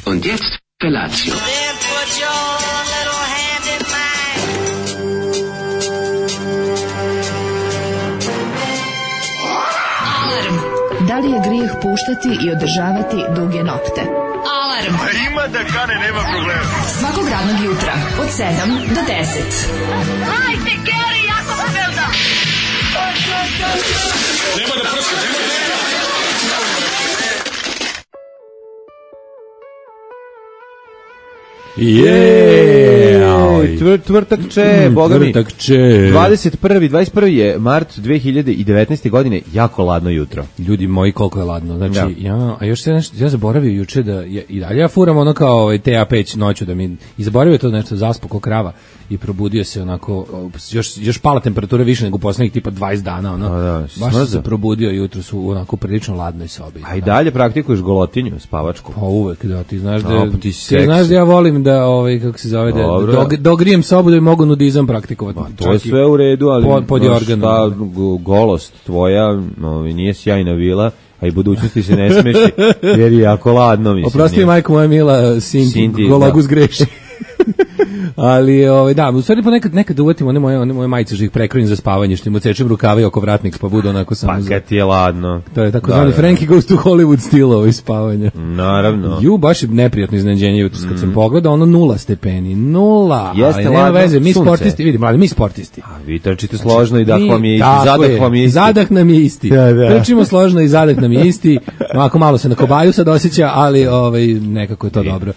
Und jetzt Felatio. Da li je grijeh puštati i održavati duge nokte? Alarm! A ima da kane, nema problema. Svakog radnog jutra, od 7 do 10. Hajde, Geri, jako se velda! Nema da prska, nema da... Tvrtakče, boga mi. 21. je mart 2019. godine, jako ladno jutro. Ljudi moji, koliko je ladno. Znači, a još se nešto, ja zaboravio juče da i dalje ja furam ono kao TA peć noću da mi i zaboravio to nešto, zaspo ko krava i probudio se onako još pala temperatura više nego poslednjih tipa 20 dana, ono. Baš sam se probudio jutro su onako prilično ladnoj sobi. A i dalje praktikuješ golotinju, spavačku. Pa uvek, da, ti znaš da ti znaš da ja volim da kako se zove da dogrijem sobu da bi mogu nudizam praktikovati. Pa, to je sve u redu, ali pod ta golost tvoja nije sjajna vila, a i budućnosti se ne smeši, jer je jako ladno, mislim. Oprosti, majko moja mila, Sinti Gologus greši. Ali da, u stvari nekad uvatim one moje majice što ih prekrojim za spavanje, što im odsečem rukave oko vratnik pa budu onako samo pa kad ti je ladno. To je tako zvani Frankie Goes to Hollywood stil spavanja. Naravno. Baš je neprijatno iznenađenje jutros kad sam pogledao, 0 stepeni, 0. Jeste, ali nema veze, mi sportisti, vidi, mladi, mi sportisti. A vi trčite složno i dah vam je isti, zadah vam je isti. Zadah nam je isti. Trčimo složno i zadah nam je isti. Ovako malo se na kobaju sad osjeća, ali nekako je to dobro.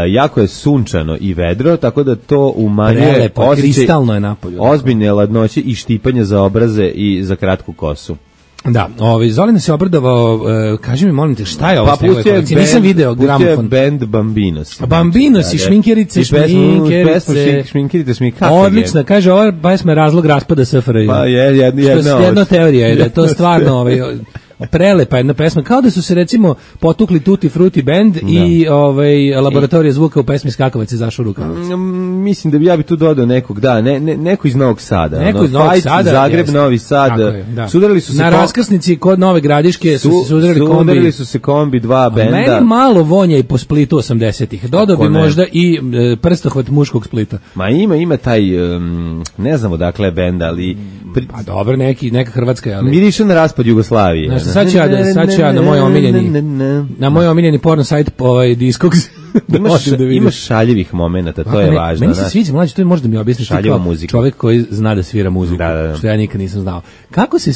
Jako je sunčano i vedro, tako da to umanjuje kristalno je napolju. Ozbiljne ladnoće i štipanje za obraze i za kratku kosu. Da, Zolina se obradovao, kaži mi, molim te, šta je ovo? Pa nisam video gramofon. Band Bambinos. Bambinos i šminkerice, šminkerice, odlična, kaže, ova pesma je razlog raspada SFRJ. Pa jedna teorija je da je to stvarno prelepa jedna pesma, kao da su se recimo potukli Tutti Frutti band i laboratorija zvuka u pesmi Skakavac je zašao rukavac. Mislim da bi ja tu dodao nekog, neko iz Novog Sada. Neko iz Novog Sada. Zagreb, Novi Sad. Sudarili su se na raskrsnici kod Nove Gradiške sudarili su se kombi dva benda. Meni malo vonja i po Splitu 80-ih. Dodao bi možda i prstohvat muškog Splita. Ma ima taj, ne znamo dakle benda, ali... Pa dobro, neka hrvatska, ali... Miriše na raspad Jugoslavije. Sad ću ja na moj omiljeni porno sajt Discogs. Imaš šaljivih momenata, to je važno. Meni se sviđa, mlađe, to možda mi objasniš čovjek koji zna da svira muziku, što ja nikad nisam znao. Kako se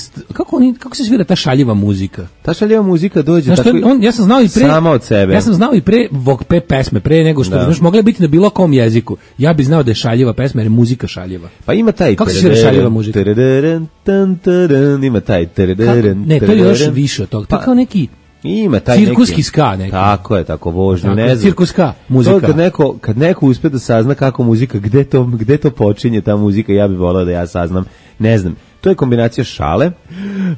svira ta šaljiva muzika? Ta šaljiva muzika dođe tako ja sam znao i pre, sama od sebe. Ja sam znao i pre pesme, pre nego što, znaš, mogla biti na bilo kom jeziku. Ja bih znao da je šaljiva pesma, jer je muzika šaljiva. Pa ima taj... Kako se svira šaljiva muzika? Ima taj... Ne, to je još više od toga. To je kao neki... Ima taj cirkuski ska neki. Tako je, tako vožnju, ne znam. Cirkuska muzika. Kad neko uspe da sazna kako muzika, gde to počinje ta muzika, ja bih volao da ja saznam. Ne znam. To je kombinacija šale,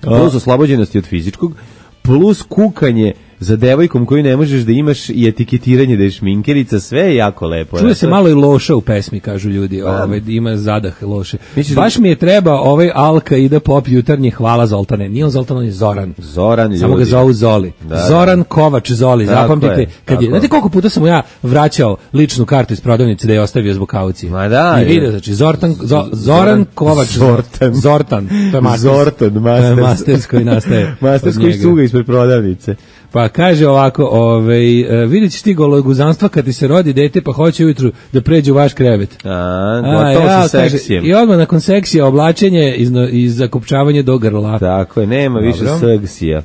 plus oslobođenosti od fizičkog, plus kukanje za devojkom koju ne možeš da imaš i etiketiranje da je šminkerica, sve je jako lepo. Čuje se malo i loša u pesmi, kažu ljudi, ima zadah loše. Baš mi je treba Alka ide pop jutarnji, hvala Zoltane. Nije on Zoltan, on je Zoran. Samo ga zovu Zoli. Zoran Kovač Zoli, zapamtite. Znate koliko puta sam mu ja vraćao ličnu kartu iz prodavnice da je ostavio zbog kaucije. Ma da. I vidio, znači, Zoran Kovač Zortan. To je Masters koji nastaje. Masters koji suga ispred prodavnice. Pa kaže ovako, vidjet ćeš ti gologuzanstva kad ti se rodi dete pa hoće ujutru da pređe u vaš krevet. Gotovo sa seksijem. I odmah nakon seksija oblačenje i zakopčavanje do grla. Tako je, nema više seksija.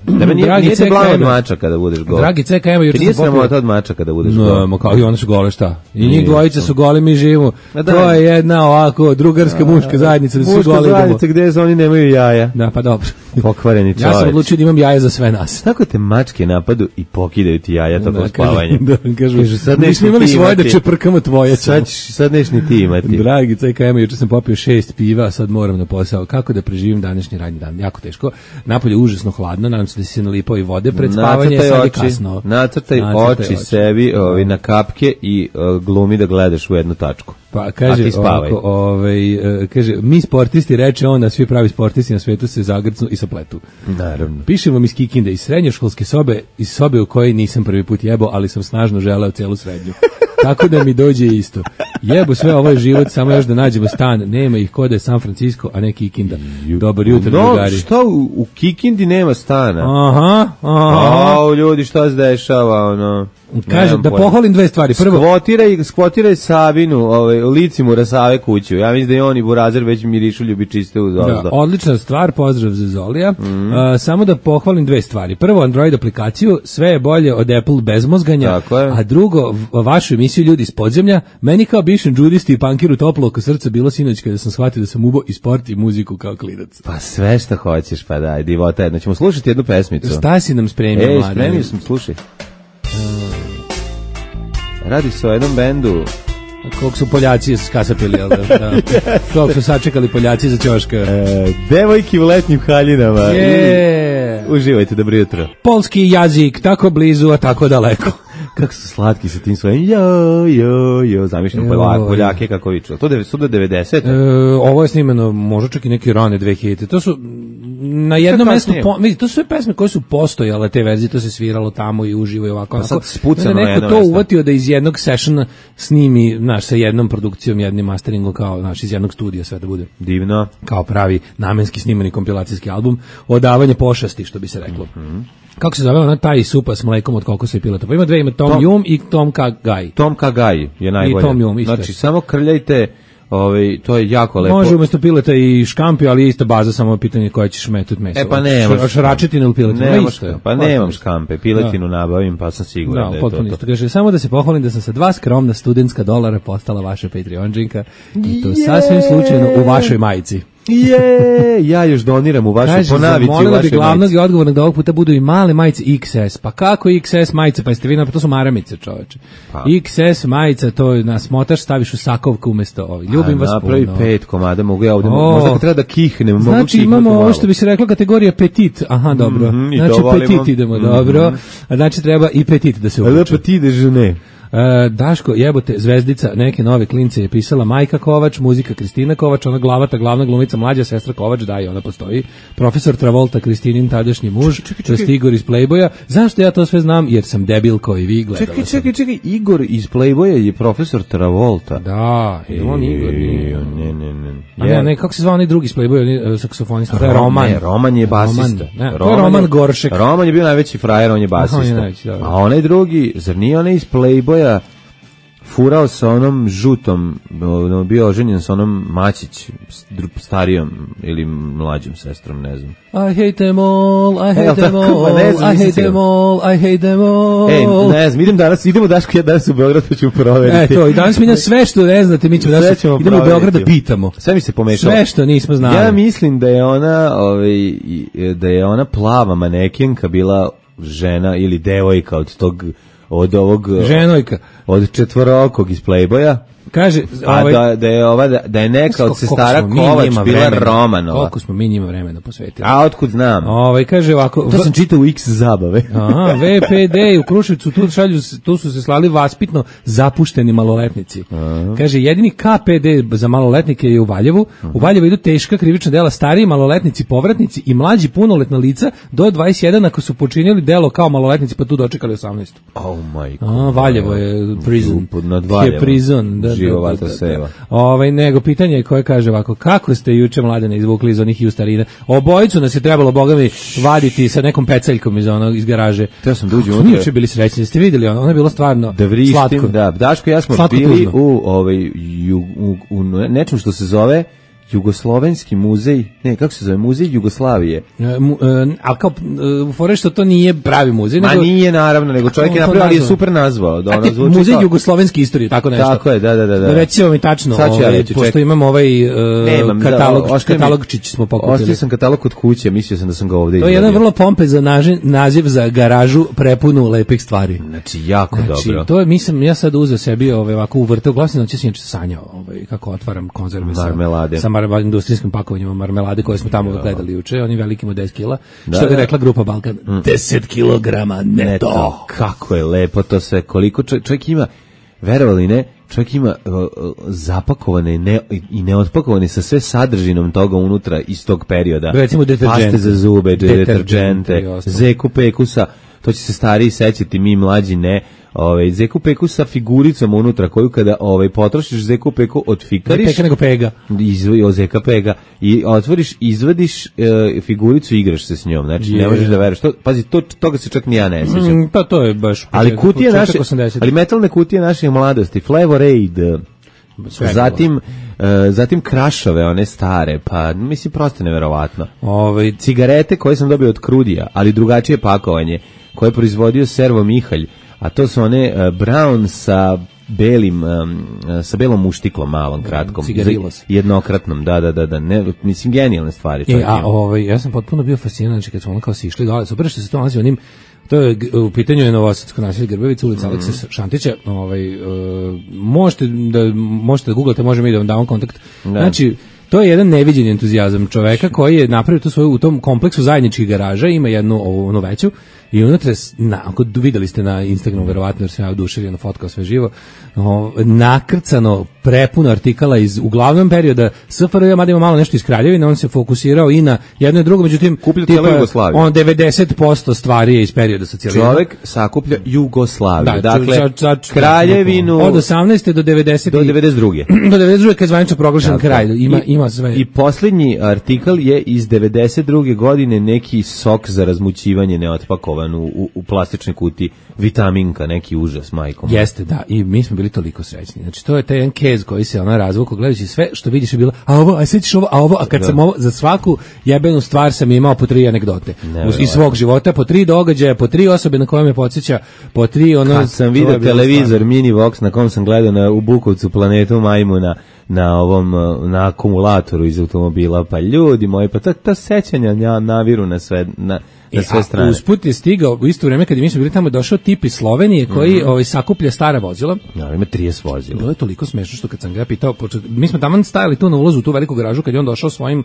Nije te blama od mača kada budeš gol. Dragi CK, evo juče sam popio. Nije samo od mača kada budeš gol. No, kao i one su gole, šta? I njih dvojica su goli, mi živimo. To je jedna ovako drugarska muška zajednica da su goli. Muška zajednica gde oni nemaju jaja. Da, pa dobro. Pokvareni čovjek. Ja sam odlučio da imam jaja za sve nas. Tako te mačke napadu i pokidaju ti jaja tokom spavanja. Kažu, sad nismo imali svoje da čeprkamo tvoje. Sad neš ni ti imati. Dragi CKM, juče sam popio 6 piva, sad moram na posao. Kako da preživim današnji radni dan? Jako teško. Napolje užasno hladno, nadam se da si se nalipao i vode pred spavanje, sad je kasno. Nacrtaj oči sebi na kapke i glumi da gledaš u jednu tačku. Pa kaže ovako, kaže mi sportisti, reče on, a svi pravi sportisti na svetu se zagrcnu i sapletu. Naravno. Pišem vam iz Kikinde, iz srednjoškolske sobe, iz sobe u kojoj nisam prvi put jebao, ali sam snažno želeo celu srednju. Tako da mi dođe isto. Jebo sve, ovo je život, samo još da nađemo stan. Nema ih kod je San Francisco, a ne Kikinda. Dobar jutro, drugari. Što u Kikindi nema stana? Aha. Ljudi, šta se dešava, ono? Kaže, da pohvalim dve stvari. Prvo, skvotiraj Sabinu, lici mu rasave kuću. Ja mislim da i on i Burazer već mirišu ljubičiste uz ozdo. Da, odlična stvar, pozdrav za Zolija. Samo da pohvalim dve stvari. Prvo, Android aplikaciju, sve je bolje od Apple bez mozganja. A drugo, vašu emisiju Ljudi iz podzemlja, meni kao bivšem džudisti i pankiru toplo oko srca bilo sinoć kada sam shvatio da sam ubao i sport i muziku kao klinac. Pa sve što hoćeš, pa daj, divota jedna. Ćemo slušati jednu pesmicu. Šta si nam spremio, mlade? Spremio sam, slušaj. Radi se o jednom bendu. Koliko su Poljaci skasapili, jel da? Koliko su sačekali Poljaci za ćoška. Devojki u letnjim haljinama. Uživajte, dobro jutro. Polski jezik, tako blizu, a tako daleko. Kako su slatki sa tim svojim zamišljam Poljake kako viču. To su do 90. Ovo je snimeno možda čak i neke rane 2000. To su na jednom mestu, vidite, to su sve pesme koje su postojale, te verzije, to se sviralo tamo i uživo i ovako. Pa sad spucano neko to mesto uvatio da iz jednog sessiona snimi, znaš, sa jednom produkcijom, jednim masteringom, kao, znaš, iz jednog studija sve da bude. Divno. Kao pravi namenski snimani kompilacijski album, odavanje pošasti, što bi se reklo. Kako se zove ona taj supa s mlekom od kokosa i pileta? Pa ima dve, ima Tom Yum i Tom Kha Gai. Tom Kha Gai je najbolje. I Tom Yum, isto. Znači, samo krljajte, to je jako lepo. Može umjesto pileta i škampi, ali je isto baza, samo pitanje koja ćeš metati meso. Pa nemaš. Šračetinu ili piletinu? Pa nemam škampe, piletinu nabavim, pa sam siguran da je to. Isto. Kaže, samo da se pohvalim da sam sa 2 skromna studentska dolara postala vaša Patreonđinka i to sasvim slučajno u vašoj majici. Ja još doniram u vašu ponavici u vašoj majici. Zamolila bi glavnog i odgovornog da ovog puta budu i male majice XS. Pa kako XS majice? Pa jeste vi, pa to su maramice, čoveče. XS majica, to nas motaš, staviš u sakovku umjesto ovih. Ljubim vas puno. Napravi 5 komada, mogu ja ovdje, možda kad treba da kihnem. Znači imamo ovo što bi se rekla kategorija petit. Aha, dobro. Znači petit idemo, dobro. Znači treba i petit da se uvuče. Petit déjeuner. Daško, jebote, zvezdica neke nove klince je pisala Majka Kovač, muzika Kristina Kovač, ona glavata, glavna glumica, mlađa sestra Kovač, da i ona postoji. Profesor Travolta, Kristinin tadašnji muž, to je Igor iz Playboya. Zašto ja to sve znam? Jer sam debil kao i vi, gledala sam. Čekaj, Igor iz Playboya je profesor Travolta. Da, je on Igor. Ne, kako se zvao onaj drugi iz Playboya, saksofonista? To je Roman. Ne, Roman je basista. To je Roman Goršek. Roman je bio najveći frajer, on je basista. A onaj drugi, zar nije onaj iz Playboya furao sa onom žutom, bio oženjen sa onom Mačić, starijom ili mlađom sestrom, ne znam. I hate them all, I hate them all, I hate them all, I hate them all. Ne znam, idemo Daško, ja danas u Beograd pa ćemo proveriti. I danas mi sve što ne znate, mi ćemo danas, idemo u Beograd da pitamo. Sve mi se pomešalo. Sve što nismo znali. Ja mislim da je ona plava manekenka bila žena ili devojka od ovog ženojka od četvorokog iz Playboya. Kaže, da je neka od sestara Kovač bila Romanova. Koliko smo mi njima vremena posvetili. A otkud znam? Kaže ovako, to sam čitao u X zabave. Aha, VPD u Kruševcu tu su se slali vaspitno zapušteni maloletnici. Kaže, jedini KPD za maloletnike je u Valjevu. U Valjevu idu teška krivična dela, stariji maloletnici, povratnici i mlađi punoletna lica do 21 ako su počinili delo kao maloletnici pa tu dočekali 18. Oh my god. Valjevo je prison. Nad Valjevom. Je prison. Živovata seva. Nego pitanje koje kaže ovako, kako ste juče mladene izvukli iz onih justarina? Obojicu nas je trebalo, boga mi, vaditi sa nekom peceljkom iz garaže. Teo sam da uđem unutra. Juče bili srećni, ste vidjeli, ono je bilo stvarno slatko. Da, Daško i ja smo bili u nečem što se zove Jugoslovenski muzej, kako se zove, muzej Jugoslavije. A kao, fore što to nije pravi muzej. Nije naravno, nego čovjek je napravio, ali je super nazvao. Muzej Jugoslovenske istorije, tako nešto. Tako je, da. Recimo mi tačno, pošto imamo ovaj katalogčić smo pokupili. Ostavio sam katalog kod kuće, mislio sam da sam ga ovdje izvadio. To je jedan vrlo pompezan naziv za garažu prepunu lepih stvari. Znači, jako dobro. To je, ja sad uzeo sebi ovako uvrteo glasno, znači sam sanjao kako otvaram konzerve sa industrijskim pakovanjima marmelade koje smo tamo gledali juče, oni veliki od 10 kila, što bi rekla grupa Balkan, 10 kilograma neto. Kako je lepo to sve, koliko čovjek ima. verovali ne, čovjek ima zapakovane i neotpakovane sa sve sadržinom toga unutra iz tog perioda. Recimo paste za zube, deterđente, zeku pekusa, to će se stariji sećati, mi mlađi ne. Zeku peku sa figuricom unutra koju kada potrošiš zeku peku otfikariš. Peka nego pega. Zeka pega. I otvoriš, izvadiš figuricu i igraš se s njom. Znači ne možeš da veruješ. Pazi, toga se čak ni ja ne sećam. Pa to je baš. Ali kutije naše, ali metalne kutije naše mladosti, Flavor Aid, zatim krašove, one stare, pa mislim prosto neverovatno. Cigarete koje sam dobio od Krudija, ali drugačije pakovanje, koje je proizvodio Servo Mihalj, a to su one Brown sa belom muštiklom malom, kratkom. Cigarilos. Jednokratnom, da. Ne, mislim, genijalne stvari. Ja sam potpuno bio fasciniran, znači kad smo ono kao si išli dole, super što se to nalazi onim, to je u pitanju je Novosadsko naselje Grbavica, ulica Alekse Šantića, možete da googlate, možemo i da vam damo kontakt. Znači, to je jedan neviđen entuzijazam čoveka koji je napravio to svoju u tom kompleksu zajedničkih garaža, ima jednu veću i unutra, ako videli ste na Instagramu verovatno jer sam ja oduševljeno fotkao sve živo, nakrcano prepuno artikala iz uglavnom perioda SFRJ, mada ima malo nešto iz Kraljevine, on se fokusirao i na jedno i drugo, međutim on 90% stvari je iz perioda socijalizma. Čovek sakuplja Jugoslaviju, dakle Kraljevinu od 18. do 90. do 92. do 92. kad je zvanično proglašen kralj, ima sve. I posljednji artikal je iz 92. godine, neki sok za razmućivanje neotpakovan u plastičnoj kutiji, vitaminka, neki užas, majkom. Jeste, da, i mi smo bili toliko srećni. Znači, to je taj jedan kez koji se razvukao, gledajući sve što vidiš je bilo, a kad sam ovo, za svaku jebenu stvar sam imao po 3 anegdote. Iz svog života, po 3 događaja, po 3 osobe na koje me podsjeća, po 3 ono... Kad sam vidio televizor, mini vox, na kom sam gledao u Bukovcu planetu majmuna, na akumulatoru iz automobila, pa ljudi moji, pa ta sećanja naviru na sve, na sve strane. Usput je stigao u isto vrijeme kad mi smo bili tamo, došao tip iz Slovenije koji sakuplja stara vozila. Ja, ima 30 vozila. Bilo je toliko smešno što kad sam ga pitao, mi smo tamo stajali tu na ulazu u tu veliku garažu kad je on došao svojim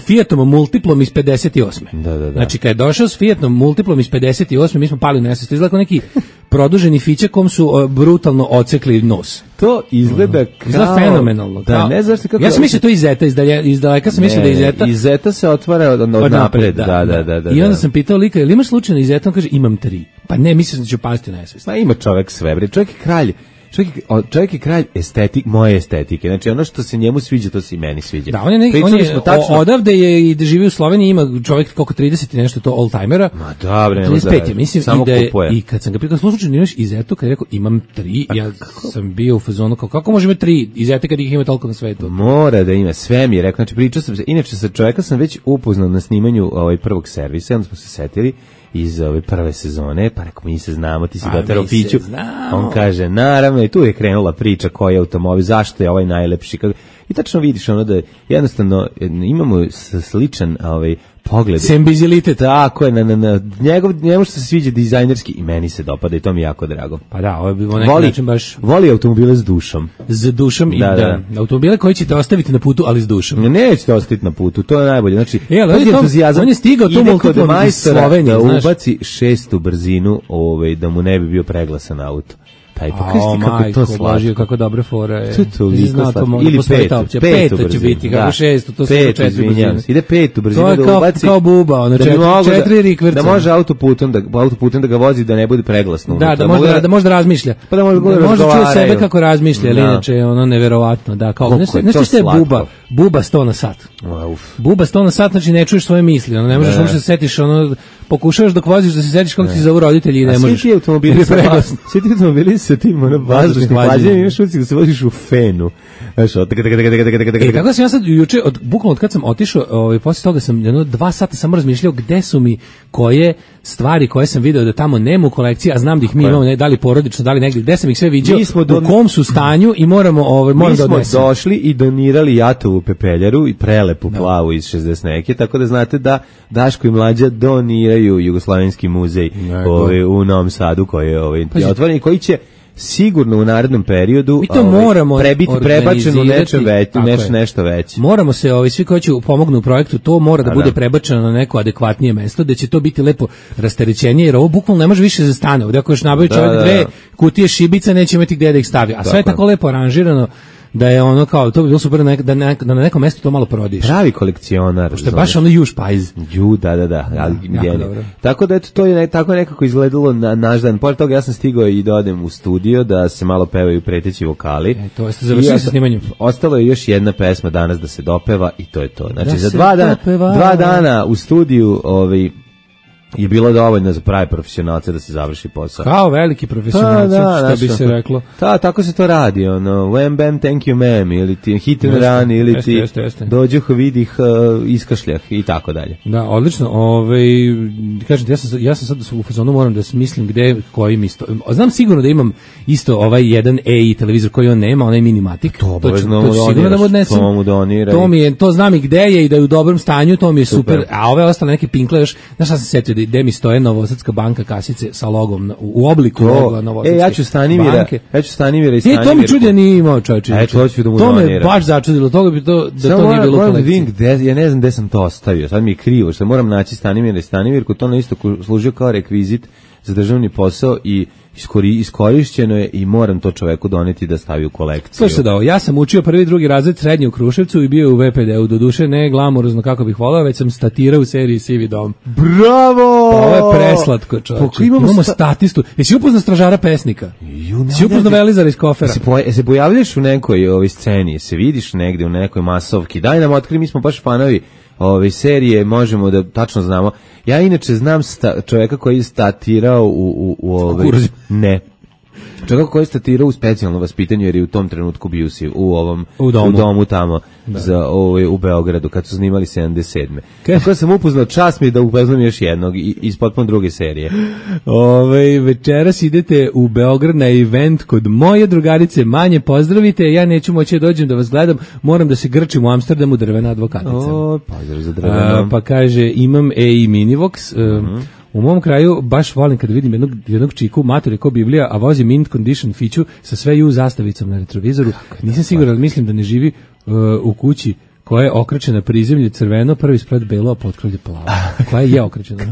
Fiatom Multiplom iz 58. Da. Znači kad je došao s Fiatom Multiplom iz 58, mi smo pali u nesvest. Izgleda kao neki produženi fiće kom su brutalno ocekli nos. To izgleda kao fenomenalno. Da, ne znaš kako. Ja sam mislio to iz Zeta, iz daleka sam mislio da je iz Zeta. Iz Zeta se otvara od napred. Da. I onda sam pitao lika, jel imaš slučajno iz Zeta? On kaže, imam 3. Pa ne, mislim da ću pasti u nesvest. Ma ima čovek sve, bre. Čovjek je kralj. Čovjek je kralj moje estetike. Znači ono što se njemu sviđa, to se i meni sviđa. Da, on je odavde je i da živi u Sloveniji, ima čovjek koliko 30 i nešto to oldtimera. Ma dobro, 35 mislim samo kupuje. I kad sam ga pitao slučajno imaš iz Zeta, kad je rekao imam 3, ja sam bio u fazonu kako može imati 3 iz Zeta kad ih ima toliko na svetu. Mora da ima, sve mi je rekao. Znači pričao sam se, inače sa čovjeka sam već upoznao na snimanju prvog servisa, onda smo se setili iz ove prve sezone, pa rekao, mi se znamo, ti si doterao Fiću. On kaže, naravno, i tu je krenula priča koji je automobil, zašto je ovaj najlepši. I tačno vidiš ono da jednostavno imamo sličan pogled. Sembizilitet. Tako je, njemu što se sviđa dizajnerski i meni se dopada i to mi je jako drago. Pa da, ovo je bilo neki način baš... Voli automobile s dušom. S dušom i da. Automobile koji ćete ostaviti na putu, ali s dušom. Nećete ostaviti na putu, to je najbolje. Znači, on je stigao tu multiplom iz Slovenije, da ubaci 6. brzinu, da mu ne bi bio preglasan auto. Kako to slaži, kako dobra fora je. To je toliko slatko. Ili 5 će biti, kako 6, to su 4 brzine. Ide 5 brzinu da ubaci. To je kao buba, ono 4 rikverca. Da može autoputem da ga vozi, da ne bude preglasno. Da može da razmišlja. Pa da može čuje sebe kako razmišlja, ali inače je ono neverovatno. Nešto što je buba 100 na sat. Buba 100 na sat, znači ne čuješ svoje misli, ne možeš uopšte se setiš, pokušavaš dok voziš da se setiš kako ti zovu roditelji i ne možeš. Svi ti automobili sa tim vazdušnim hlađenjem, imaš ucik da se voziš u fenu. Kako sam ja sad juče, bukvalno od kad sam otišao, poslije toga sam 2 sata samo razmišljao gde su mi koje stvari koje sam video da tamo nema u kolekciji, a znam da ih mi imamo, da li porodično, da li negdje, gde sam ih sve viđao, u kom su stanju i moram da odnesem. Mi smo došli i donirali Jatovu pepeljaru i prelepu plavu iz 60 neke, tako da znate da Daško i Mlađa doniraju Jugoslavenski muzej u Novom Sadu koji je otvoren i koji će sigurno u narednom periodu mi to moramo biti prebačeno nešto veće. Moramo se svi koji će pomognu u projektu, to mora da bude prebačeno na neko adekvatnije mesto, da će to biti lepo rasterećenije, jer ovo bukvalno ne može više za stane. Ovdje ako još nabavi čovjek 2 kutije šibica, neće imati gde da ih stavi. A sve je tako lepo aranžirano da je ono kao, to bi bilo super da na nekom mestu to malo prodiš. Pravi kolekcionar. Što je baš ono juž pajz. Da. Tako da eto, to je tako nekako izgledalo na naš dan. Pored toga ja sam stigao i da odem u studio, da se malo pevaju preteći vokali. To jeste završili sa snimanjem. Ostalo je još jedna pesma danas da se dopeva i to je to. Znači, za 2 dana u studiju je bilo dovoljno za pravi profesionalce da se završi posao. Kao veliki profesionalci, što bi se reklo. Tako se to radi, ono, wham bam, thank you ma'am, ili ti hit and run, ili ti dođuh, vidih, iskašljah i tako dalje. Da, odlično. Kažem, ja sam sad u fazonu, moram da smislim gde, kojim isto. Znam sigurno da imam isto ovaj jedan EI televizor koji on nema, onaj Minimatic. To sigurno da mu odnesem. To znam i gde je i da je u dobrom stanju, to mi je super. A ove ostale neke pinkle još, znaš šta sam setio, gde mi stoje Novosadska banka kasice sa logom u obliku loga Novosadske banke. Ja ću Stanimira i Stanimir. To mi čudi da nije imao, čovječe. To me baš začudilo, da to nije bilo u kolekciji. Ja ne znam gde sam to ostavio, sad mi je krivo, što moram naći Stanimira i Stanimir, to na isto služio kao rekvizit za državni posao i iskorišćeno je i moram to čoveku doneti da stavi u kolekciju. Slušaj da, ja sam učio 1. i 2. razred srednje u Kruševcu i bio u VPD-u, doduše ne glamurozno kako bih volao, već sam statirao u seriji Sivi dom. Bravo! Pa ovo je preslatko, čovječe. Imamo statistu. Jesi upoznao stražara pesnika? Jesi upoznao Velizara iz Kofera? Se pojavljaš u nekoj sceni, se vidiš negde u nekoj masovki, daj nam otkri, mi smo baš fanovi ove serije, možemo da tačno znamo. Ja inače znam čovjeka koji je statirao ne. Čovjek koji je statirao u specijalno vaspitanju jer je u tom trenutku bio u domu tamo u Beogradu kad su snimali 77. Tako sam upoznao, čast mi da upoznam još jednog iz potpuno druge serije. Večeras idete u Beograd na event kod moje drugarice, manje pozdravite, ja neću moći da dođem da vas gledam, moram da se grčim u Amsterdamu, drvena advokatica. Pozdrav za drvenom. Pa kaže, imam EI Minivox, u mom kraju baš volim kada vidim jednog čiku, mater je ko Biblija, a vozi mint condition fiću sa sve zastavicom na retrovizoru. Nisam siguran, ali mislim da ne živi u kući koja je okrećena prizemlje crveno, prvi splet belo, a potkrovlje plavo. Koja je okrećena?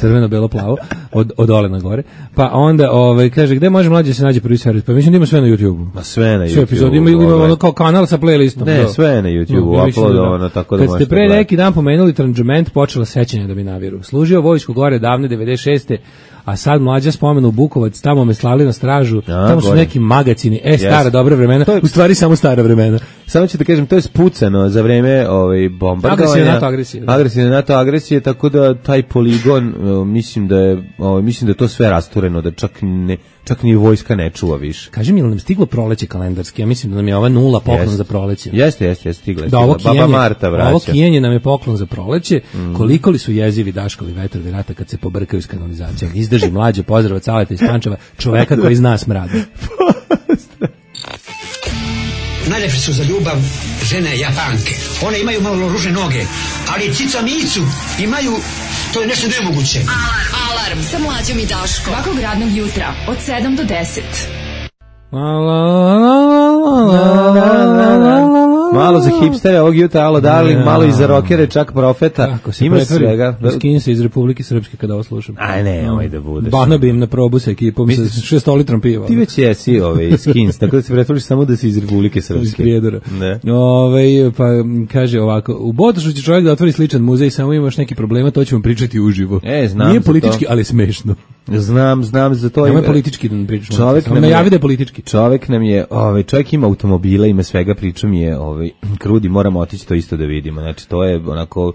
Crveno, belo, plavo, od dole na gore. Pa onda kaže, gde može mlađe se nađe prvi servis? Pa mislim da ima sve na YouTube-u. Ma sve na YouTube-u. Sve epizode, ima ono kao kanal sa playlistom. Ne, sve na YouTube-u, uploadovano, tako da možete. Kad ste pre neki dan pomenuli Tranžement, počela sećanja da mi naviru. Služio vojsku gore davne 96. A sad mlađa spomenu Bukovac, tamo me slali na stražu, tamo su neki magacini, stara dobra vremena, u stvari samo stara vremena. Samo ću da kažem, to je spucano za vreme bombardovanja. Agresivne NATO agresije, tako da taj poligon, mislim da je to sve rastureno, da čak ni vojska ne čuva više. Kaži mi, ili nam stiglo proleće kalendarski? Ja mislim da nam je ova 0 poklon za proleće. Jeste, stigla. Baba Marta vraća. Ovo kijenje nam je poklon za proleće. Koliko li su jezivi Daškovi vetrovi rata kad se pobrkaju s kanalizacijom? Izdrži mlađe, pozdrav od Saleta iz Pančeva, čoveka koji zna smrad. Najlepše su za ljubav žene Japanke. One imaju malo ružne noge, ali cica Micu imaju, to je nešto nemoguće. Alarm sa Mlađom i Daškom. Svakog radnog jutra od 7 do 10. Malo za hipstere ovog jutra, alo darling, malo i za rokere, čak profeta. Ima svega. Skin se iz Republike Srpske kada ovo slušam. Aj ne, ovaj da budeš. Bano bi im na probu sa ekipom sa 6 litrom piva. Ti već jesi skins, tako da se pretvoriš samo da si iz Republike Srpske. Iz Prijedora. Pa kaže ovako, u Botošu će čovjek da otvori sličan muzej, samo imaš neki problema, to ćemo pričati uživo. Znam. Nije politički, ali smešno. Znam za to. Nema politički da pričamo. Čovjek nam je, čovjek ima automobile, ima svega, pričam je, krudi, moramo otići to isto da vidimo. Znači, to je onako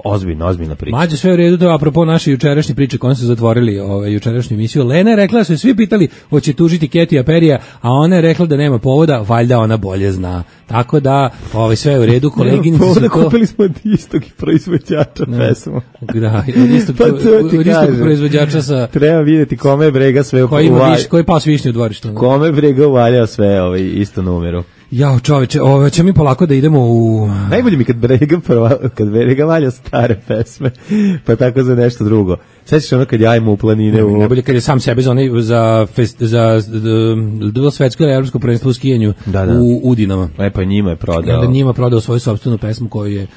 ozbiljna priča. Mađe, sve u redu, to je apropo naše jučerašnje priče koje su zatvorili jučerašnju emisiju. Lena je rekla da su svi pitali hoće tužiti Ketija Perija, a ona je rekla da nema povoda, valjda ona bolje zna. Tako da, sve u redu, koleginice su to... Kupili smo od istog proizvođača pesmu. Da, od istog proizvođača sa... Treba vidjeti kome je brega sve uvaljao. Koji pas višnje u dvorištu. Kome je brega uvaljao sve isto numeru. Jao, čoveče, će mi polako da idemo u... Najbolje mi kad Brega valja stare pesme, pa tako za nešto drugo. Sećaš ono kad jajemo u planine... Najbolje kad je sam sebe za svetsko ili evropsko prvenstvo u skijanju u Udinama. Pa njima je prodao. Njima prodao svoju sopstvenu pesmu koju je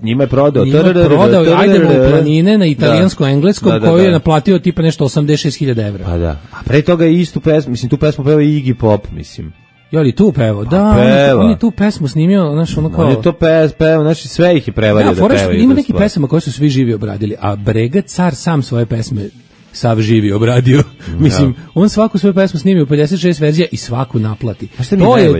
Njima je prodao. Ajdemo u planine na italijansko-engleskom koju je naplatio tipa nešto 86.000 evra. Pa da. A pre toga je istu pesmu, mislim, tu pesmu pevao i Iggy Pop, mislim. Je li tu pevao? Da, on je tu pesmu snimio, znaš, ono kao... On je to pevao, znači sve ih je prevario da pevaju. Ima neki pesama koje su svi živi obradili, a Brega car sam svoje pesme sav živi obradio. Mislim, on svaku svoju pesmu snimio u 56 verzija i svaku naplati.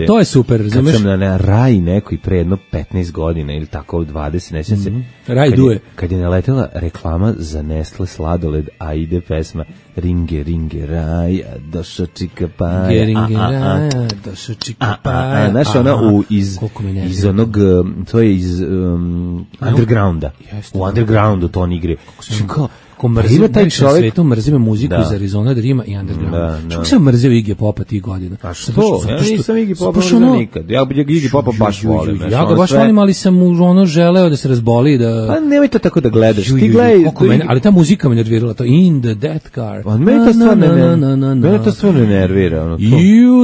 To je super, razumeš? Kad sam na Raji nekoj pre jedno 15 godina ili tako 20, ne sjećam se. Raj duje. Kad je naletela reklama za Nestle sladoled, a ide pesma Ringe, ringe, raja, došo čika paja. Ringe, raja, došo čika paja. Znaš, ona iz onog, to je iz undergrounda. U undergroundu to on igre. Ko mrzim, taj čovjek svetu mrzime muziku iz Arizona, Drima i underground. Što sam mrzio Iggy Popa tih godina? A što? Ja nisam Iggy Popa mrzio nikad. Ja Iggy Popa baš volim. Ja ga baš volim, ali sam mu želeo da se razboli. Pa nemoj to tako da gledaš. Ti gledaj. Ali ta muzika me nervirala, to In the Death Car. Mene to stvarno ne nervira.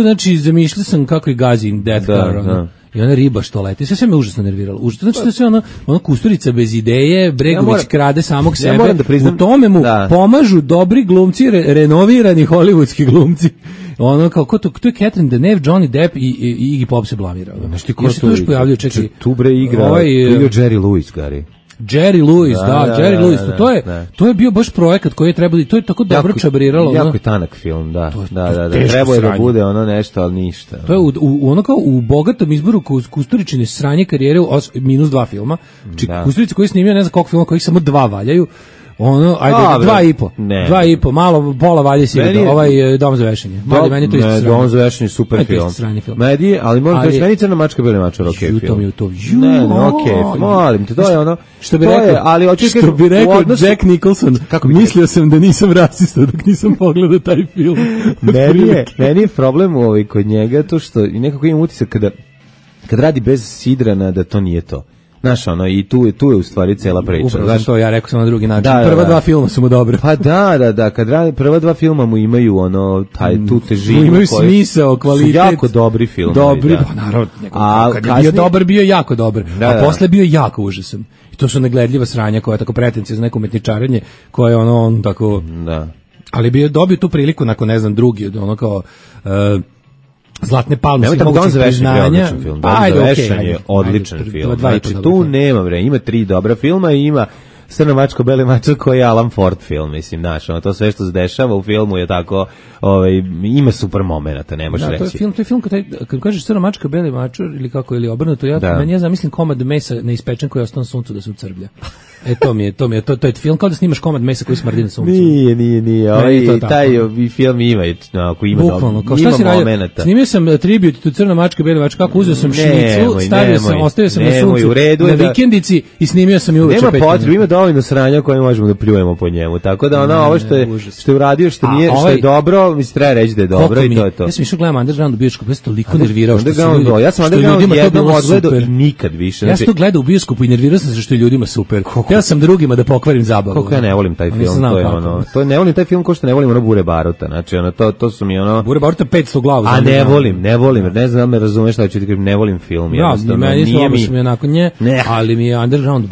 Znači, zamišljao sam kako je gazi In Death Car. I ona riba što leti, sve me užasno nerviralo. Znači da sve ono Kusturica bez ideje, Bregović krade samog sebe. U tome mu pomažu dobri glumci, renovirani hollywoodski glumci. Ono kao to je Catherine Deneuve, Johnny Depp i Iggy Pop se blamirao. Znači ko se tu još pojavljaju, čekaj. Tu bre igra Jerry Lewis, Gary. Jerry Lewis, Jerry Lewis, to je bio baš projekat koji je trebalo, to je tako dobro čabriralo. Jako je tanak film, da. Trebao je da bude ono nešto, ali ništa. To je ono kao u bogatom izboru Kusturičine sranje karijere -2 filma. Kusturica koji je snimio ne znam koliko filma, kojih samo 2 valjaju. Ono, ajde, 2,5, malo, pola valje si ovaj Dom za vešanje. Meni to isto Dom za vešanje, super film. Medi, ali moram da meni Crna mačka beli mačar, okej film. Ne, okej, molim te, to je ono, što bi rekao Jack Nicholson, mislio sam da nisam rasista dok nisam pogledao taj film. Meni je problem kod njega to što nekako imam utisak kad radi bez sidrana da to nije to. Znaš, ono, i tu je u stvari cela priča. Upravo što ja rekao sam na drugi način. Prva 2 filma su mu dobre. Pa da, kad radi prva 2 filma mu imaju tu težinu. Imaju smisao, kvalitet. Su jako dobri filmovi. Dobri, pa naravno. Kad je bio dobar, bio jako dobar. A posle bio jako užasan. I to su negledljiva sranja koja je tako pretencija za neko umetničarenje, koja je on tako... Da. Ali dobio tu priliku nakon, ne znam, drugi, ono kao... Zlatne palme svih mogućih priznanja. Dom za vešanje je odličan film. Znači, tu nema vremena. Ima 3 dobra filma i ima Crna mačka, beli mačak koji je Alan Ford film, mislim, znaš, to sve što se dešava u filmu je tako, ima super momenata, ne možeš reći. To je film kad kažeš Crna mačka, beli mačak ili kako, ili obrnuto, ja zamislim komad mesa neispečen koji je ostao na suncu da se ucrblja. To je film kao da snimaš komad mesa koji smrdi na suncu. Nije. Taj film ima momenata. Snimio sam tribut tu Crna mačka, beli mačak, kako uzeo sam šnicu, ostavio sam na suncu na vikendici i snimio sam i uveče 5 minuta. Ima dovoljno sranja koje možemo da pljujemo po njemu, tako da ovo što je uradio, što nije, što je dobro, mislim, treba reći da je dobro i to je to. Ja sam išao gledam Underground u bioskopu, ja sam toliko nervirao ja sam Underground jednom odgledao i nikad više. Ja sam to gledao u bioskopu i nervirao sam se što je ljudima super. Ja sam drugima da pokvarim zabavu. Koliko ja ne volim taj film, to je ne volim taj film kao što ne volim Bure Baruta, znači to su mi Bure Baruta 500 glavu. A ne volim, ne znam me razumeš šta ću ti kažem, ne volim film, jednostavno. Nije mi onako ali mi je Underground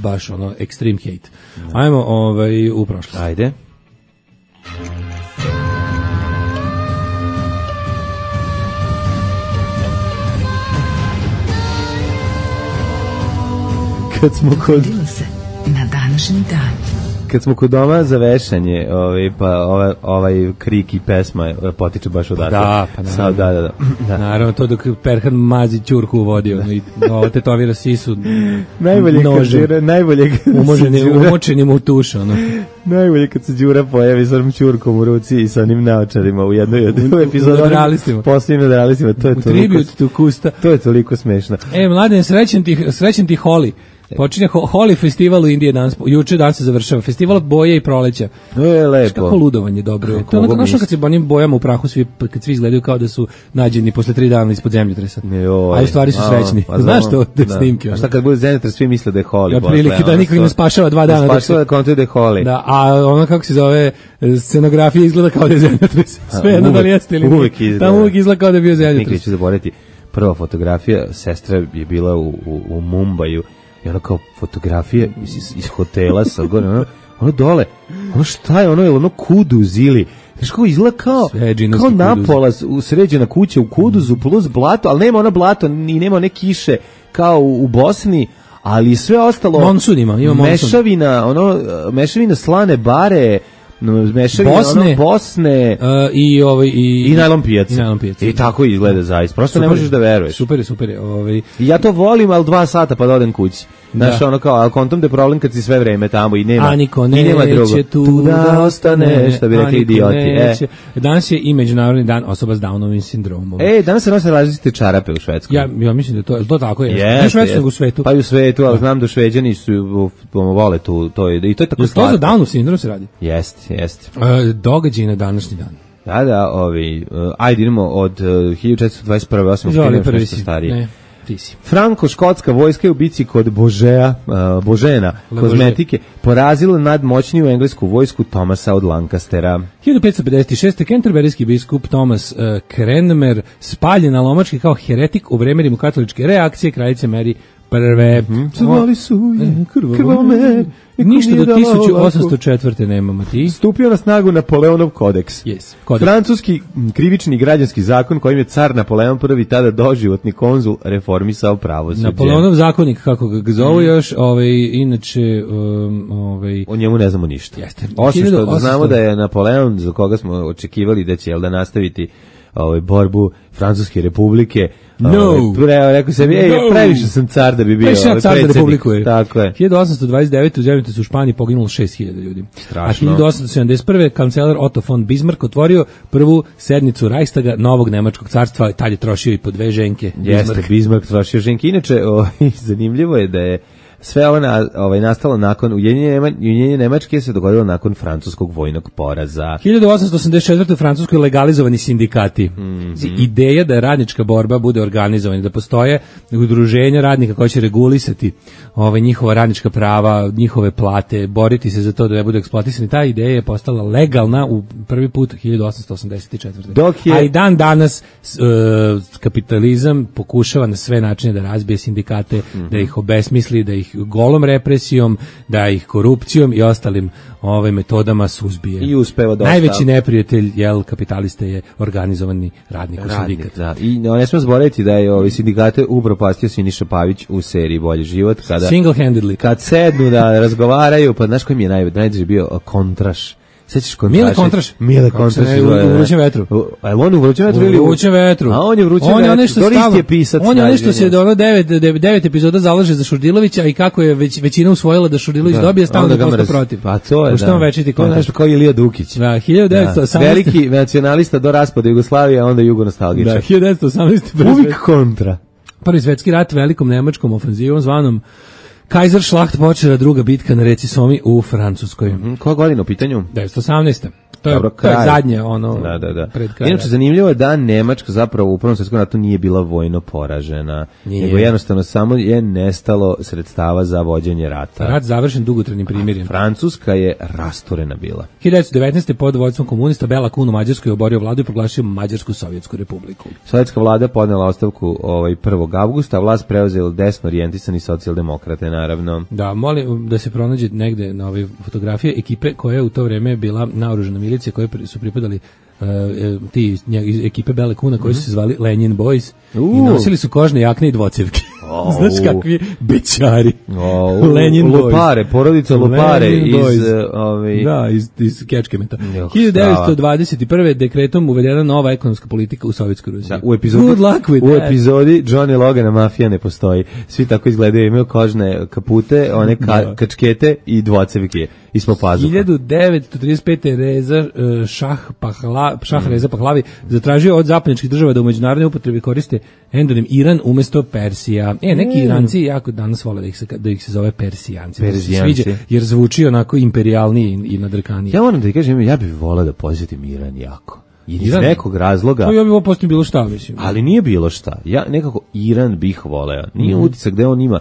baš ono extreme hate. Ajmo u prošlost. Ajde. Kad smo kod na današnji dan. Kad smo kod doma za vešanje, ovaj krik i pesma potiče baš odatle. Da. Naravno, to dok Perhan mazi ćurku u vodi, i tetovira sisu najbolje umočenim u tuš, Najbolje kad se Đura pojavi sa onom ćurkom u ruci i sa onim naočarima u jednoj od epizoda. Posljednjim nadrealistima, to je toliko smešno. Mladen, srećen ti Holi. Počinje Holi festival u Indiji danas, juče dan se završava, festival boje i proleća. Lepo. Kako ludovanje dobro. To je onako kad se onim bojama u prahu, kad svi izgledaju kao da su nađeni posle 3 dana ispod zemljotresa. A u stvari su srećni. Znaš to, te snimke. A šta kad bude zemljotres, svi misle da je Holi. Ja prilike da niko ne spašava 2 dana. Spašava da konta da je Holi. Da, a ono kako se zove, scenografija izgleda kao da je zemljotres. Sve jedno da li jeste ili nije. Tamo uvijek izgleda kao da je bio zemljotres. Nikad ću zaboraviti. Prva fotografija, sestra je bila u Mumbaju i ono kao fotografije iz hotela sa gore, ono dole, ono šta je, ono Kuduz ili znaš kako izgleda kao napola sređena kuća u Kuduzu plus blato, ali nema ona blato i nema one kiše kao u Bosni, ali sve ostalo monsun ima mešavina slane bare, mešavina Bosne i najlon pijaca. I tako izgleda zaista. Prosto super, ne možeš da veruješ. Super. I ja to volim, ali 2 sata pa da odem kući. Znaš, ono kao, ali kontom da je problem kad si sve vreme tamo i nema, neće tu da ostane, što bi rekli idioti. Danas je i Međunarodni dan osoba s Downovim sindromom. Danas se nose različite čarape u Švedskoj. Ja mislim da to tako je. Ne u Švedskoj, nego u svetu. Pa i u svetu, ali znam da Šveđani su vole tu, i to je tako slatko. To za Downov sindrom se radi? Jeste. Događaj na današnji dan. Da, ajde idemo od 1421. Osim nešto starije. Ne. Franko-škotska vojska je u bici kod Božena kozmetike porazila nadmoćniju englesku vojsku Thomasa od Lancastera. 1556. Kenterberijski biskup Thomas Cranmer spaljen na lomački kao heretik u vreme rimokatoličke reakcije kraljice Mary prve. Zvali su je krvome. Ništa do 1804. nemamo ti. Stupio na snagu Napoleonov kodeks. Kodeks. Francuski krivični građanski zakon kojim je car Napoleon prvi tada doživotni konzul reformisao pravosuđe. Napoleonov zakonik, kako ga zovu još, inače... O njemu ne znamo ništa. Jeste. Osim što znamo da je Napoleon, za koga smo očekivali da će nastaviti borbu Francuske republike, rekao sam, previše sam car da bi bio predsjednik. Tako je. 1829. u zemljotrisu u Španiji poginulo 6.000 ljudi. Strašno. A 1871. kancelar Otto von Bismarck otvorio prvu sednicu Reichstaga novog nemačkog carstva, tad je trošio i po 2 ženke. Jeste, Bismarck trošio ženke. Inače, zanimljivo je da je sve ovo nastalo nakon ujedinjenja Nemačke se dogodilo nakon francuskog vojnog poraza. 1884. u Francuskoj legalizovani sindikati. Ideja da radnička borba bude organizovana, da postoje udruženja radnika koja će regulisati njihova radnička prava, njihove plate, boriti se za to da ne budu eksploatisani. Ta ideja je postala legalna u prvi put 1884. A i dan danas kapitalizam pokušava na sve načine da razbije sindikate, da ih obesmisli, da ih golom represijom, da ih korupcijom i ostalim metodama suzbije. I uspeva dosta. Najveći neprijatelj kapitalista je organizovani radnik u sindikat. Da. I ne smemo zaboraviti da je sindikate upropastio Siniša Pavić u seriji Bolji život. Single-handedly. Kad sednu da razgovaraju, pa znaš koji mi je najdraži bio Kontraš. Sećaš Kontraš? Mile Kontraš. U Vrućem vetru. A on u Vrućem vetru ili u Vrućem vetru? A on je u Vrućem vetru. Dorist je pisac. On je nešto se do 9 epizoda zalaže za Šurdilovića i kako je većina usvojila da Šurdilović dobije, stalno da posto protiv. Pa to je, da. Večiti to je nešto kao Ilija Dukić. Da, 1918. Veliki nacionalista do raspada Jugoslavije, a onda jugonostalgičar. Da, 1918. Uvijek kontra. Prvi svetski rat velikom nemačkom ofenzivom zvanom Kaiserschlacht počela druga bitka na reci Somi u Francuskoj. Koja godina u pitanju? 1918. To je zadnje pred krajem. Inače, zanimljivo je da Nemačka zapravo u Prvom svjetskom ratu nije bila vojno poražena, nego jednostavno samo je nestalo sredstava za vođenje rata. Rat završen dugotrajnim primirjem. Francuska je rasturena bila. 1919. pod vođstvom komunista Bela Kun u Mađarskoj oborio vladu i proglasio Mađarsku sovjetsku republiku. Sovjetska vlada podnela ostavku 1. avgusta, a vlast preuzeli desno orijentisani socijaldemokrate, naravno. Da, molim da se pronađe negde na ove fotografije ekipe koja je u to vreme bila naoružana milicije koje su pripadali ti ekipe Bele Kuna koji su se zvali Lenin Boys i nosili su kožne jakne i dvocevke. Znaš kakvi bećari. Lenin Lupare, porodica Lupare iz Kečkemeta. 1921. dekretom uvedena nova ekonomska politika u Sovjetskoj Rusiji. U epizodi Johnny Logana mafija ne postoji. Svi tako izgledaju, imaju kožne kapute, one kačkete i dvocevke ispod pazuha. 1935. Reza Šah Reza Pahlavi zatražio od zapadnjačkih država da u međunarodnoj upotrebi koriste endonim Iran umjesto Persija. Neki Iranci jako danas vole da ih se zove Persijanci. Sviđa, jer zvuči onako imperijalniji i nadrkaniji. Ja moram da ti kažem, ja bih voleo da posjetim Iran jako. Iz nekog razloga. To ja bih posjetio bilo šta, mislim. Ali nije bilo šta. Ja nekako Iran bih voleo. Nije utisak da on ima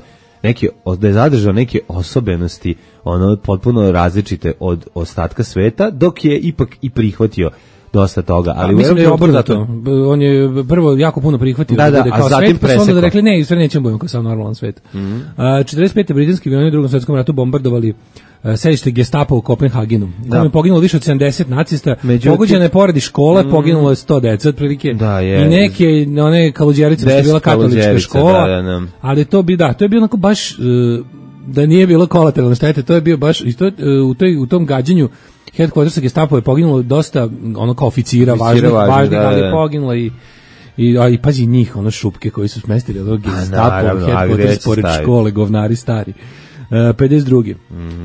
da je zadržao neke osobenosti potpuno različite od ostatka sveta, dok je ipak i prihvatio dosta toga, ali mislim da je obrnuto. On je prvo jako puno prihvatio da bude kao svet, pa su onda rekli ne, i sve nećemo budemo kao sam normalan svet. 45. britanski avioni u Drugom svetskom ratu bombardovali sedište Gestapa u Kopenhagenu. Tamo je poginulo više od 70 nacista, pogođena je poradi škola, poginulo je 100 dece otprilike. I neke one kaluđerice, što je bila katolička škola, ali to je bio onako baš da nije bilo kolateralne štete, to je bio baš u tom gađanju headquartersa Gestapo je poginulo dosta ono kao oficira važnih, ali je poginulo i pazi njih, ono šupke koji su smestili od Gestapo headquarters pored škole, govnari stari. 52.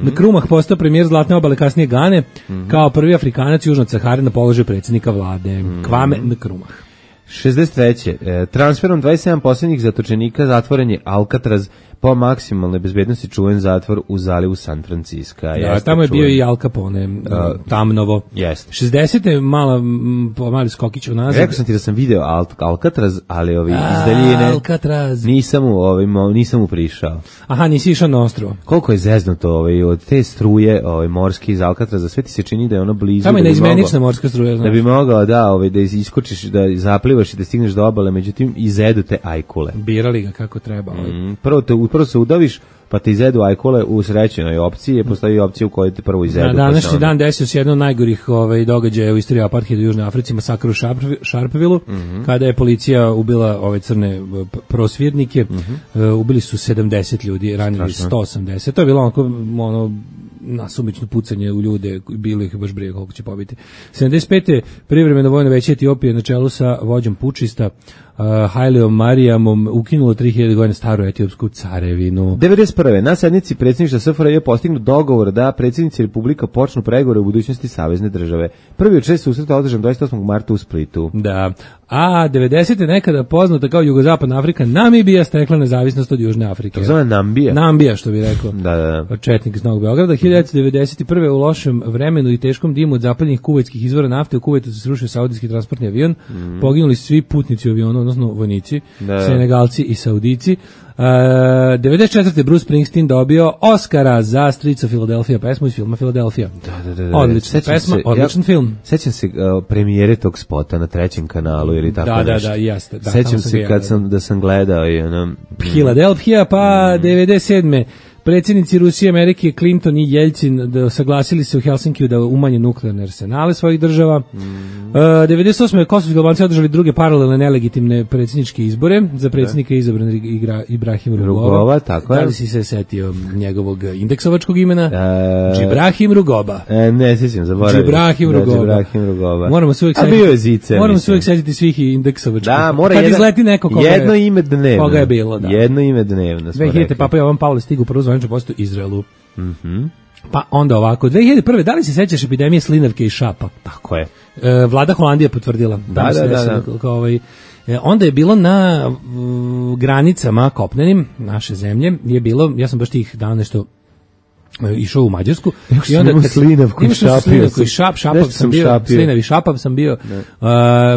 Na Krumah postao premijer Zlatne obale, kasnije Gane, kao prvi Afrikanac južno od Sahare na položaju predsjednika vlade. Kwame Nkrumah. 63. Transferom 27 posljednjih zatočenika zatvoren je Alcatraz, po maksimalnoj bezbednosti čuven zatvor u zalivu San Francisco. Da, tamo je bio i Al Capone, Tamnovo. Jeste. 60. mali skokić u nazad. Rekao sam ti da sam video Alcatraz, ali iz daljine Alcatraz. Nisam mu prišao. Aha, nisi išao na ostrvo. Koliko je zeznuto od te struje morske iz Alcatraza, sve ti se čini da je ono blizu. Tamo je neizmenična morska struja. Da bi mogao da iskočiš, da zaplivaš i da stigneš do obale, međutim izedu te ajkule. Birali ga kako treba. Prvo se udaviš, pa te izedu ajkule u srećenoj opciji, postoji opcija u kojoj te prvo izedu. Na današnji dan desio se jedno od najgorih događaja u istoriji apartheida u Južnoj Africi, masakr u Sharpeville, kada je policija ubila ove crne prosvjednike, ubili su 70 ljudi, ranili 180. To je bilo ono nasumično pucanje u ljude, bilo ih baš briga koliko će pobiti. 75. privremeno vojno veće Etiopije na čelu sa vođom pučista Haileom Marijamom ukinulo 3000 godina staru etiopsku carevinu. 91. na sednici predsjedništva SFRJ je postignut dogovor da predsjednici Republika počnu pregovore u budućnosti savezne države. Prvi od 6 susreta održan 28. marta u Splitu. Da. A 90. nekada poznata kao Jugozapadna Afrika, Namibija stekla nezavisnost od Južne Afrike. To zove Nambija. Nambija, što bi rekao. Da. Četnik iz Novog Beograda. 1991. u lošem vremenu i teškom dimu od zapadnih kuvajtskih izvora nafte u Kuvajtu se srušio saudijski transportni avion. Poginuli svi putnici u avionu, odnosno vojnici, Senegalci i Saudici. 94. Bruce Springsteen dobio Oscara za Streets of Philadelphia, pesmu iz filma Philadelphia. Da. Odlična pesma, odličan film. Sećam se premijere tog spota na 3. kanalu ili tako nešto. Da, jeste. Sećam se kad sam gledao i Philadelphia, pa 97. Predsjednici Rusije, Amerike, Clinton i Jeljcin saglasili se u Helsinkiju da umanje nuklearne arsenale svojih država. 98. kosovski Albanci održali druge paralelne nelegitimne predsjedničke izbore. Za predsjednika izabran Ibrahim Rugova. Tako je. Da li si se setio njegovog indeksovačkog imena? Ibrahim Rugoba. Ne, sjećam, zaboravim. Ibrahim Rugova. Moramo se uvijek setiti svih indeksovačkih. Da, mora jedno ime dnevno. Koga je bilo, da. Jedno ime dnevno. 2000. Papa Jovan Pavle stigu prvo zvanično posto Izraelu. Pa onda ovako, 2001. da li se sećaš epidemije slinavke i šapa? Tako je. Vlada Holandije potvrdila. Da. Onda je bilo na granicama kopnenim naše zemlje, je bilo, ja sam baš tih dana nešto išao u Mađarsku i onda slinavku i šapav sam bio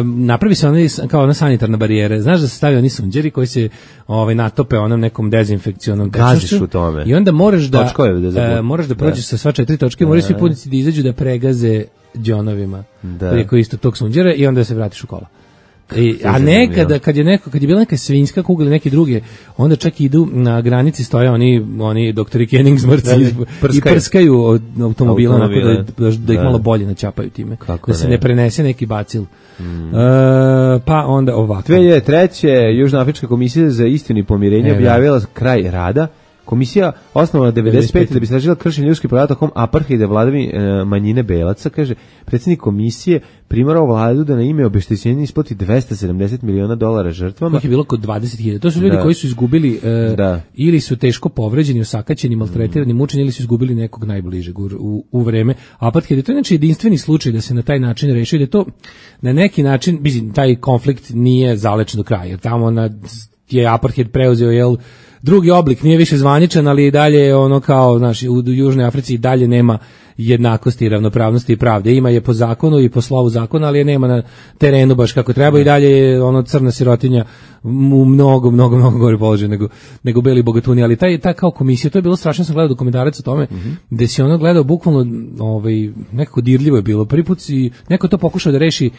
napravi se kao ona sanitarna barijera, znaš da se stavi oni sunđeri koji se natope onom nekom dezinfekcionom gaziš u tome i onda moraš da prođeš sa sva 4 točke, moraju svi putnici da izađu da pregaze džonovima preko isto tog sunđera i onda se vratiš u kola. A nekada kad je bila neka svinjska kuga ili neke druge, onda čak idu na granici stoje oni doktori Kenningsmrci i prskaju od automobila onako da ih malo bolje naćapaju time. Da se ne prenese neki bacil. Pa onda ovako. 2003. Južnoafrička komisija za istinu i pomirenje objavila kraj rada. Komisija osnovana 95. da bi istražila kršenje ljudskih prava tokom apartheida vladavine manjine belaca, kaže predsjednik komisije primarao vladu da na ime obeštećenja isplati $270 miliona žrtvama. Kojih je bilo kod 20.000. To su ljudi koji su izgubili ili su teško povređeni, osakaćeni, maltretirani, mučeni ili su izgubili nekog najbližeg u vreme apartheida. To je znači jedinstveni slučaj da se na taj način reši, da je to na neki način, taj konflikt nije zalečen do kraja, jer tamo na je apartheid preuzeo drugi oblik, nije više zvaničan, ali i dalje ono kao, znaš, u Južnoj Africi i dalje nema jednakosti, ravnopravnosti i pravde. Ima je po zakonu i po slovu zakona, ali je nema na terenu baš kako treba i dalje je ono crna sirotinja u mnogo gore položaj nego beli bogatuni, ali ta kao komisija, to je bilo strašno, sam gledao dokumentarac o tome, gde si ono gledao bukvalno nekako dirljivo je bilo. Prvi put si neko to pokušao da reši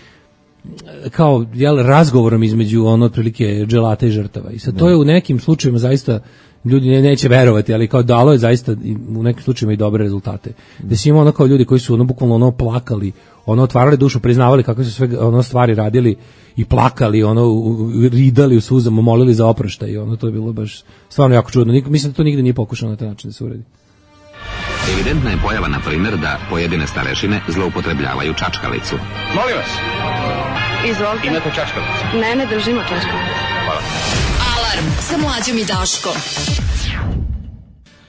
kao razgovorom između otprilike dželata i žrtava. I sad to je u nekim slučajevima zaista ljudi neće verovati, ali kao dalo je zaista u nekim slučajevima i dobre rezultate. Da si imao kao ljudi koji su bukvalno plakali, otvarali dušu, priznavali kakve su sve stvari radili i plakali, ridali u suzama, molili za oproštaj i to je bilo baš stvarno jako čudno. Mislim da to nigde nije pokušano na taj način da se uredi. Evidentna je pojava, na primjer, da pojedine starešine zloupotrebljavaju čačkalicu. Molim vas. Izvolite. Imate čačkalicu? Ne držimo čačkalicu. Hvala. Alarm sa Mlađom i Daškom.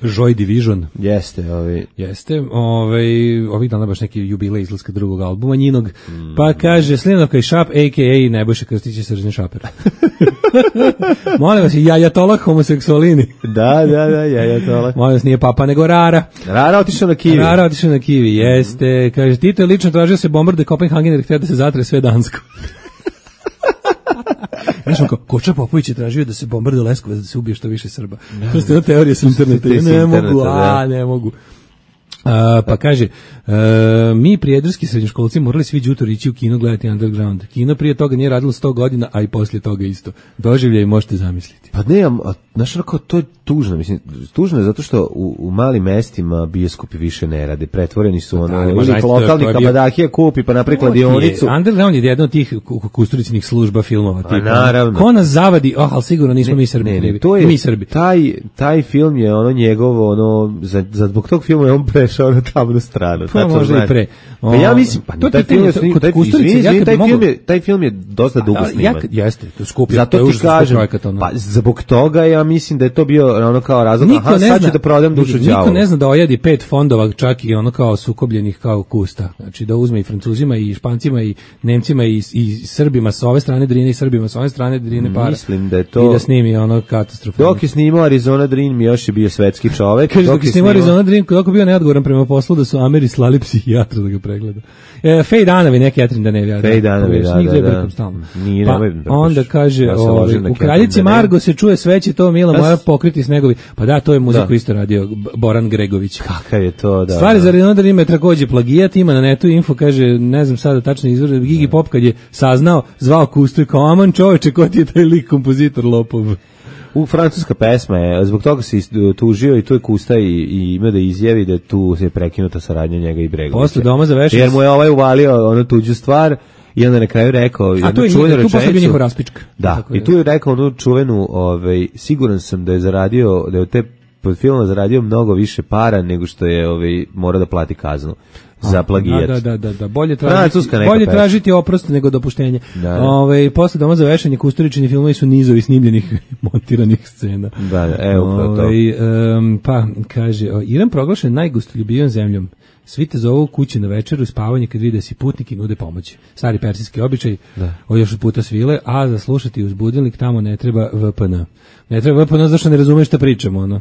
Joy Division. Jeste. Ovih dana baš neki jubilej izlaska drugog albuma njinog. Pa kaže Slinovka i Šap, a.k.a. Nebojša Krstić i Srđan Šaper. Molim vas, Jajatolah homoseksualini. Da, Jajatolah. Molim vas, nije Papa, nego Rara. Rara otišao na Kivi. Jeste. Kaže, Tito je lično tražio se bombarduje Kopenhagen jer htio da se zatre sve Dansko. Znaš, kao, Koča Popović je tražio da se bombarduje Leskovac, da se ubije što više Srba. To ste na teorije s interneta. Ne mogu. Pa kaže, mi prijedorski srednjoškolci morali svi đutori ići u kino gledati Underground. Kino prije toga nije radilo 100 godina, a i poslije toga isto. Doživljaj možete zamisliti. Pa ne, znaš, to je tužno. Mislim, tužno je zato što u malim mestima bioskopi više ne rade. Pretvoreni su lokalni kabadahija kupi, pa napravi kladionicu. Underground je jedna od tih Kusturičinih služba filmova. Pa naravno. Ko nas zavadi, ali sigurno nismo mi Srbi. Mi Srbi. Taj film je njegovo, zbog tog filma je on prešao na tamnu stranu. Pa možda i pre. Ja mislim, taj film je dosta dugo sniman. Jeste, to skupi. Zato ti kažem, pa zbog toga ja mislim da je to bio kao razlog, sad ću da prodam dušu đavolu. Niko ne zna da ojedi 5 fondova, čak i kao sukobljenih kao kusta. Znači da uzme i Francuzima i Špancima i Nemcima i Srbima sa ove strane Drine i Srbima sa ove strane Drine para. Mislim da je to... I da snimi katastrofa. Dok je snimao Arizona Dream, mi još je bio svetski čovek. Kaže, dok je snimao Arizona Dream, dok je bio neodgovoran prema poslu da su Ameri slali psihijatra da ga pregleda. Fej Danovi, neki Etrin da ne vjera. Fej Danovi, da. Pa onda kaže, u Kraljici Margo se čuje sveće, to Mila moja pokriti snegovi. Pa da, to je muziku isto radio Boran Gregović. Kakav je to, da. Stvari za Arizona Dream je takođe plagijat, ima na netu info, kaže, ne znam sada tačno izvor, Gigi Pop kad je saznao, zvao Kustu i kao, aman čoveče, ko ti je taj lik kompozitor lopov? Francuska pesma je, zbog toga se tužio i tu je Kusta i ima da izjavi da tu se prekinuta saradnja njega i Bregovića. Posle Doma za vešanje. Jer mu je uvalio tuđu stvar i onda na kraju rekao... A tu je posle bio njihov raspička. Da, i tu je rekao onu čuvenu, siguran sam da je zaradio, da je od te filma zaradio mnogo više para nego što je mora da plati kaznu za plagijat. Da. Bolje tražiti oprost nego dopuštenje. Posle Doma za vešanje Kusturičini filmovi su nizovi snimljenih montiranih scena. Upravo to. Pa kaže, Iran proglašen najgostoljubivijom zemljom. Svi te zovu kući na večeru, spavanje kad vide si putnik i nude pomoć. Stari persijski običaj, još od puta svile, a za slušati uz budilnik tamo ne treba VPN. Ne treba VPN zašto ne razumeš šta pričamo.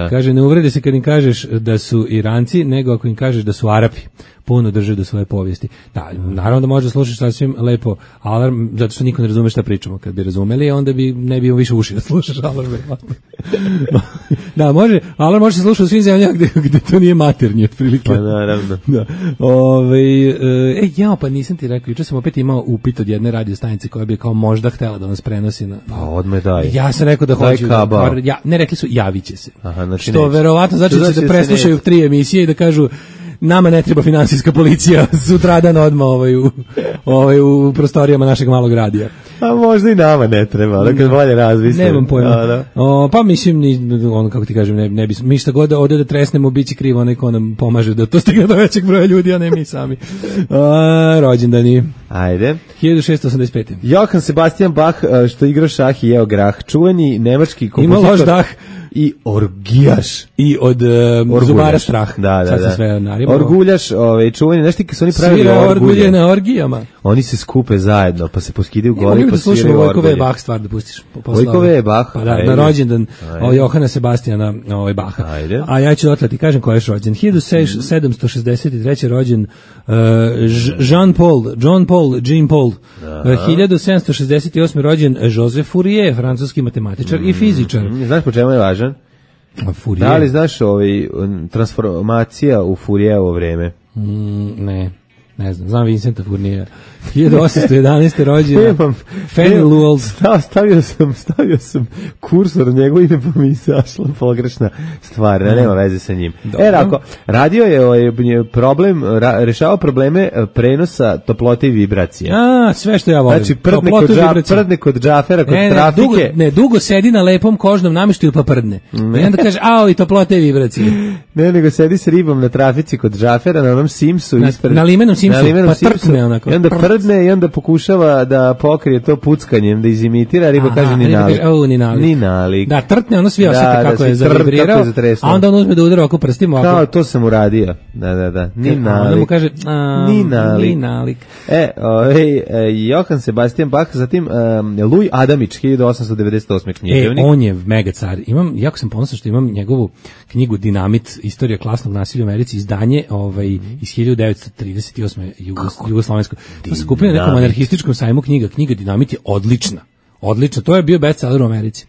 Kaže, ne uvredi se kad im kažeš da su Iranci, nego ako im kažeš da su Arapi. Puno drže do svoje povijesti. Da, naravno da može slušati sasvim lepo Alarm, zato što niko ne razume šta pričamo. Kad bi razumeli, onda ne bi više uši da slušaš Alarm. Da, može, Alarm može se slušati u svim zemljama gde to nije maternje, otprilike. Pa naravno. Da. Pa nisam ti rekao, juče sam opet imao upit od jedne radio stanice koja bi kao možda htela da nas prenosi na... Pa odme daj. Ja sam rekao da hoću. Ne, rekli su, javit će se. Aha, znači što verovatno znači da se preslušaju 3 emisije i da kažu nama ne treba finansijska policija sutradan odmah u prostorijama našeg malog radija. A možda i nama ne treba, ali kad bolje razmislim. Nemam pojma. Pa mislim, kako ti kažem, ne bi, mi šta god ovdje da tresnemo, bit će krivo onaj ko nam pomaže da to stigne do većeg broja ljudi, a ne mi sami. Rođendani. Ajde. 1685. Johann Sebastian Bach, što igra šah i jeo grah. Čuveni nemački kompozitor. Ima loš dah. i orgijaš. I od zubara strah. Da. Sad se sve narimalo. Orguljaš, čuveni, nešto kad su oni pravili orgulje na orgijama. Oni se skupe zajedno, pa se poskidaju goli, pa sviraju orgulje. Vojkove Bach stvar da pustiš. Vojkove Bach. Pa da, na rođendan Johana Sebastijana Bacha. Ajde. A ja ću otlati, kažem ko je rođen. 1763. rođen John Paul. 1768. rođen Joseph Fourier, francuski matematičar i fizičar. Znaš po čemu je važan? Fourier. Da li znaš transformacija u Fourijerovo vreme? Ne znam Vincenta Fourniera. 1811. rođena Fanny Lowell. Stavio sam kursor na njegovo ime, pa mi izašla pogrešna stvar, nema veze sa njim. Radio je rešavao probleme prenosa toplote i vibracije. Sve što ja volim. Znači, prdne kod džafera, kod trafike. Dugo sedi na lepom kožnom namještaju pa prdne. I onda kaže, i toplote i vibracije. Ne, nego sedi s ribom na trafici kod džafera, na onom Simsu. Na limenom Simsu, pa trpne onako. I onda prdne i onda pokušava da pokrije to puckanjem, da izimitira, riba kaže ni nalik. Da, trtne, ono svi osjeti kako je zavibrirao, a onda on uzme da udara oko prstima. Kao, to sam uradio. Da. Ni nalik. Onda mu kaže, ni nalik. Johann Sebastian Bach, zatim Louis Adamić, 1898. književnik. On je mega car. Jako sam ponosan što imam njegovu knjigu Dinamit, istorija klasnog nasilja u Americi, izdanje iz 1938. Jugoslovensko. To se kupio na nekom anarhističkom sajmu knjiga Dinamit je odlična, to je bio bestseller u Americi.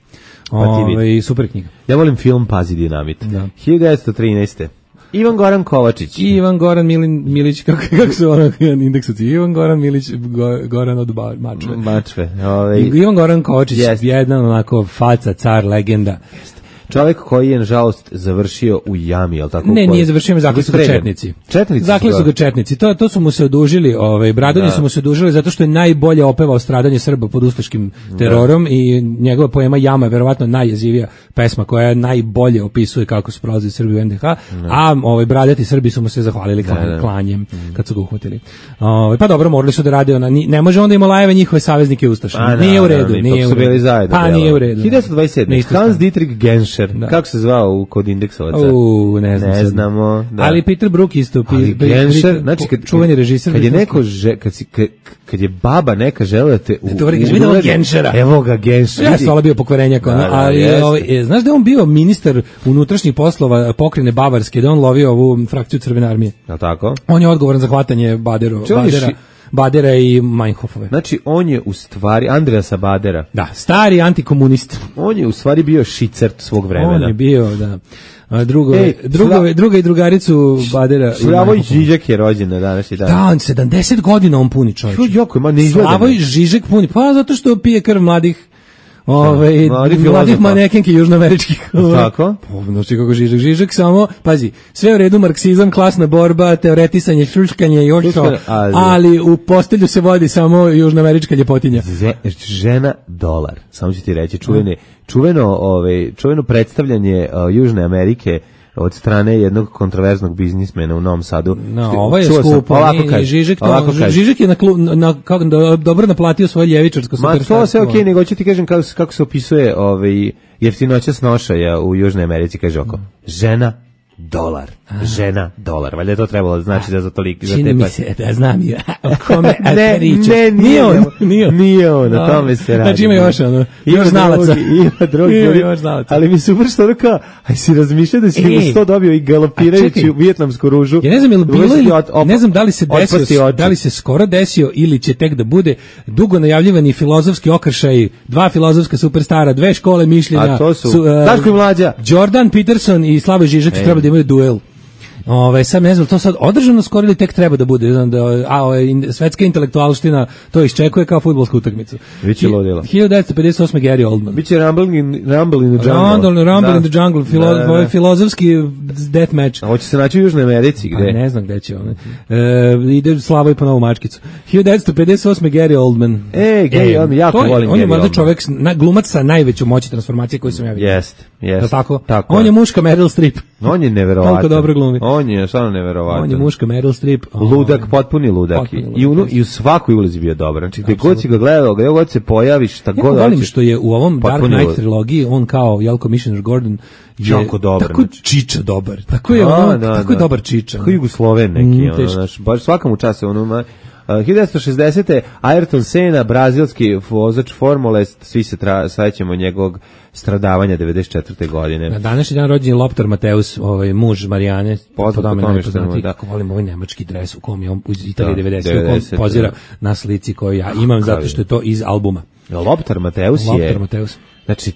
Super knjiga. Ja volim film Pazi Dinamit. 1913. Ivan Goran Kovačić. Ivan Goran Milić, kako su indeksuci? Ivan Goran Milić, Goran od Mačve. Ivan Goran Kovačić, jedan onako faca, car, legenda. Čovjek koji je, nažalost, završio u jami, je li tako? Ne, nije završio, zakli su ga četnici. Zakli su ga četnici. To su mu se odužili, Bradonji su mu se odužili zato što je najbolje opevao stradanje Srba pod ustaškim terorom i njegova poema Jama je verovatno najjezivija pesma koja najbolje opisuje kako su prolazili Srbi u NDH, a bradati Srbi su mu se zahvalili klanjem kad su ga uhvatili. Pa dobro, morali su da rade ne može onda ima lajeve njihove saveznike ustaše. Nije u redu. Pa nije u redu. 1927. Hans Dietrich Genscher. Kako se zvao kod indeksovaca? Ne znamo. Ali Peter Brook isto. Genscher, znači čuveni režiser. Kad je baba neka žela da te Genschera. Evo ga Genscher. Ja sam bio pokvarenjak. Znaš da je on bio ministar unutrašnjih poslova pokrajine Bavarske, da on lovio ovu frakciju Crvene armije. Je li tako? On je odgovoran za hvatanje Badera i Meinhofove. Znači, on je u stvari Andreasa Badera. Da, stari antikomunist. On je u stvari bio šicert svog vremena. On je bio, da. Druga i drugaricu Badera. Slavoj Žižek je rođen na današnji dan. Da, 70 godina on puni, čovječ. Slavoj Žižek puni, pa zato što pije krv mladih mladih manekenki južnoameričkih. Tako? Znači kako Žižek samo, pazi, sve u redu, marksizam, klasna borba, teoretisanje, šuškanje i ošto, ali u postelju se vodi samo južnoamerička ljepotinja. Žena dolar, samo ću ti reći, čuveno predstavljanje Južne Amerike od strane jednog kontroverznog biznismena u Novom Sadu. Ovo je skupo. Žižek je dobro naplatio svoje ljevičarsko superstarstvo. Ma to sve okej, nego ću ti kažem kako se opisuje jeftinoća snošaja u Južnoj Americi, kaže oko. Žena dolar. Valjda je to trebalo da znači da za toliko... Čini mi se da znam ja o kome pričaš. Nije on, na tome se radi. Znači ima još znalaca. Ima drugi, ali mi se uvršta ono kao, aj si razmišljao da si mu to dobio i galopirajući u vijetnamsku ružu. Ja ne znam, ne znam da li se skoro desio ili će tek da bude dugo najavljivani filozofski okršaj, dva filozofska superstara, dve škole mišljenja. A to su Daško i Mlađa. Jordan Peterson i Slavoj Žižek treba da imaju duel. Sad ne znam, to sad održano skoro ili tek treba da bude, svetska intelektualština to iščekuje kao fudbalsku utakmicu. Biće ludilo. 1958. Gary Oldman. Biće Rumble in the Jungle. Rumble in the Jungle, filozofski death match. A hoće se naći u Južnoj Americi, gde? Ne znam gde će on. Ide Slavoj po novu mačkicu. 1958. Gary Oldman. Gary Oldman, jako volim Gary Oldman. On je možda čovjek, glumac sa najvećom moći transformacije koju sam ja vidio. Jeste. Yes. Tako? Tako On je muška Meryl Streep. On je neverovatan. Koliko dobro glumi. On je stvarno neverovatan. On je muška Meryl Streep. Ludak, potpuni ludak. I u svakoj ulozi bio dobar. Znači, gde god si ga gledao, gde god se pojaviš, šta god hoćeš. Volim što je u ovom Dark Knight trilogiji, on kao Jelko Commissioner Gordon jako dobar. Tako čiča dobar. Tako je ono, tako je dobar čiča. Tako Jugosloven neki, znaš, baš svakom času ono 1960. Ayrton Senna, brazilski vozač formule, svi se sećamo njegovog stradavanja 94. godine. Na današnji dan rođen je Lothar Matthäus, muž Marijane. Poznat po tome što je tako volim ovaj nemački dres u kom je on iz Italije 90. u kom pozira na slici koju ja imam, zato što je to iz albuma. Lothar Matthäus. Znači,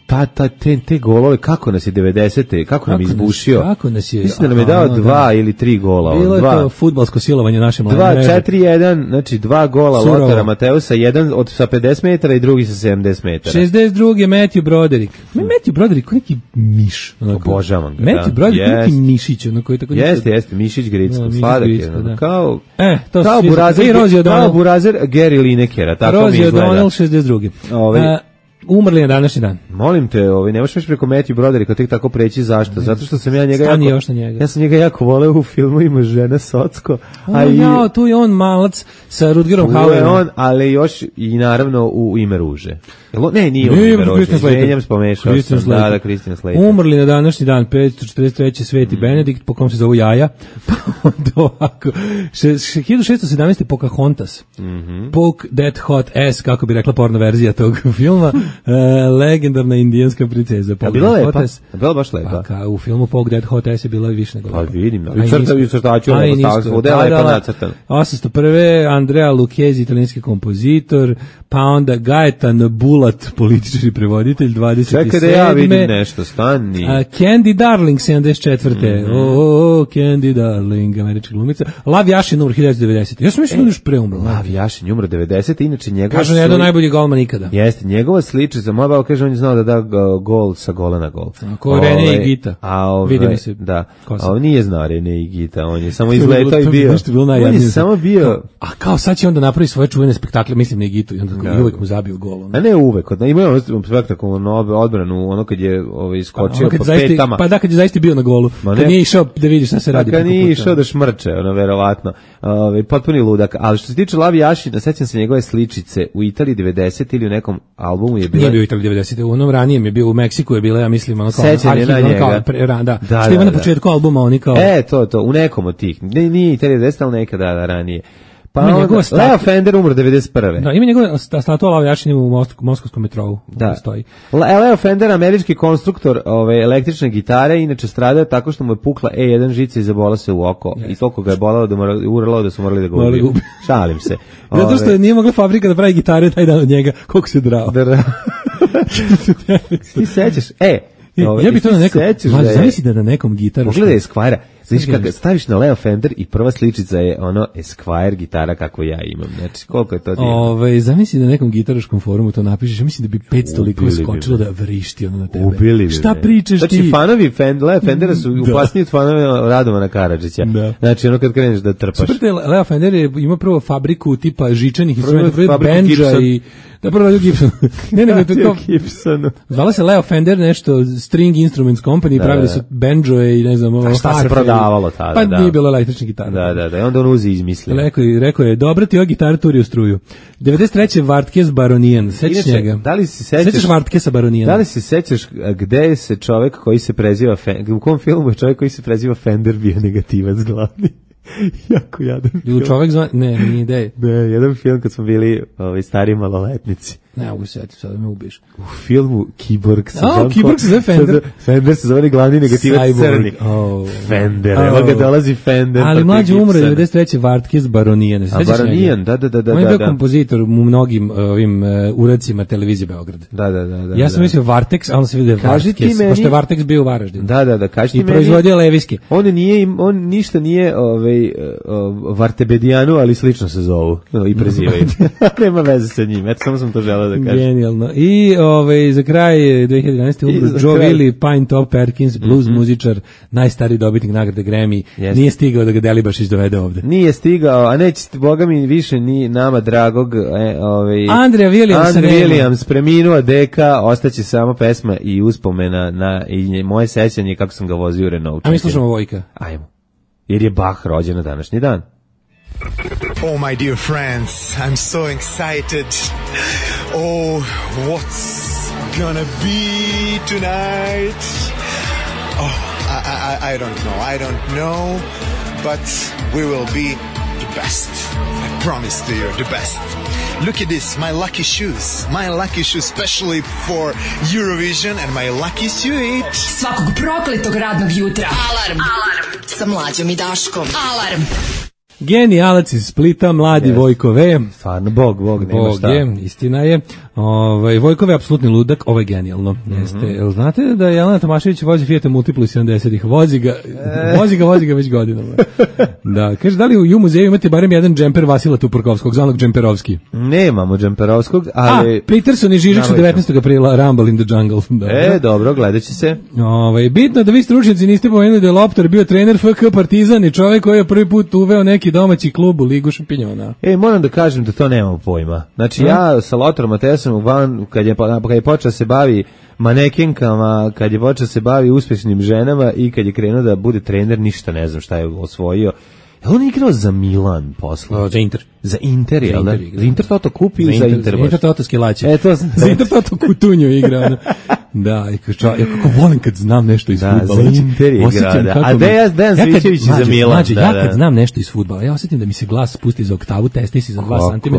te golove, kako nas je 90. Kako nam izbušio? Kako nas je? Mislim da nam je dao 2 ili 3 gola. Bilo je to fudbalsko silovanje naše mlade mreže. 2-4-1, znači 2 gola Lothara Matthäusa, jedan sa 50 metara i drugi sa 70 metara. 62. Matthew Broderick. Matthew Broderick, neki miš. Obožavam ga. Matthew Broderick, neki mišić. Jeste, mišić Gricko, sladak je. Kao burazer Gary Linekera. Rosie O'Donnell, 62. Umrli na današnji dan. Molim te, ne možeš preko Matthew Brodericka tek tako preći, zašto? Zato što sam ja njega Ja sam njega jako voleo u filmu Ima žena Socko. Tu je on malac sa Rutgerom Hauerom. Tu je on, ali još i naravno u Ime ruže. Nije u Ime ruže. Menjam spomešao sam. Da, Christian Slater. Umrli na današnji dan 543. Sveti Benedikt, po kom se zovu jaja. Pa onda ovako. 1617. Pocahontas. Poke That Hot Ass, kako bi rekla porno verzija tog filma. Legendarna indijanska princeza. Bila lepa? Bila baš lepa? Pa u filmu Poke That Hot Ass je bila više nego lepa. Pa vidim. I crtaću svuda je lepa nacrtana. 801. Andrea Lucchesi, italijanski kompozitor, pa onda Gaetan Bulat, politički prevoditelj, 27. Čekaj da ja vidim nešto, stani. Candy Darling, 74. Candy Darling, američka glumica. Lav Jašin umro 1990. Ja sam mislio da još pre umro. Lav Jašin umro 90. Inače njegova... Kažu jedan najbolji golman ikada. Jeste, njegova sličica, moja baba kaže, on je znao da da gol sa gola na gol. Ko Rene i Gita. Vidi mi se. Da, a on nije znao Rene i Gita, on je samo izletao i bio. On je samo bio... A kao sad će onda napravi svoje čuvene spektakle, mislim na Igitu, i onda uvek mu zabio gol. A ne uvek, imao je spektakularnu odbranu, ono kad je iskočio po petama. Pa da, kad je zaista bio na golu, kad nije išao da vidi šta se radi. Kad nije išao da šmrče, verovatno. Potpuni ludak, ali što se tiče Lavi Jašina, sećam se njegove sličice u Italiji 90 ili u nekom albumu je bilo. Nije bio u Italiji 90, u onom ranijem je bio, u Meksiku je bila, ja mislim, ono kao sećanje na njega. Što ima na početku albuma, oni kao... To, u nekom od tih. Nije Italija 90, ali nekada ranije. Pa onda, Leo Fender umro 91. Da, ima njegova statua Leo Jašin u moskovskom metrou. Da. Leo Fender, američki konstruktor električne gitare, inače stradao tako što mu je pukla E1 žica i zabola se u oko. I toliko ga je bolalo da urlalo da su morali da ga ubiju. Šalim se. Zato što nije mogla fabrika da pravi gitare taj dan od njega. Koliko se drao. Ti sećaš? Ja bih to na nekom... Zamisli da na nekom gitaru... Pogledaj Esquire. Znaš kako staviš na Leo Fender i prva sličica je ono Esquire gitara kako ja imam. Znači, koliko je to divno. Zamisli da na nekom gitaraškom forumu to napišeš. Ja mislim da bi 500 likova skočilo da vrišti ono na tebe. Ubili bi. Šta pričaš ti? Znači, fanovi Leo Fendera su upasniji od fanovi Radomana Karadžića. Znači, ono kad kreneš da trpaš. Super, Leo Fender ima prvo fabriku tipa žičanih instrumenta, benđa i... Da prvo radio Gibson. Ne, nego to kao Gibsonu. Zvala se Leo Fender nešto String Instruments Company, pravili su benđoje i ne znam, šta se prodavalo tada. Pa nije bilo električna gitara. Da, i onda on uzi izmislio. Rekao je, dobra ti ova gitara turi u struju. 93. Vartkes Baronijan, sećaš njega? Da li se sećaš Vartkesa Baronijan? Da li se sećaš gde se čovjek koji se preziva u kom filmu je čovjek koji se preziva Fender bio negativac glavni? Jako jadan film. Čovjek zva... Ne, nije ideje. Ne, jedan film kad smo bili stari maloletnici. Ne mogu se setiti, sad da me ubiješ. U filmu Kiborg se zove Fender. Fender se zove glavni negativac crni. Fender, evo ga dolazi Fender. Ali mlađi umre 93. Vartkes Baronijan. A Baronijan, da. On je bio kompozitor u mnogim ovim uradcima televizije Beograd. Da. Ja sam mislio Vartex, a onda se vidio Vartkes, pošto je Vartex bio u Varaždinu. Da, kaži ti meni. I proizvodio leviske. On ništa nije Vartebedijanu, ali slično se zovu i prezivaju. Nema veze sa njim, eto samo sam to želeo htela da kažem. Genijalno. I za kraj 2011. umro Joe Willie, Pine Top Perkins, blues muzičar, najstariji dobitnik nagrade Grammy. Nije stigao da ga Delibašić dovede ovde. Nije stigao, a neće, boga mi, više ni nama dragog Andrea Williams preminuo deka, ostaće samo pesma i uspomena i moje sećanje kako sam ga vozio u Renault. A mi slušamo Vojka. Ajmo. Jer je Bach rođen na današnji dan. Oh, my dear friends, I'm so excited. Oh, what's gonna be tonight? Oh, I don't know, but we will be the best. I promise to you, the best. Look at this, my lucky shoes, especially for Eurovision, and my lucky suit. Svakog prokletog radnog jutra. Alarm sa Mlađom i Daškom. Alarm. Genijalac iz Splita, mladi Vojko V. Stvarno, Bog, nema šta. Istina je. Vojko V je apsolutni ludak, ovo je genijalno. Jel znate da Jelena Tomašević vozi Fiat Multiplu 70-ih? Vozi ga već godinama. Da, kaže, da li u muzeju imate barem jedan džemper Vasila Tuporkovskog, zvanog Džemperovski? Nemamo Džemperovskog, ali... Peterson i Žižić 19. aprila, Rumble in the Jungle. Dobro, gledat će se. Bitno da vi stručnjaci niste pomenuli da je Loptar bio trener FK Partizan i čovjek koji je prvi put uveo neki domaći klub u Ligu šampinjona. Moram da kažem da to nemamo pojma. Znači, ja sa Lotarom Matesom kad je počeo se bavi manekenkama, kad je počeo se bavi uspešnim ženama i kad je krenuo da bude trener, ništa ne znam šta je osvojio. On je igrao za Milan posle. Za Inter. Za Inter, jel da? Za Inter Toto kupi ili za Inter? Za Inter Toto Skilaće. Za Inter Toto Kutunju igra. Da, i kako volim kad znam nešto iz fudbala. Za Inter igra, da. A Dejan Svićević za Milan. Ja kad znam nešto iz fudbala, ja osjetim da mi se glas spusti za oktavu, testis za 2 cm,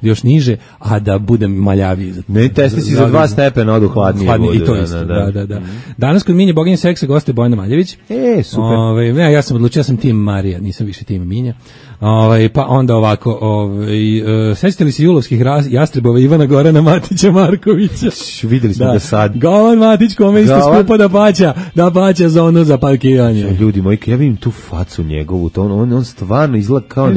još niže, a da budem maljaviji. Ne, testis za 2 stepena odu hladnije. I to isto, da. Danas kod Minje Boginje seksa goste Bojana Maljević. Super. Ja sam odlučio, ja sam tim Marija, nisam više tim Minja. Pa onda ovako, sećate li se julovskih jastrebova Ivana Gorana Matića Markovića? Videli smo da sad. Govan Matić kome isto skupa da paća za ono za parkiranje. Ljudi moji, ja vidim tu facu njegovu, to on stvarno izgleda kao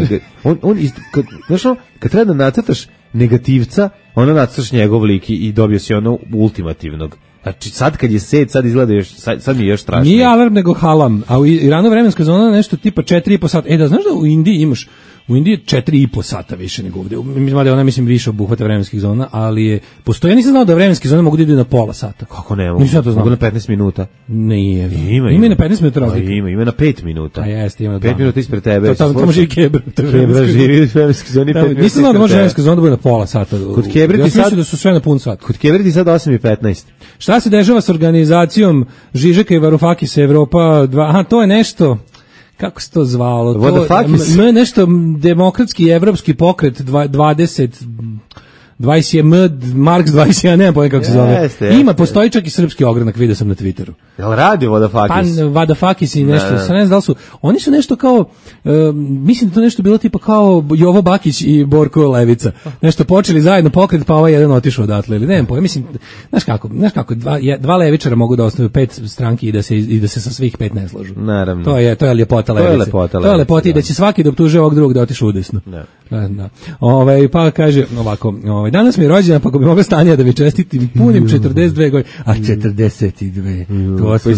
kad treba da nacrtaš negativca, ono nacrtaš njegov lik i dobio si ono ultimativnog. Znači sad kad je set, sad izgleda još, sad mi je još strašno. Nije alarm nego halam, a u Iranu vremenska zona nešto tipa 4,5 sata. Da znaš da u Indiji imaš, u Indiji 4,5 sata više nego ovde. Mislim da ona više obuhvata vremenskih zona, ali postoji, ja nisam znao da vremenske zone mogu da idu na pola sata. Kako ne mogu? Mogu na 15 minuta. Nije. Ima na 15 minuta razlika. Ima na 5 minuta. A jeste, ima na 5 minuta ispred tebe. Tamo živi Kebra. Kebra živi u vremenskoj zoni 5 minuta. Nisam znao da može vremenska zona da bude na pola sata. Kod Kebra ti sad da su sve na pun sat. Kod Kebra ti sad 8:15. Šta se dešava s organizacijom Žižeka i Varufakisa Evropa 2? Aha, to je nešto, kako se to zvalo? To je nešto demokratski evropski pokret 20 Marks 20, ja nemam pojma kako se zove. Postoji čak i srpski ogranak, vidio sam na Twitteru. Jel radi Vodafakis? Pa Vodafakis i nešto, ne znam da li su, oni su nešto kao, mislim da to nešto bilo tipa kao Jovo Bakić i Borko Levica. Nešto počeli zajedno pokret, pa ovaj jedan otišao odatle, ili nemam pojma, mislim, znaš kako, dva levičara mogu da osnuju 5 stranki i da se sa svih 5 ne slažu. Naravno. To je ljepota Levice. To je lepota i da će svaki da optuže ovog drugog da otišu udesno. Da. Pa kaže ovako, danas mi je rođena, pa ako bi mogla Stanija da mi čestitim, punim 42 godine, a 42, to su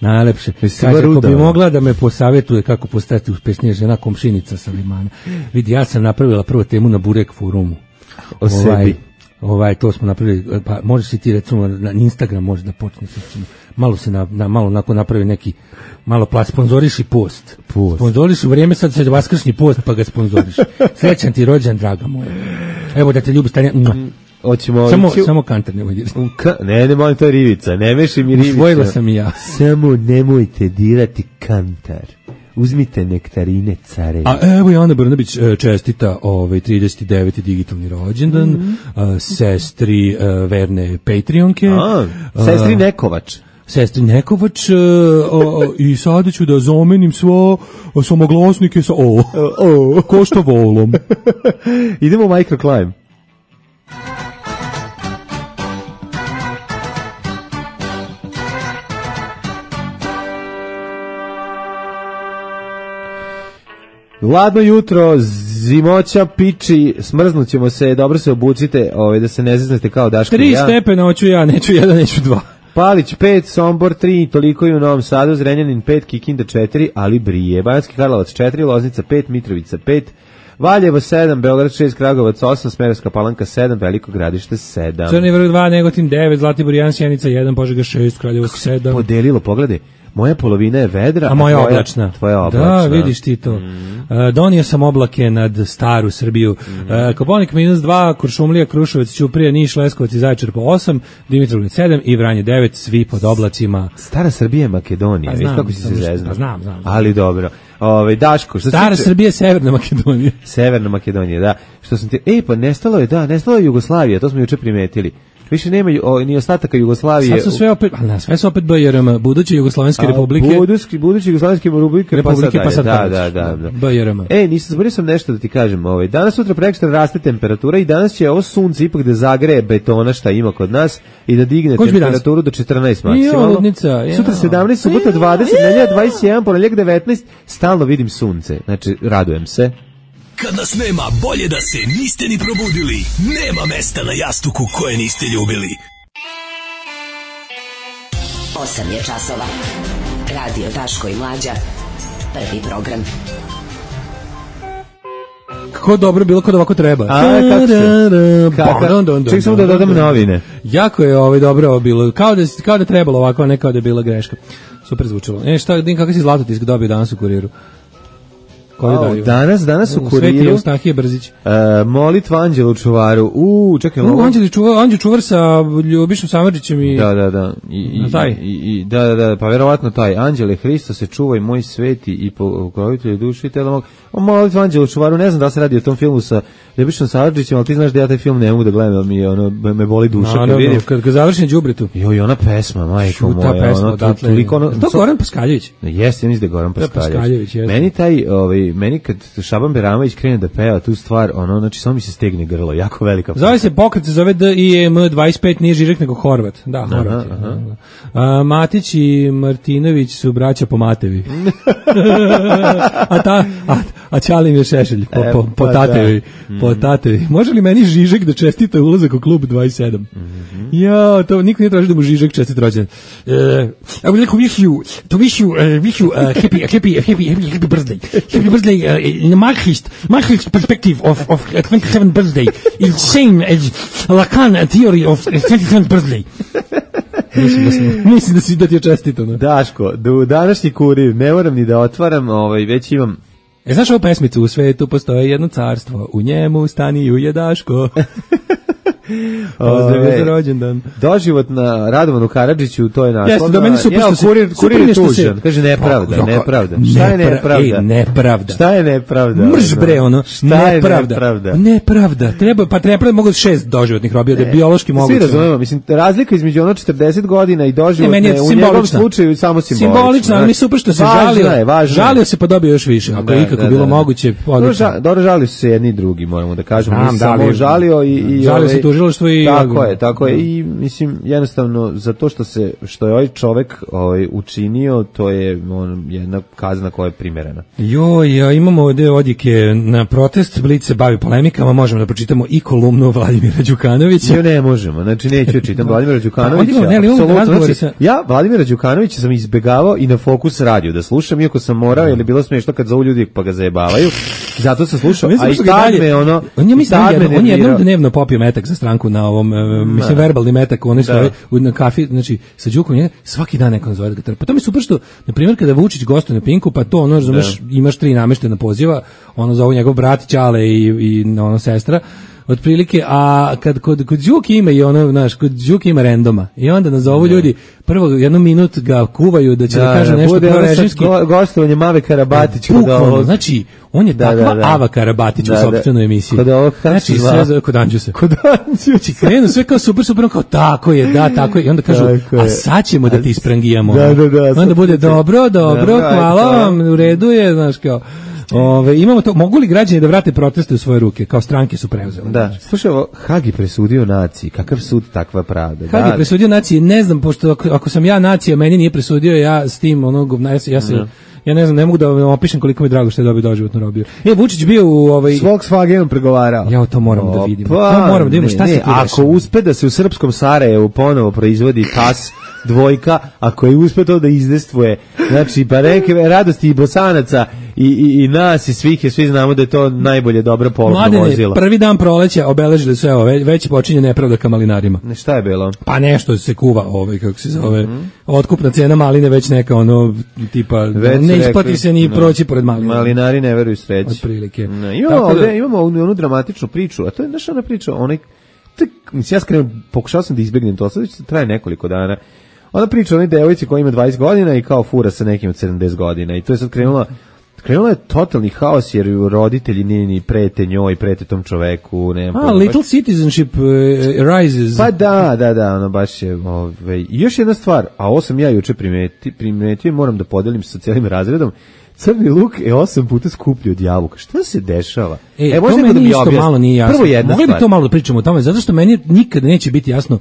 najlepše. Kaže, ako bi mogla da me posavjetuje kako postati uspešnija žena, komšinica sa Limana. Vidi, ja sam napravila prvu temu na Burek forumu. O sebi. To smo napravili, pa možeš si ti recimo na Instagram možeš da počneš, malo se malo nakon napravi neki, malo sponzoriši post. Sponzoriši u vrijeme sad vaskršnji post, pa ga sponzoriš. Srećan ti rođendan, draga moja. Evo da te ljubi Stanija. Samo kantar nemoj dirati. Ne molim, to je rivica, ne meši mi rivica. Usvojila sam i ja. Samo nemojte dirati kantar. Uzmite nektarine care. A evo i Ana Brnabić čestita 39. digitalni rođendan, sestri verne Patreonke. Sestri Nekovač. Sestri Nekovač i sada ću da zamenim samoglasnike sa ko što volom. Idemo u microclimb. Ladno jutro, Zimoća piči, smrznućemo se, dobro se obucite, da se ne zeznete kao Daško i ja. 3 stepena hoću ja, neću 1, neću 2. Palić 5, Sombor 3, toliko i u Novom Sadu, Zrenjanin 5, Kikinda 4, ali brije. Banjski Karlovac 4, Loznica 5, Mitrovica 5, Valjevo 7, Beograd 6, Kragovac 8, Smederevska Palanka 7, Veliko Gradište 7. Crni vrh 2, Negotin 9, Zlatibor 1, Sjenica 1, Požega 6, Kraljevo 7. Podelilo, pogledaj. Moja polovina je vedra, a moja oblačna. Tvoja oblačna. Da, vidiš ti to. Donio sam oblake nad staru Srbiju. Koponik -2, Kuršumlija, Kruševac, Ćuprija, Niš, Leskovac i Zaječar po 8, Dimitrovgrad 7 i Vranje 9, svi pod oblacima. Stara Srbija je Makedonija, vidiš kako si se zeznao. Znam. Ali dobro. Daško, što Stara Srbija je Severna Makedonija. Severna Makedonija, da. Što sam ti, pa nestalo je Jugoslavija, to smo juče primetili. Više nema ni ostataka Jugoslavije. Sad su sve opet, sve su opet BRM, buduće Jugoslovenske republike. Buduće Jugoslovenske republike pa sad da. BRM. Nisam zaboravio sam nešto da ti kažem. Danas sutra prekstra raste temperatura i danas će ovo sunce ipak da zagreje betona šta ima kod nas i da digne temperaturu do 14 maksimalno. Sutra 17, subota 20, nedelja 21, ponedeljak 19, stalno vidim sunce. Znači, radujem se. Kad nas nema, bolje da se niste ni probudili. Nema mesta na jastuku koje niste ljubili. 8 je časova. Radio Daško i Mlađa. Prvi program. Kako dobro bilo kod ovako treba. Ček samo da dodam novine. Jako je dobro bilo. Kao da trebalo ovako, a ne kao da je bila greška. Super zvučalo. Kakav si Zlatotisk dobio danas u Kuriru? Danas u Kuriru Sveti Eustahije Brzić. Molitva Anđela u čuvaru. Čekaj, Anđel čuvar sa Ljubišom Samardžićem i Da, pa verovatno taj Anđele Hristo se čuvaj moj sveti i pokrovitelju duše i tela mog. Molitva Anđela u čuvaru, ne znam da se radi o tom filmu sa Ljubišom Samardžićem, ali ti znaš da ja taj film ne mogu da gledam, me boli duša kad vidim. Kad završi na đubretu. Joj, ona pesma, majko moja, to Goran Paskaljević. Jeste, ja mislim da je Goran Paskaljević. Meni kad Šaban Beramović krene da peva tu stvar, znači samo mi se stegne grlo, jako velika. Zove se pokret, se zove DIEM 25, nije Žižek nego Horvat. Da, Horvat. Matić i Martinović su braća po Matevi. a Ćalim je Šešelj po Tatevi. Po Tatevi. Može li meni Žižek da čestita ulazak u klub 27? Ja, to niko nije traži da mu Žižek čestita rođendan. I would like to wish you happy birthday. Happy birthday in the Marxist perspective of 27th birthday is same as Lacan theory of 27th birthday. Mislim da ti je čestito. Daško, današnji Kurir, ne moram ni da otvaram, već imam. Znaš ovu pesmicu? U svetu postoje jedno carstvo, u njemu staniju Daško. Pozdravio za rođendan. Doživot na Radovanu Karadžiću, to je naslov. Jeste, do meni su Kurir je tužan. Kaže nepravda. Šta je nepravda? Nepravda. Šta je nepravda? Mrš bre, ono. Šta je nepravda? Nepravda. Treba mogu 6 doživotnih robija, da je biološki moguće. Svi razumemo, mislim, razlika između 40 godina i doživotne u njegovom slučaju samo simbolična. Simbolična, ali mi super što se žalio se pa dobio još više. Ako je ikako bilo moguće. Dobro, žalio su se jedni i drugi, moramo da kažemo. Samo žalio i Tako je i mislim jednostavno za to što je ovaj čovjek učinio, to je jedna kazna koja je primerena. Imamo ovdje odjeke na protest, Blic se bavi polemikama, možemo da pročitamo i kolumnu Vladimira Đukanovića. Ne možemo, znači neću čitam Vladimira Đukanovića. Ja Vladimira Đukanovića sam izbegavao i na Fokus radio da slušam, iako sam morao, jer je bilo smiješno kad zovu ljudi pa ga zajebavaju. Zato sam slušao, a i tad me on je jednom dnevno popio metak za stranku na ovom, mislim, verbalni metak, oni stoji na kafi, znači, sa Đukom je svaki dan neko nazove da ga trpa. To mi je super što, na primjer, kada Vučić gostuje na Pinku, pa to, imaš 3 nameštena poziva, zovu njegov brat, Ćale i sestra, otprilike, a kad kod Đuki ima i kod Đuki ima randoma i onda nazovu ljudi, prvo jednu minut ga kuvaju da će da kaže nešto prorežimski. Gostovanje Mave Karabatić. Znači, on je takva Ava Karabatić u sopstvenoj emisiji. Znači, sve kod Anđusa. Znači, krenu sve kao super, kao tako je, i onda kažu, a sad ćemo da ti isprangijamo. Onda bude dobro, hvala vam, u redu je, znaš kao. Imamo to, mogu li građani da vrate proteste u svoje ruke, kao stranke su preuzeli? Da, slušaj, Hagi presudio naciji, kakav sud takva pravda? Hagi presudio naciji, ne znam, pošto ako sam ja nacija, meni nije presudio, ja s tim, Ja ne znam, ne mogu da vam opišem koliko mi je drago što je dobio doživotnu robiju. Vučić bio u S Volkswagenom pregovarao. Ja to moram da vidim. To moram da vidimo šta se tu dešava. Ako uspe da se u srpskom Sarajevu ponovo proizvodi TAS dvojka, ako je uspe to da izdestvuje, znači pa neke radosti i Bosanaca i nas i svih, svi znamo da je to najbolje dobro polovno vozilo. Prvi dan proleća obeležili su, evo, već počinje nepravda ka malinarima. Šta je bilo? Pa nešto se kuva, kako se zove, otkupna cena maline već neka, ono, tipa, ne isplati se ni proći pored malina. Malinari ne veruju sreći. Otprilike. Imamo onu dramatičnu priču, a to je naša ona priča, ja pokušao sam da izbjegnem to, sad traje nekoliko dana. Ona priča o onoj devojci koja ima 20 godina i kao fura sa nekim od 70 godina i to je sad krenulo je totalni haos jer roditelji ni prete njoj, prete tom čoveku. Little citizenship rises. Pa da, ono baš je. Još jedna stvar, a ovo sam ja juče primetio i moram da podelim sa cijelim razredom, crni luk je 8 puta skuplji od jabuka. Šta se dešava? To meni isto malo nije jasno. Mogli bi to malo da pričamo o tome, zato što meni nikada neće biti jasno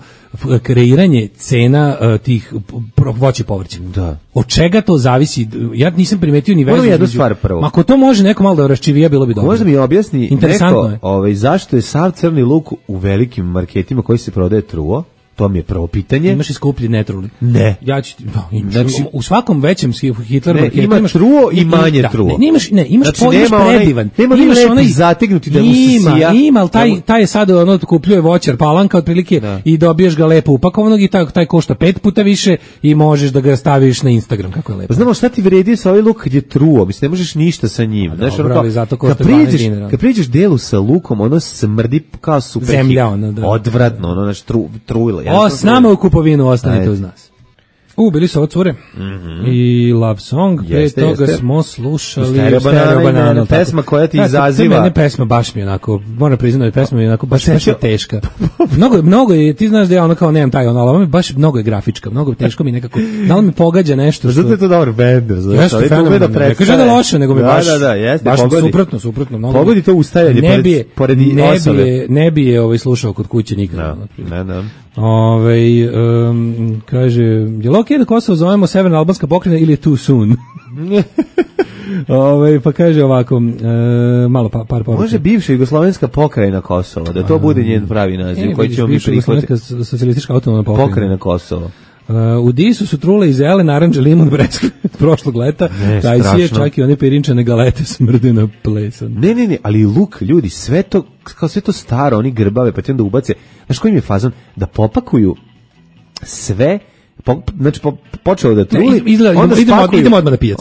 kreiranje cena tih voća i povrća. Da. Od čega to zavisi? Ja nisam primetio ni vezu. Jednu stvar prvo. Ako to može neko malo da raščivija, bilo bi dobro. Možda mi objasni neko zašto je sav crni luk u velikim marketima koji se prodaje truo? To mi je prvo pitanje. Imaš i skuplji netruli? Ne. Ja ću u svakom većem Hitler marketu imaš truo i manje truo. Imaš predivan. Nema onaj zategnuti da mu se sija. Ima, taj je sad kupljuje voćar Palanka otprilike i dobiješ ga lepo upakovanog i taj košta 5 puta više i možeš da ga staviš na Instagram kako je lepo. Znamo šta ti vredi sa ovaj luk kad je truo, mislim ne možeš ništa sa njim. Kad priđeš delu sa lukom, ono smrdi kao super. Zemlja ono, da. Odvratno, ono trujilo. S nama u kupovinu, ostanite uz nas. Bili su ovo cure i Love Song, pre toga smo slušali Stereo Banana. Pesma koja ti izaziva. Ne pesma, baš mi onako, moram priznati, pesma mi onako baš je teška. Mnogo je, ti znaš da ja ono kao nemam taj ono, ali baš mnogo je grafička, mnogo teško mi nekako, da li mi pogađa nešto. Zato je to dobar bender, znaš. Jeste fenomenalno, ne kaže da loše, nego mi baš suprotno. Pogodi to ustajanje pored osobe. Ne bi je slušao kod kuće nikada. Ne. Kaže, je li okej da Kosovo zovemo Severna albanska pokrajina ili je too soon? Pa kaže ovako, malo par poruka. Može bivša jugoslovenska pokrajina Kosova, da to bude njen pravi naziv koji ćemo mi prihvatiti. Socijalistička autonomna pokrajina Kosova. U Disu su trule i zele, naranđe, limun, breskve prošlog leta, taj si je čak i one pirinčane galete smrde na plesan. Ne, ali luk, ljudi, sve to staro, oni grbave, pa ti onda ubace, znaš koji mi je fazon, da popakuju sve, znači počeo da truli, onda idemo odmah na pijac.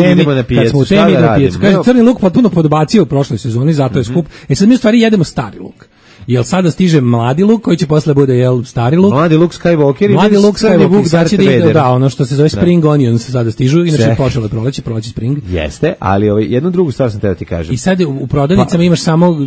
Idemo na pijac. Kad smo u temi, idemo na pijac. Kaže, crni luk potpuno podbacio u prošloj sezoni, zato je skup. Sad mi u stvari jedemo stari luk. Jel sada stiže mladi luk koji će posle bude stari luk? Mladi luk Skywalker i Darth Vader. Da, ono što se zove Spring Onions sada stižu, inače počelo je proleće Spring. Jeste, ali jednu drugu stvar sam teo ti kažem. I sad u prodavnicama imaš samo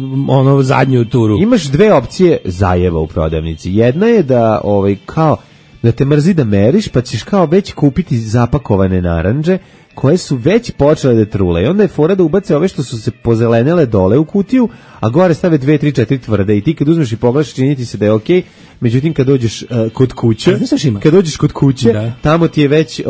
zadnju turu. Imaš dve opcije zajeva u prodavnici. Jedna je da kao da te mrzi da meriš, pa ćeš kao već kupiti zapakovane naranđe koje su već počele da trule. I onda je fora da ubace ove što su se pozelenele dole u kutiju, a gore stave 2, 3, 4 tvrde. I ti kad uzmeš i pogledaš, čini ti se da je okej. Međutim, kad dođeš kod kuće, tamo ti je već,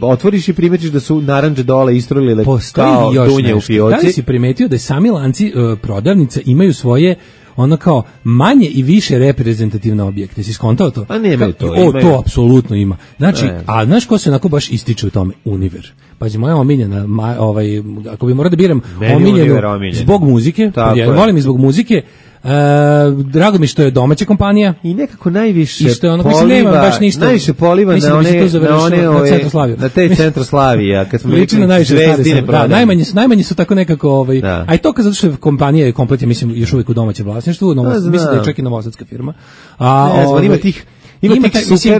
otvoriš i primetiš da su naranđe dole istrulile kao dunje u fioci. Da li si primetio da sami lanci prodavnica imaju svoje ono kao manje i više reprezentativne objekte. Si skontao to? A nemaju to. To apsolutno ima. Znači, a znaš ko se onako baš ističe u tome? Univer. Pazi, moja omiljena, ako bi morao da biram omiljenu zbog muzike, volim i zbog muzike, drago mi što je domaća kompanija i nekako najviše poliva, baš ništa, najviše poliva na te Centroslavija kad smo liči na najviše Zvezdine, najmanje su tako nekako a i to zato što kompanija je komplet, mislim, još uvijek u domaćem vlasništvu, mislim da je čak i novosadska firma, Ima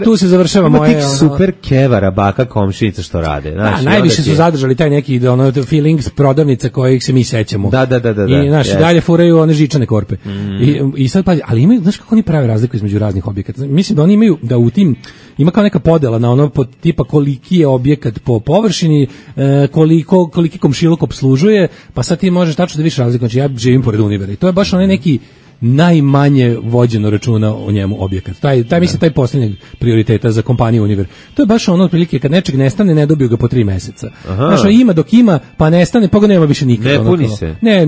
tu se završava moje super kevara baka komšinica što rade, znači najviše su zadržali taj neki feelings prodavnica kojih se mi sećamo. Da. I naši dalje furaju one žičane korpe. I sad pazi, ali imaju, znaš kako oni prave razliku između raznih objekata. Mislim da oni imaju da u tim ima kao neka podela na ono tipa koliki je objekat po površini, koliki komšiluk opslužuje, pa sad ti možeš tačno da vidiš razliku. Znači ja živim pored Univera i to je baš onaj neki najmanje vođeno računa o njemu objekat. Taj mislim taj posljednjeg prioriteta za kompaniju Univer. To je baš ono otprilike kad nečeg nestane, ne dobiju ga po 3 meseca. Znaš, ima dok ima, pa nestane, pa ga nema više nikada. Ne puni se. Ne,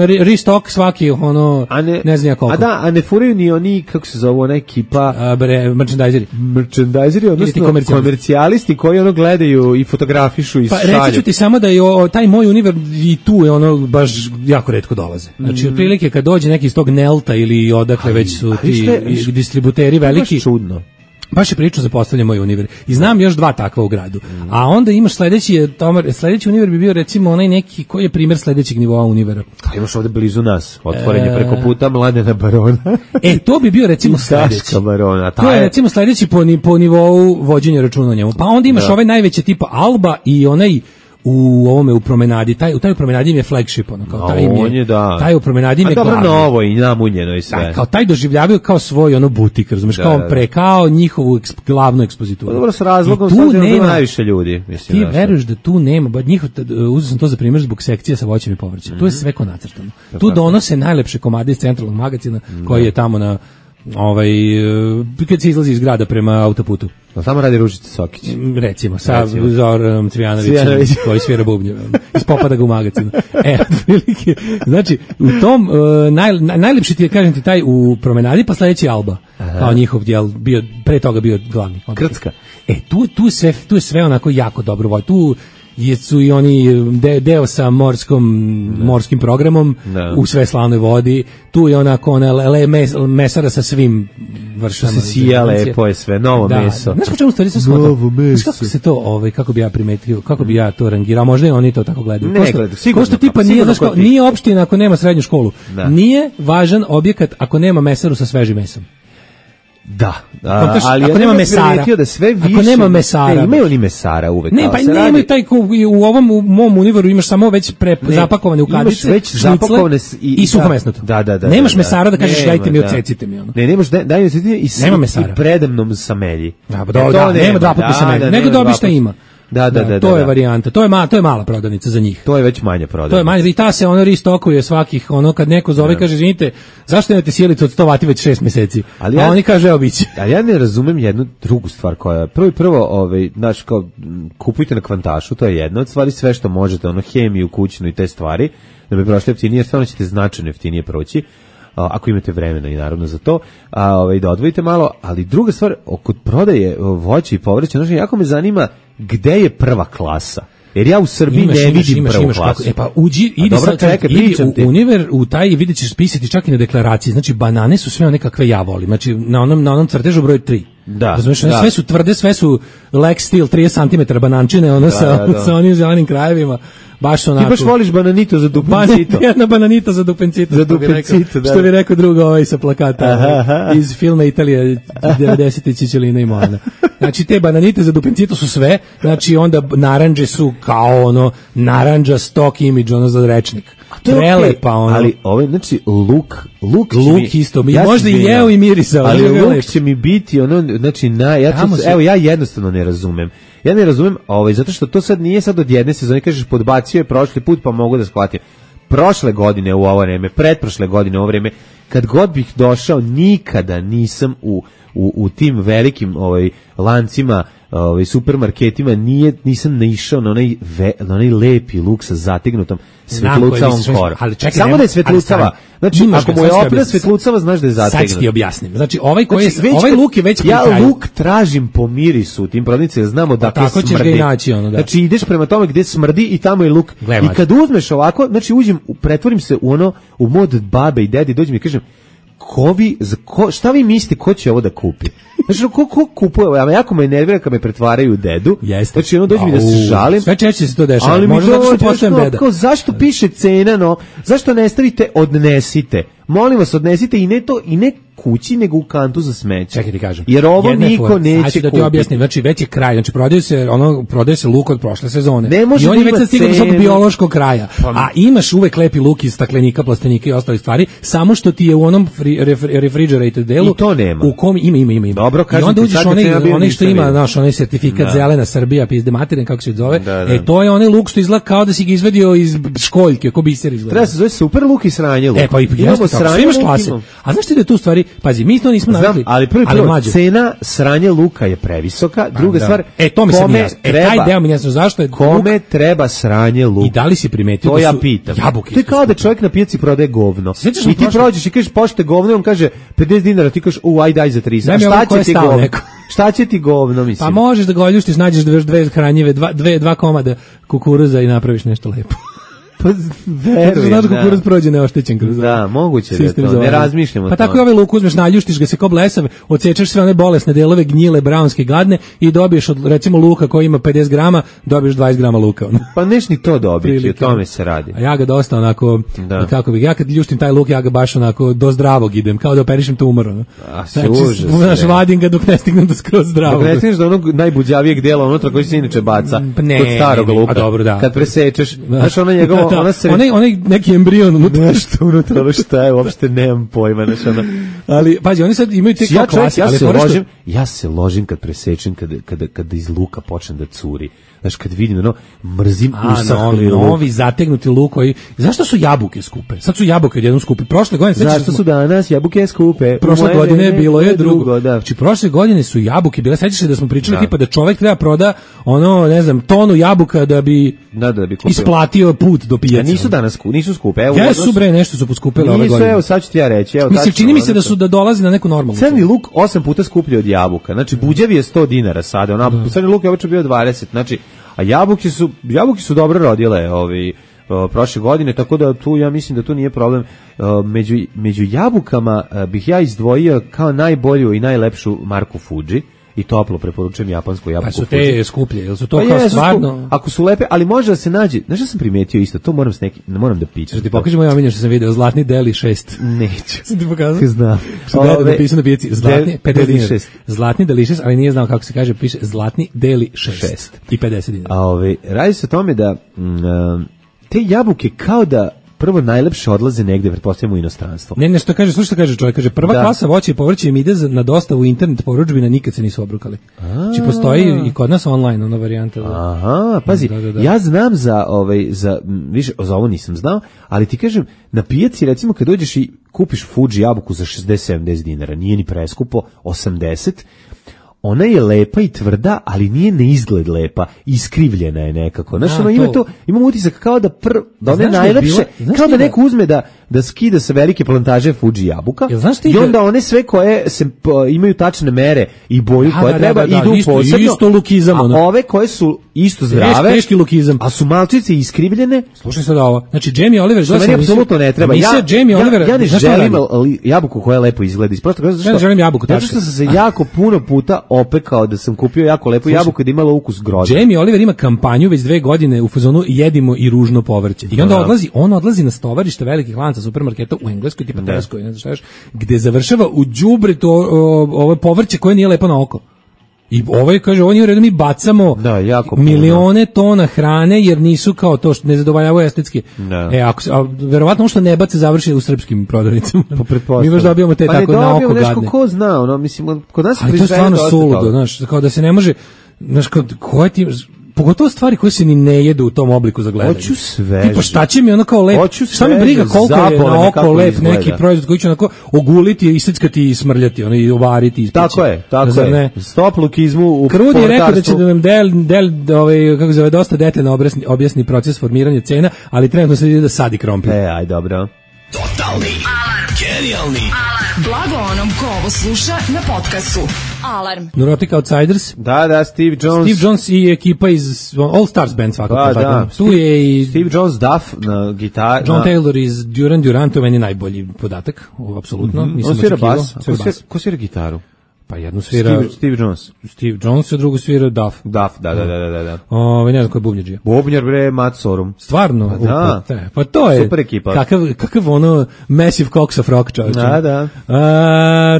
restock svaki, ono, ne znam ja koliko. A ne furaju ni oni, kako se zove, ona ekipa? Merchandiseri, odnosno komercijalisti koji ono gledaju i fotografišu i šalju. Pa reći ću ti samo da je taj moj Univer i tu je ono baš jako retko dolaze. Znači, otprilike kad dođe neki iz tog Nelta ili odakle već su ti distributeri veliki. Čudno. Baš je pričao za postavljanje moj Univer. I znam još 2 takva u gradu. A onda imaš sledeći Univer bi bio recimo onaj neki, koji je primjer sledećeg nivoa Univera. Imaš ovde blizu nas, otvoren je preko puta Mladena Barona. To bi bio recimo sledeći. Barona. To je recimo sledeći po nivou vođenja računa o njemu. Pa onda imaš ovaj najveće tipa Alba i onaj u ovome u promenadi, u taj promenadi im je flagship, ono, kao taj im je, taj u promenadi im je glavni. Dobro novo i namunjeno i sve. Kao taj doživljavaju kao svoj ono butik, razumeš, kao njihovu glavnu ekspozituru. Dobro, s razlogom sad nema najviše ljudi. Mislim, ti veruješ da tu nema, uzeo sam to za primjer zbog sekcija sa voćem i povrćem. Tu je sve ko nacrtano. Tu donose najlepše komade iz centralnog magazina koji je tamo na kad se izlazi iz grada prema autoputu. Tamo radi Ružica Sokić. Recimo, sa Zoranom Cvijanovićem koji svira bubnjeve. Ispopada ga u magazinu. Otprilike. Znači, u tom najlepši ti je, kažem ti, taj u promenadi, pa sledeći Alba. Kao njihov djel, pre toga bio glavni. Krcka. Tu je sve onako jako dobro voj. Tu su i oni deo sa morskim programom u sve slavnoj vodi. Tu je onako mesara sa svim vrstama. Se sija lepo je sve, novo meso. Znaš po čemu stvari se shvata? Znaš kako se to, kako bi ja primetio, kako bi ja to rangirao, možda i oni to tako gledaju. Ne gledaju, sigurno. Ko što tipa nije opština ako nema srednju školu. Nije važan objekat ako nema mesaru sa svežim mesom. Da, ali ako nema mesara, da sve više, ako nema mesara, imaju oni mesara uvek. Ne, pa nemaju taj u mom Univeru imaš samo već zapakovane u kadice, već zapakovane i suhomesnato. Da. Nemaš mesara da kažeš dajte mi odsecite mi ono. Ne, nemaš daj mi odsecite i predemnom samelji. Nema 2 puta samelji, nego dobiš šta ima. Da. To je varijanta. To je mala prodavnica za njih. To je već manja prodavnica. To je manja, i ta se ono ristokuje svakih, ono kad neko zove kaže izvinite, zašto nemate sjelicu od 100 vati već 6 meseci? A oni kaže evo biće. Ali ja ne razumem jednu drugu stvar koja prvo znaš kao kupujte na Kvantašu, to je jedna od stvari, sve što možete, ono hemiju kućnu i te stvari, da bi prošli jeftinije, stvarno ćete značajno jeftinije proći. Ako imate vremena i naravno za to, da odvojite malo, ali druga stvar, oko prodaje voća i povrća, znači jako me zanima gde je prva klasa. Jer ja u Srbiji ne vidim prvu klasu. Pa idi u Univer, u taj i vidjet ćeš spisati čak i na deklaraciji. Znači, banane su sve one kakve ja volim. Znači, na onom crtežu broj 3. Razumiješ, sve su tvrde, sve su Lex Steel, 30 cm banančine, ono sa onim zelenim krajevima. Baš onako. Ti baš voliš bananito za dupencito. Jedna bananita za dupencito. Što bi rekao drugo sa plakata iz filma Italija 90. Čičelina i Moana. Znači te bananite za dupencito su sve, znači onda narandže su kao ono narandža stock image, ono za rečnik. Prelepa ono. Ali znači luk isto, možda i jeo i mirisao. Ali luk će mi biti ono, znači ja jednostavno ne razumem. Ja ne razumem, zato što to sad nije sad od jedne sezone, kažeš podbacio je prošli put pa mogu da shvatim. Prošle godine u ovo vreme, pretprošle godine u ovo vreme, kad god bih došao, nikada nisam u tim velikim lancima, supermarketima, nisam naišao na onaj lepi luk sa zategnutom svetlucavom korom. Samo da je svetlucava. Znači, ako mu je opra svetlucava, znaš da je zategnut. Sad ti objasnim. Znači, ovaj luk je već pri kraju. Ja luk tražim po mirisu u tim prodavnicama, znamo da tako smrdi. Ćeš ga i naći, ono, da. Znači, ideš prema tome gde smrdi i tamo je luk. I kad uzmeš ovako, znači, pretvorim se u mod babe i dedi, dođem i kažem, šta vi mislite ko će ovo da kupi? Znači, ko kupuje ovo? Jako me nervira kad me pretvaraju u dedu. Znači, ono dođe mi da se žalim. Sve češće se to dešava. Ali možda zato što postajem deda. Zašto piše cena, zašto ne stavite odnesite? Molim vas, odnesite i ne kući nego u kantu za smeće. Čekaj ti kažem. Jer ovo niko neće kupiti. Da ti objasnim, znači već je kraj, znači prodaje se luk od prošle sezone. Ne može i on je već stigao do svog biološkog kraja. A imaš uvek lepi luk iz staklenika, plastenika i ostalih stvari, samo što ti je u onom refrigerated delu. I to nema. U kom ima. Dobro, i onda uđeš onaj što ima, znaš, onaj sertifikat zelena Srbija, pizde materine, kako se zove. To je onaj luk što izgleda kao da si ga izvadio iz školjke, ko biser izgleda. Treba se zove super luk i sranje luk. Pa i jeste tako, sve imaš klase. A znaš ti da je tu stvari, pazi, mi to nismo navikli. Ali prvo, cena sranje luka je previsoka, druga stvar, to mi se nije jasno. Taj deo mi nije jasno, zašto je kome treba sranje luk? I da li si primetio to da ja su pitam. Jabuke? To je kao da čovjek na pijaci prodaje govno. I ti prođeš i kažeš pošte govno, on kaže 50 dinara, ti kažeš daj za 30. Šta će ti govno? Šta će ti govno, mislim? Pa možeš da ga oljuštiš, nađeš dve hranjive, dva komada kukuruza i napraviš nešto lepo. Pa verujem, znaš kukuruz prođe neoštećen kroz moguće da to, ne razmišljamo. Pa tako i ovaj luk uzmeš, naljuštiš ga se kao blesav, odsečeš sve one bolesne delove, gnjile, brownske, gadne i dobiješ od, recimo, luka koji ima 50 grama, dobiješ 20 grama luka. Pa neš ni to dobiti, o tome se radi. A ja ga dosta onako, kako bih, ja kad ljuštim taj luk, ja ga baš onako do zdravog idem, kao da operišem tumor. Znači, vadim ga dok ne stignem do skroz zdravog. Dok ne stigneš do onog najbuđavijeg dela unutra koji se inače baca, kod starog luka. Kad presečeš, znaš ono njegovo, onaj neki embrion nešto unutra, šta je, uopšte nemam pojma, znači ona. Ali pazi, oni sad imaju te klase, ja se ložim kad presečem, kada iz luka počne da curi. Znaš, kad vidim, mrzim usahli luk. Novi zategnuti luk koji... Zašto su jabuke skupe? Sad su jabuke odjednom skupe. Prošle godine... Zašto su danas jabuke skupe? Prošle godine bilo je drugo. Znači, prošle godine su jabuke bile... Sećaš se da smo pričali tipa da čovjek treba proda tonu jabuka da bi isplatio put do pijaca. Nisu danas nisu skupe. Jesu bre, nešto su poskupile ove godine. Evo, sad ću ti ja reći. Mislim, čini mi se da dolazi na neku normalnu. Crni luk 8 puta skuplji od jabuka. Znači, buđavi je 100 dinara sada. Crni luk je obično bio 20. Znači, a jabuke su dobro rodile prošle godine, tako da tu ja mislim da tu nije problem. Među jabukama bih ja izdvojio kao najbolju i najlepšu marku Fuji. I toplo preporučujem japansku jabuku. Pa su te skuplje, jel su to kao stvarno? Ako su lepe, ali može da se nađe. Znaš šta sam primetio isto, to moram da pićem. Ti pokaži moj omiljeni što sam video, zlatni deli 6. Neću. Sam ti pokazao? Znam. Što je napisano na pijaci, zlatni 50 dinara. Zlatni deli 6, ali nije znao kako se kaže, piše zlatni deli 6. I 50 dinara. Radi se o tome da te jabuke kao da prvo najlepše odlaze negde, pretpostavljamo u inostranstvo. Ne, što kaže, slušaj što kaže čovjek, kaže prva klasa voća i povrće im ide na dostavu internet porudžbina, nikad se nisu obrukali. Znači postoji i kod nas online ona varijanta. Aha, pazi, ja znam za više za ovo nisam znao, ali ti kažem, na pijaci recimo kad dođeš i kupiš Fuji jabuku za 60-70 dinara, nije ni preskupo, 80, ona je lepa i tvrda, ali nije na izgled lepa, iskrivljena je nekako. Znaš, imam utisak kao da one najlepše, kao da neko uzme da skida sa velike plantaže Fuji jabuka i onda one sve koje imaju tačne mere i boju koje treba idu posebno. Isto lukizam. A ove koje su isto zdrave, teški lukizam. A su malčice iskrivljene. Slušaj sad ovo. Znači, Jamie Oliver... Što meni apsolutno ne treba. Ja ne želim jabuku koja lepo izgleda. Ja ne želim jabuku, zato što sam se jako puno puta opekao da sam kupio jako lepu jabuku i da imala ukus grožđa. Jamie Oliver ima kampanju već 2 godine u fazonu jedimo i ružno povrće. I onda odlazi na stovarište velikih lanca supermarketa u Engleskoj, tipa Tesco, ne znam šta još, gde završava u đubretu ovo povrće koje nije lepo na oko. I kaže, ovo nije u redu, mi bacamo milione tona hrane jer nisu kao to što ne zadovoljavaju estetski. Verovatno što ne bace završi u srpskim prodavnicama. Mi baš dobijamo te tako na oko gadne. Nešto ko zna, mislim, kod nas ali to je stvarno suludo, znaš, kao da se ne može, znaš, koje ti... Pogotovo stvari koje se ni ne jedu u tom obliku za gledanje. Hoću sveže. Tipa šta će mi onako lep, šta mi briga koliko je na oko lep neki proizvod koji će onako oguliti, iseckati i smrljati, i ovariti. Tako je. Stop lukizmu u Krudi je rekao da će da nam kako zove, dosta detaljno objasni proces formiranja cena, ali trenutno se ide da sadi krompir. Aj dobro. Totalni alarm. Genijalni alarm. Blago onom ko ovo sluša na podcastu. Alarm. Neurotic Outsiders. Da, Steve Jones i ekipa iz All Stars Band svakako. Da. Tu je i Steve Jones, Duff na gitar. John Taylor iz Duran Duran, to je meni najbolji podatak, apsolutno. On svira bas. Ko svira gitaru? Pa jednu svira Steve Jones, a drugu svira Duff. Da. Ne znam ko je bubnjađija. Bubnjar bre Matt Sorum. Stvarno? Pa da. Pa to je. Super ekipa. Kakav ono massive cocks of rock, čovječe. Da.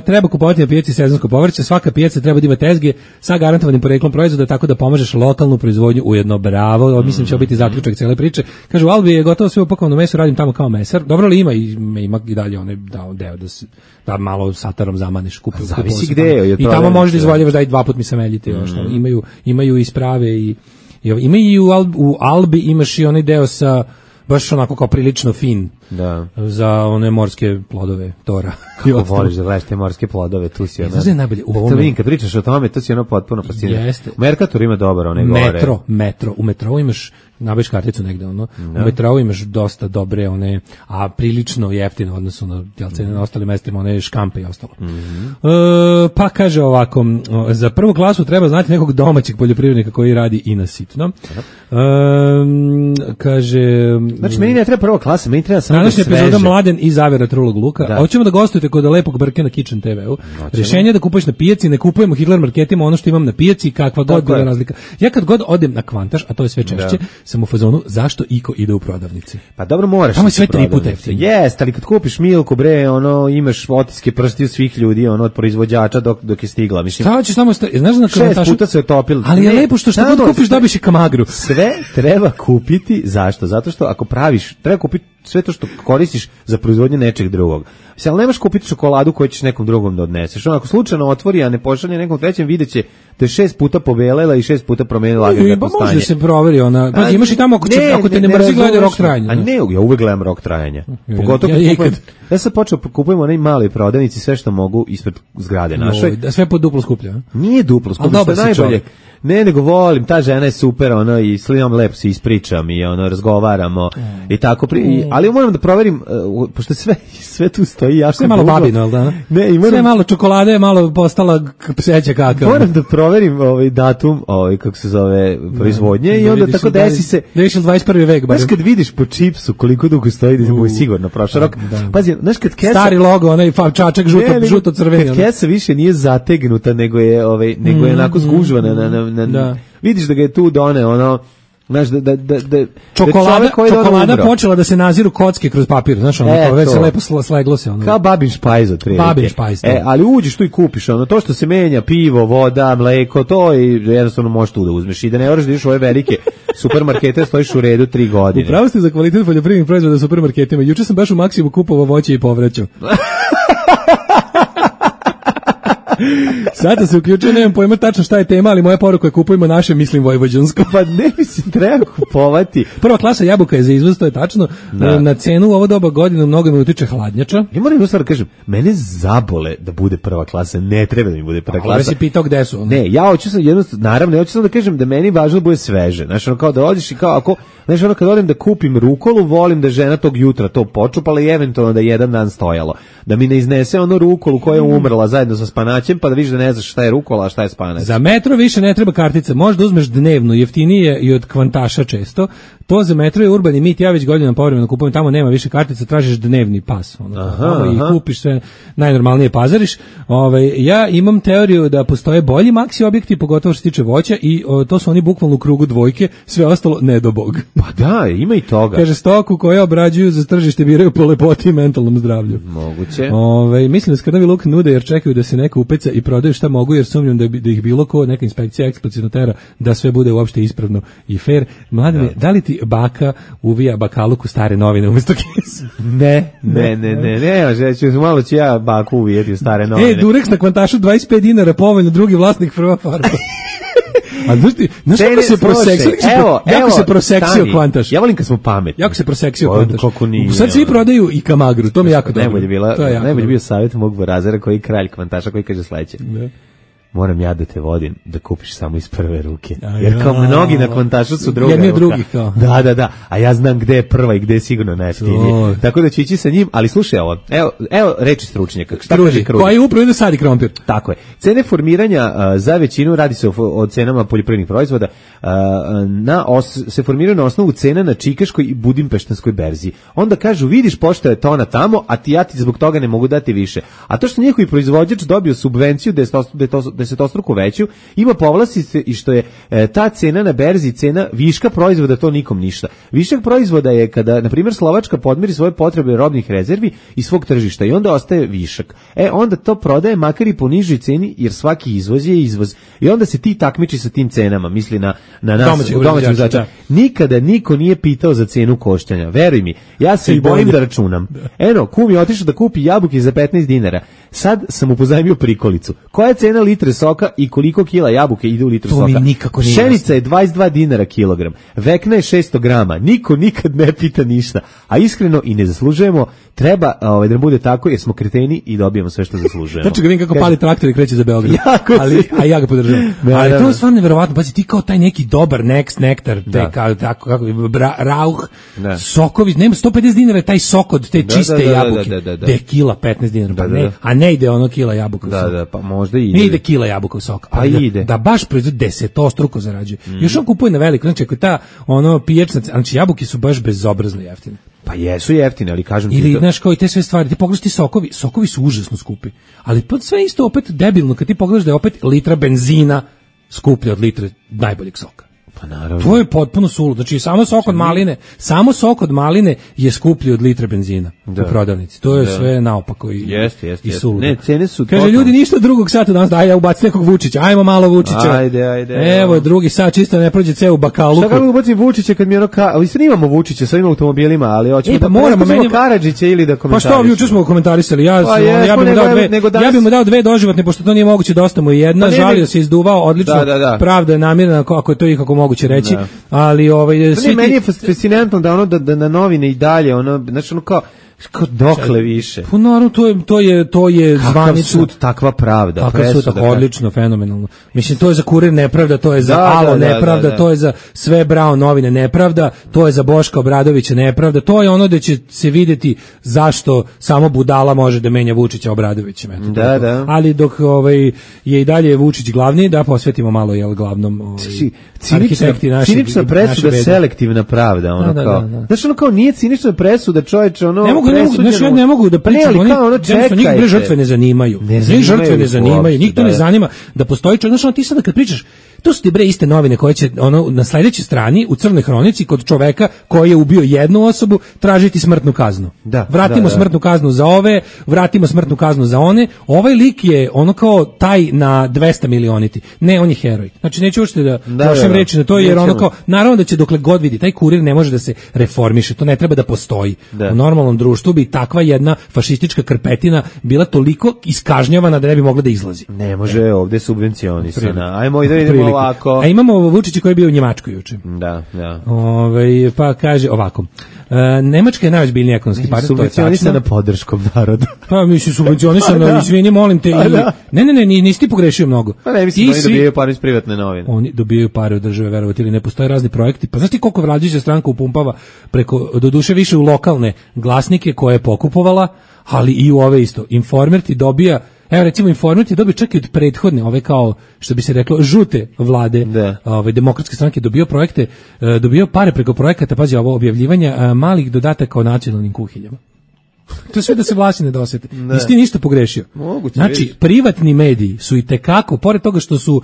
Treba kupovati na pijaci sezonsko povrće, svaka pijaca treba da ima tezge sa garantovanim poreklom proizvoda, tako da pomažeš lokalnu proizvodnju ujedno. Bravo, mislim će biti zaključak cele priče. Kažu, u Albi je gotovo sve upakovano meso, radim tamo kao mesar. Dobro li ima i dalje onaj deo da malo satarom zamaniš, kupuju. Zavisi gde. I tamo možeš da izvoljavaš da i 2 puta mi sameljite. Imaju i sprave ima i u Albi imaš i onaj deo sa baš onako kao prilično fin za one morske plodove, tora. Kako voliš da gledaš te morske plodove, tu si ono. Znaš da je najbolje? Kad pričaš o tome, to si ono potpuno fascinirano. Jeste. Mercator ima dobar, one gore. Metro. U metrou imaš, nabaviš karticu negde, ono. U metrou imaš dosta dobre, one, a prilično jeftino, odnosno na cene na ostalim mestima, one škampe i ostalo. Pa kaže ovako, za prvu klasu treba znati nekog domaćeg poljoprivrednika koji radi i na sitno. Kaže... Znači, meni ne treba prva klasa, meni treba samo današnja epizoda Mladen i Zavera Trulog Luka. Hoćemo da gostujete kod lepog Brke na Kitchen TV-u. Rješenje je da kupuješ na pijaci, ne kupujemo Hitler marketima ono što imam na pijaci, kakva god bila razlika. Ja kad god odem na Kvantaš, a to je sve češće, sam u fazonu zašto iko ide u prodavnici. Pa dobro, moraš. Tamo je sve 3 puta jeftino. Jeste, ali kad kupiš Milku, bre, ono imaš otiske prstiju svih ljudi, ono od proizvođača dok je stigla. Mislim. Šta hoćeš samo znaš na Kvantašu? 6 puta se otopilo. Ali je lepo što god kupiš dobiš i kamagru. Sve treba kupiti, zašto? Zato što ako praviš, treba kupiti sve to što koristiš za proizvodnju nečeg drugog. Mislim, ali nemaš kupiti čokoladu koju ćeš nekom drugom da odneseš. Ako slučajno otvori, a ne pošalje nekom trećem, videće da je 6 puta pobelela i 6 puta promenila agregatno stanje. Može da se proveri ona. Pa imaš i tamo ako te ne mrzi gledaj rok trajanja. A ne, ja uvek gledam rok trajanja. Pogotovo ja sam počeo kupujem onaj mali prodavnici sve što mogu ispred zgrade našoj. Da sve po duplo skuplje, a? Nije duplo skuplje, što je najbolje. Ne, nego volim, ta žena je super, ono, i slinom lepo se ispričam i ono, razgovaramo i tako, ali moram da proverim, pošto sve tu stoji jako sve malo babino, jel da? Sve malo čokolade, malo postala pseća kaka. Moram da proverim datum, kako se zove, proizvodnje i onda tako desi se... Da više 21. vek, baš kad vidiš po čipsu koliko dugo stoji, da je sigurno prošao rok. Pazi, znaš kad kesa... Stari logo, onaj čačak žuto-crveni. Kad kesa više nije zategnuta, nego je onako zgužvana vidiš da ga je tu done ono, znaš, da čokolada počela da se naziru kocke kroz papir, znaš, ono, već se lepo sleglo se, ono. Kao babin špajz otprilike. Babin špajz. Ali uđeš tu i kupiš, ono, to što se menja, pivo, voda, mleko, to i jednostavno možeš tu da uzmeš i da ne moraš da ideš u ove velike supermarkete, stojiš u redu 3 godine. Upravo ste za kvalitet poljoprivrednih proizvoda u supermarketima. Juče sam baš u Maksimu kupovao voće i povrće. Sada se uključuje, nemam pojma tačno šta je tema, ali moja poruka je kupujemo naše, mislim, vojvođansko. Pa ne, mislim, treba kupovati. Prva klasa jabuka je za izvoz, to je tačno. Na cenu u ovo doba godine mnogo mi utiče hladnjača. Ja moram jednu stvar kažem, mene zabole da bude prva klasa, ne treba da mi bude prva klasa. Ovo si pitao gde su. Ne, ja hoću sam naravno, ja hoću sam da kažem da meni važno da bude sveže. Znaš, ono kao da odiš i kao ako, znaš, ono kad odem da kupim rukolu, volim da žena tog jutra to počupala i eventualno da jedan dan stojalo. Da mi ne iznese ono rukolu koja je umrla zajedno sa spanaćem, pa da vidiš da ne znaš šta je rukola, a šta je spanać. Za metro više ne treba kartica, možda uzmeš dnevnu, jeftinije i od Kvantaša često. To za metro je urbani mit, ja već godinama povremeno kupujem, tamo nema više kartica, tražiš dnevni pas. I kupiš sve, najnormalnije pazariš. Ja imam teoriju da postoje bolji maksi objekti, pogotovo što se tiče voća, i to su oni bukvalno u krugu dvojke, sve ostalo ne do bog. Pa da, ima i toga. Kaže, stoku koje obrađuju za tržište biraju po lepoti i mentalnom zdravlju. Moguće. Mislim da skrnavi luk nude jer čekaju da se neko upeca i prodaju šta mogu, jer sumnjam da ih bilo ko, neka inspekcija eksplicitno tera da sve bude uopšte ispravno i fair. Mladine, da li ti baka uvija bakaluku stare novine umjesto kesa? Ne, malo ću ja baku uvijeti u stare novine. Durex na Kvantašu 25 dinara, povoljno, drugi vlasnik, prva farba. A znaš kako se proseksio? Jako se proseksio Kvantaš. Ja volim kad smo pametni. Jako se proseksio Kvantaš. Sad svi prodaju i kamagru, to mi jako dobro. Najbolje bio savjet mog Borazera koji je kralj Kvantaša, koji kaže sledeće. moram ja da te vodim, da kupiš samo iz prve ruke. Jer kao mnogi na kontašu su druga jedni ruka. Drugi kao. Da, a ja znam gde je prva i gde je sigurno najjeftinije. Tako da ću ići sa njim, ali slušaj ovo, evo reči stručnjaka. Koji upravo ide sadi krompir. Tako je. Cene formiranja za većinu, radi se o cenama poljoprivrednih proizvoda, se formiraju na osnovu cena na čikaškoj i budimpeštanskoj berzi. Onda kažu, vidiš pošto je tona tamo, a ja ti zbog toga ne mogu dati više. A to što njihovi proizvođač dobio subvenciju desetostruko veću, ima povlastice i što je ta cena na berzi, cena viška proizvoda, to nikom ništa. Višak proizvoda je kada, na primjer, Slovačka podmiri svoje potrebe robnih rezervi i svog tržišta i onda ostaje višak. Onda to prodaje makar i po nižoj ceni, jer svaki izvoz je izvoz. I onda se ti takmiči sa tim cenama, misli na nas, domaćim zača. Nikada niko nije pitao za cenu koštanja. Veruj mi, ja se i bojim da računam. Eno, kum je otišao da kupi jabuke za 15 dinara. Sad sam mu pozajmio prikolicu. Koja je cena litre soka i koliko kila jabuke ide u litru soka? Mi nikako nije. Pšenica je 22 dinara kilogram. Vekna je 600 grama. Niko nikad ne pita ništa. A iskreno i ne zaslužujemo. Treba da nam bude tako jer smo kreteni i dobijemo sve što zaslužujemo. Znači ga vidim kako pali traktor i kreće za Beograd. A ja ga podržavam. Ali to je stvarno neverovatno. Pazi, ti kao taj neki dobar nektar, kako rauh, sokovi, nema 150 dinara taj sok od te čiste jabuke. Da je kila 15 dinara. A ne ide ono kila jabuka u sok. Pa možda ide. Ne ide kila jabuka u sok. Pa ide. Da baš proizvod desetostruko zarađuje. Još on kupuje na veliko. Znači ako ta pijačna, znači jabuke su baš bezobrazno jeftine. Pa jesu jeftine, ali kažem ti... Ili, znaš, kao i te sve stvari, ti pogledaš ti sokovi su užasno skupi, ali pod sve isto opet debilno, kad ti pogledaš da je opet litra benzina skuplja od litre najboljeg soka. Pa naravno. To je potpuno suludo. Znači samo sok od maline je skuplji od litre benzina u prodavnici. To je sve naopako i suludo. Ne, cene su kaže ljudi ništa drugog sata danas, daj ja ubacim nekog Vučića. Ajmo malo Vučića. Ajde. Evo drugi sat čisto ne prođe ceo bakalu. Šta kako ubacim Vučića kad mi ali sad imamo Vučića sa ovim automobilima, ali hoćemo da moramo Karadžića ili da komentarišemo. Pa što juče smo komentarisali, ja bih mu dao dve doživotne pošto to nije moguće, dosta mu je jedna, žalio se, izduvao, odlično. Pravda je namirna ako je to ikako moguće reći, ali meni je fascinantno da na novine i dalje znači kao dokle više. Pa naravno to je zvanično. Kakav sud, takva pravda. Kakav sud, odlično, fenomenalno. Mislim, to je za Kurir nepravda, to je za Alo nepravda, to je za sve Brown novine nepravda, to je za Boška Obradovića nepravda, to je ono da će se vidjeti zašto samo budala može da menja Vučića Obradovićem. Da. Ali dok je i dalje Vučić glavni, da posvetimo malo glavnom arhitekti naši. Cinična presuda, selektivna pravda. Znaš, kao nije cinična presuda, čoveče, ne mogu da pričam, njih žrtve ne zanimaju. Njih to ne zanima da postoji čovjek. Znaš, ti sada kad pričaš, to su ti iste novine koje će na sledećoj strani u crnoj hronici kod čoveka koji je ubio jednu osobu tražiti smrtnu kaznu. Vratimo smrtnu kaznu za ove, vratimo smrtnu kaznu za one. Ovaj lik je kao taj na 200 milioniti. Ne, on je heroj. Znači neću uopšte da lošem reći na to, jer naravno da će dokle god vidi, taj Kurir ne može da se reformiše, to ne treba da postoji. U normalnom društvu bi takva jedna fašistička krpetina bila toliko iskažnjavana da ne bi mogla da izlazi. Ne može ovde subvencionisana. Ajmo da vidimo ovako. A imamo Vučića koji je bio u Njemačkoj juče. Da. Pa kaže ovako. Nemačka je najozbiljniji ekonomski partner, to je tačno. Subvencionisana podrškom naroda. Pa mislim subvencionisana, izvini, molim te. Ne, nisi ti pogrešio mnogo. Pa ne, mislim da oni dobijaju pare iz privatne novine. Oni dobijaju pare od države, verovati ili ne, postoje razni projekti. Pa znaš ti koliko vladajuća stranka upumpava preko, doduše više u lokalne glasnike koje je pokupovala, ali i u ove isto. Informer ti dobija, evo recimo Informer ti dobio čak i od prethodne, ove kao, što bi se reklo, žute vlade, demokratske stranke, dobio pare preko projekata, pazi ovo, objavljivanja malih dodataka o nacionalnim kuhinjama. To je sve da se vlasti ne dosete. Nisi ti ništa pogrešio. Znači, privatni mediji su i tekako, pored toga što su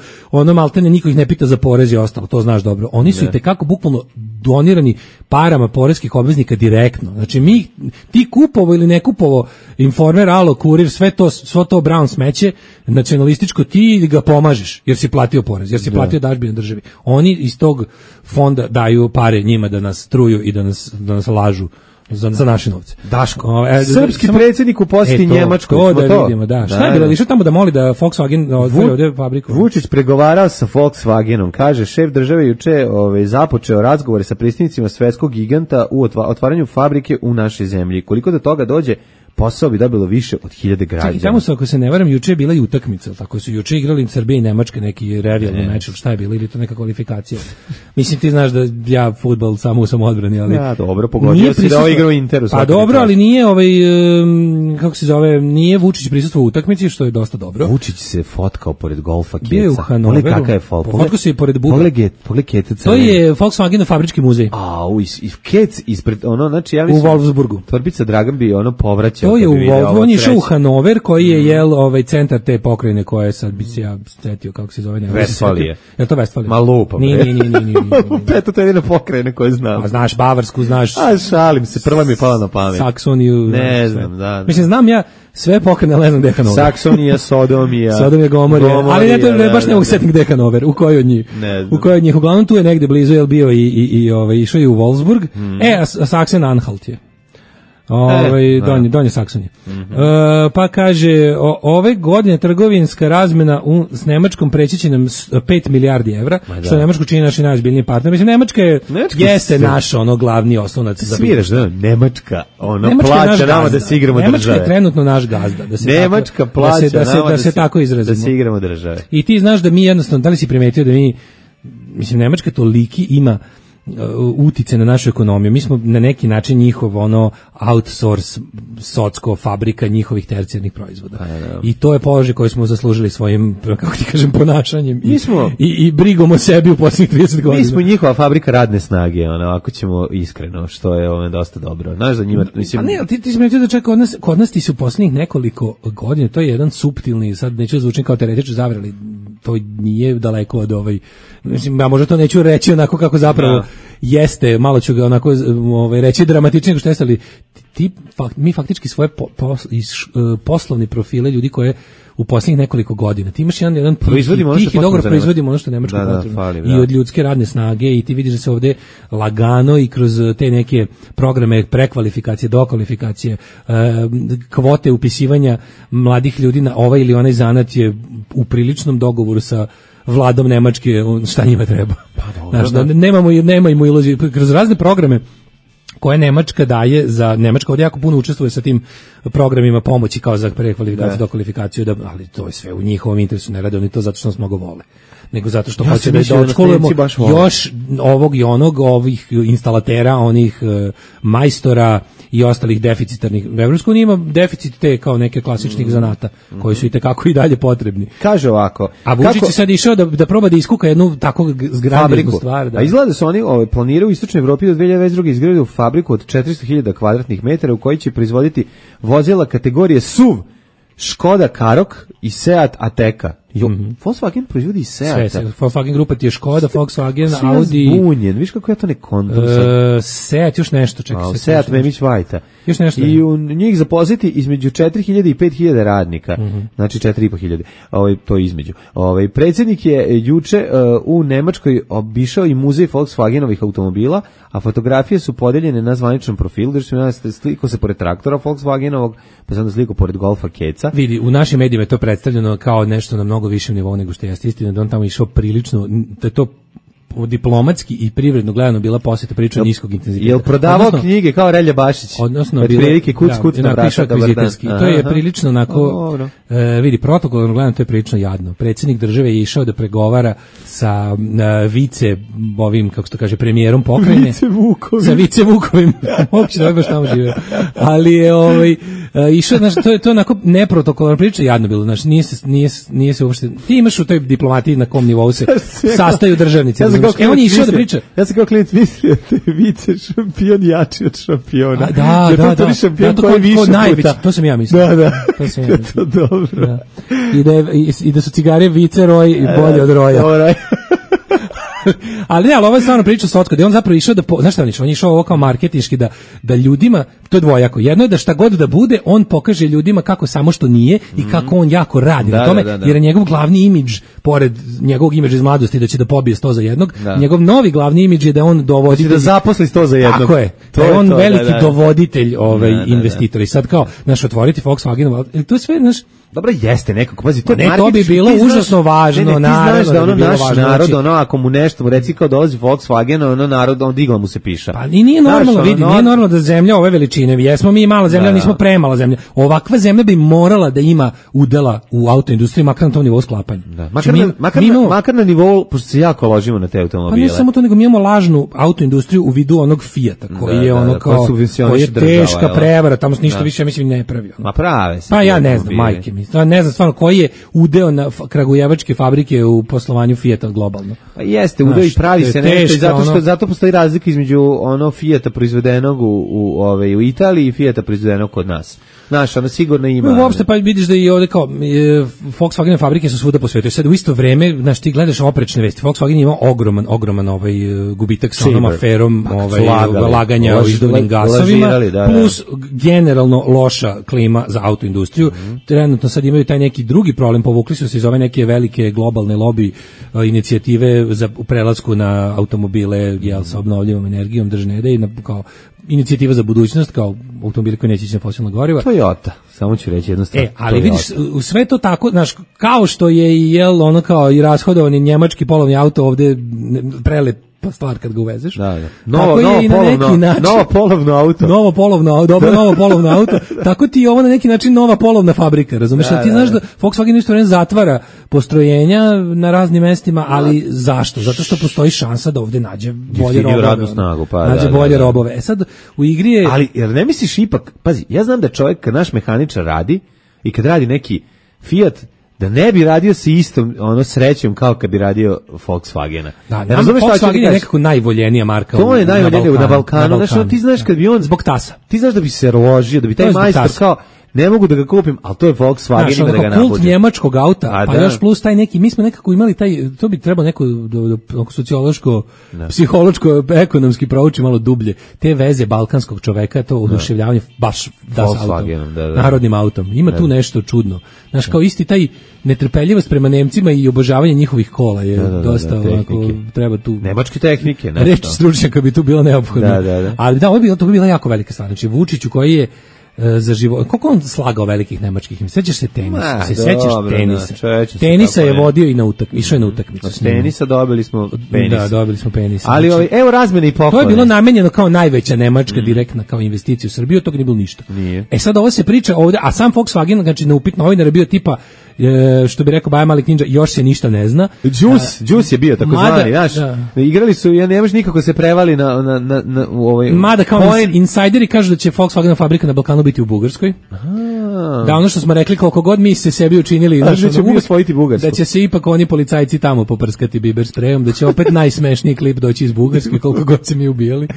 maltene, niko ih ne pita za porez i ostalo, to znaš dobro, oni su i tekako bukvalno donirani parama poreskih obveznika direktno. Znači, ti kupovo ili ne kupovo Informer, Alo, Kurir, sve to Brown smeće, nacionalističko, ti ga pomažeš, jer si platio porez, jer si platio dažbine državi. Oni iz tog fonda daju pare njima da nas truju i da nas lažu za naše novce. Daško. Srpski predsjednik u posjeti Njemačkoj. To da vidimo, da. Šta je bilo? Išao tamo da moli da Volkswagen otvori ovdje fabriku? Vučić pregovarao sa Volkswagenom. Kaže, šef države juče započeo razgovore sa predstavnicima svetskog giganta u otvaranju fabrike u našoj zemlji. Koliko do toga dođe, posao bi dobilo više od 1000 građana. I tamo su, ako se ne varam, juče je bila i utakmica, tako su juče igrali Srbija i Nemačka neki revijalni meč, šta je bilo, ili to neka kvalifikacija. Mislim, ti znaš da ja fudbal samo u samodbrani, ali ja, dobro, pogodio si da igra u Interu. Pa dobro, ali nije kako se zove, nije Vučić prisustvovao u utakmici, što je dosta dobro. Vučić se fotkao pored golfa Keca. Bio je u Hanoveru. Pogledaj kakav je Fotkao se pored Buga. Pogledaj Keca. To je Volkswagen fabrički muzej. I Kec ispred, znači ja mislim... U Wolfsburgu. Tvorbica Dragan bi povraćao. To je u Wolfsburgu, on je išao u Hanover, koji je centar te pokrajine koje sad bi se ja setio, kako se zove. Vestfalije. Je to Vestfalije? Ma lupa. Nije. Eto, to je jedina pokrajina koju znam. A znaš Bavarsku, znaš... A šalim se, prva mi je pala na pamet. Saksoniju. Ne znam, da. Mislim, znam ja sve pokrajine, ali ne znam gde je Hanover. Saksonija, Sodomija, Gomorija, ali ne, to baš ne mogu setiti gde je Hanover, u kojoj od njih. U kojoj od njih, uglavnom tu je negde blizu, je bio i išao je u Wolfsburg, a Sachsen-Anhalt je. Donje Saksonije. Pa kaže, ove godine trgovinska razmena s Nemačkom preći će nam 5 milijardi evra, što Nemačku čini naši najozbiljniji partner. Mislim, Nemačka jeste naš glavni oslonac za sviraš, Nemačka plaća nama da se igramo države. Nemačka je trenutno naš gazda. Nemačka plaća nama da se tako izrazimo. Da se igramo države. I ti znaš da mi jednostavno, da li si primetio da mi, mislim, Nemačka toliki ima utice na našu ekonomiju. Mi smo na neki način njihov outsource socko fabrika njihovih tercijarnih proizvoda. I to je položaj koji smo zaslužili svojim, kako ti kažem, ponašanjem i brigom o sebi u posljednjih 30 godina. Mi smo njihova fabrika radne snage, ako ćemo iskreno, što je dosta dobro. Znaš za njima, mislim... A ne, ti si metio da čak kod nas ti su u posljednjih nekoliko godina, to je jedan suptilni, sad neću zvučiti kao teoretičar zavere, ali to nije daleko od mislim, ja možda to neću reći onako kako zapravo jeste, malo ću ga onako reći dramatičnije nego što jeste, ali mi faktički svoje poslovni profile ljudi koje u posljednjih nekoliko godina. Ti imaš jedan tih i dobro proizvodimo ono što Nemačko potrebno. I od ljudske radne snage i ti vidiš da se ovde lagano i kroz te neke programe prekvalifikacije, dokvalifikacije, kvote upisivanja mladih ljudi na ovaj ili onaj zanat je u priličnom dogovoru sa vladom Nemačke, šta njima treba. Nemamo iluzije. Kroz razne programe koje Nemačka daje za Nemačka ovdje jako puno učestvuje sa tim programima pomoći kao za prekvalifikaciju, dokvalifikaciju, ali to je sve u njihovom interesu, ne rade oni to zato što nas mnogo vole, nego zato što hoće da odškolujemo još ovog i onog, ovih instalatera, onih majstora i ostalih deficitarnih. Evropska unija ima deficit te kao neke klasičnih zanata koji su i tekako i dalje potrebni. Kaže ovako. A Vučić je sad išao da proba da iskuka jednu tako zgradišnu stvar. A izgleda su oni planiraju u Istočnoj Evropi do 2022. izgraditi fabriku od 400.000 kvadratnih metara u kojoj će proizvoditi vozila kategorije SUV, Škoda Karoq i Seat Ateca. Volkswagen proizvodi i Seat. Volkswagen grupa ti je Škoda, Volkswagen, Audi. Zbunjen, viš kako ja to ne kontam. Seat, još nešto, čekaj. Seat Memić Vajta. Još nešto. I u njih zaposliti između 4.000 i 5.000 radnika. Znači 4.500. To je između. Predsjednik je juče u Nemačkoj obišao i muzej Volkswagenovih automobila, a fotografije su podeljene na zvaničnom profilu, da se sliko se pored traktora Volkswagenovog, pa se onda sliko pored golfa Keca. Vidi, u našim medijima je to predstavljeno kao nešto na mnogo višem nivou nego što jeste. Istina da on tamo išao prilično, da je to diplomatski i privredno gledano bila posjeta prilično niskog intenziteta. Jel prodavao knjige kao Relja Bašić? Odnosno, prilike kuc na vrata. To je prilično onako, vidi, protokolno gledano to je prilično jadno. Predsjednik države je išao da pregovara sa vice, kako se to kaže, premijerom pokrajine. Sa vice Vukovim. Uopće da baš tamo žive. Ali je išao, znači, to je onako neprotokolno, prilično jadno bilo. Znači, nije se uopšte, ti imaš u toj diplomatiji na kom nivou se sastaju državnici. On je išao da priča. Ja sam kao klijent mislio da je vice šampion jači od šampiona. Da. To je šampion koji više puta. To sam ja mislio. Da. To dobro. I da su cigare vice roj i bolje od roja. Ali ovo je stvarno priča socko, da je on zapravo išao da, znaš šta on išao? On je išao ovo kao marketinški da ljudima, to je dvojako, jedno je da šta god da bude, on pokaže ljudima kako samo što nije i kako on jako radi na tome, jer je njegov glavni imidž, pored njegovog imidža iz mladosti da će da pobije 100 za jednog, njegov novi glavni imidž je da on dovodi... Da zaposli 100 za jednog. Tako je, da je on veliki dovoditelj investitora. I sad kao, otvoriti Volkswagen, to je sve, Dobro jeste nekako, pazi, to je to bi bilo užasno važno, naravno. Ti znaš da ono naš narod, ono ako mu nešto mu reci kao dolazi Volkswagen, ono narod on digla mu se piša. Pa nije normalno, vidi, nije normalno da zemlja ove veličine, jesmo mi mala zemlja, nismo premala zemlja. Ovakva zemlja bi morala da ima udela u autoindustriji, makar na tom nivou sklapanja. Da. Makar na nivou, pošto se jako ložimo na te automobile. Pa ne samo to, nego mi imamo lažnu autoindustriju u vidu onog Fijata, koji je ono kao, koji je teška prevara, tamo se ništa više, mislim, ne pravi. Ma prave se. Pa ja ne znam, majke mi. Ne znam stvarno koji je udeo na kragujevačke fabrike u poslovanju Fijata globalno. Pa jeste, udeo i pravi se nešto, zato postoji razlika između ono Fijata proizvedenog u Italiji i Fijata proizvedenog kod nas. Znaš, ono sigurno ima. Uopšte pa vidiš da i ovde kao Volkswagen fabrike su svuda po svetu. Sad u isto vreme, znaš, ti gledaš oprečne vesti. Volkswagen ima ogroman gubitak sa onom aferom laganja o izduvnim gasovima, plus generalno loša klima za autoindustriju. Trenutno sad imaju taj neki drugi problem, povukli su se iz ove neke velike globalne lobby inicijative za prelasku na automobile sa obnovljivom energijom, držne ideje, kao inicijativa za budućnost, kao automobili koji neće ići na fosilna goriva. Toyota, samo ću reći jednu stvar. Ali vidiš, sve to tako, znaš, kao što je i ono kao i rashodovani njemački polovni auto ovde prelep stvar kad ga uvezeš. Novo polovno auto. Tako ti je ovo na neki način nova polovna fabrika, razumeš? Ti znaš da Volkswagen isto vreme zatvara postrojenja na raznim mestima, ali zašto? Zato što postoji šansa da ovde nađe bolje robove. E sad, u igri je... Ali, jer ne misliš ipak, pazi, ja znam da čovjek kad naš mehaničar radi i kad radi neki Fiat, da ne bi radio sa istom srećom kao kad bi radio Volkswagena. Volkswagen je nekako najvoljenija marka. To je najvoljenija na Balkanu. Znači, ti znaš kad bi on zbog tasa. Ti znaš da bi se ložio, da bi taj majstor kao ne mogu da ga kupim, ali to je Volkswagen, ima da ga nabuđe. Kult njemačkog auta, pa još plus taj neki, mi smo nekako imali taj, to bi trebalo neko sociološko, psihološko, ekonomski prouči malo dublje, te veze balkanskog čoveka, to oduševljavanje baš das autom, narodnim autom. Ima tu nešto čudno. Znaš, kao isti taj netrpeljivost prema Nemcima i obožavanje njihovih kola je dosta onako, treba tu... Nemačke tehnike, nešto. Reč stručnjaka bi tu bila neophodna. Ali to bi bila jako velika stvar. Znači, Vučiću koji je za život. Koliko on slagao velikih nemačkih? Sećaš se tenisa? Tenisa je vodio i išao je na utakmicu. Tenisa dobili smo penis. Da, dobili smo penis. Ali evo razmene i poklone. To je bilo namenjeno kao najveća nemačka direktna kao investicija u Srbiju, tog nije bilo ništa. Nije. Sad ovo se priča ovde, a sam Volkswagen, znači na upit novinar je bio tipa što bi rekao Baja Malik Ninja, još se ništa ne zna. Juice je bio tako zvani, znaš. Igrali su, ja ne može nikako se prevali na ovaj. Mada kao insajderi kažu da će Volkswagen fabrika na Balkanu biti u Bugarskoj. Da, ono što smo rekli, koliko god mi se sebi učinili, da će se ipak oni policajci tamo poprskati biber sprejom, da će opet najsmešniji klip doći iz Bugarske, koliko god se mi ubijali.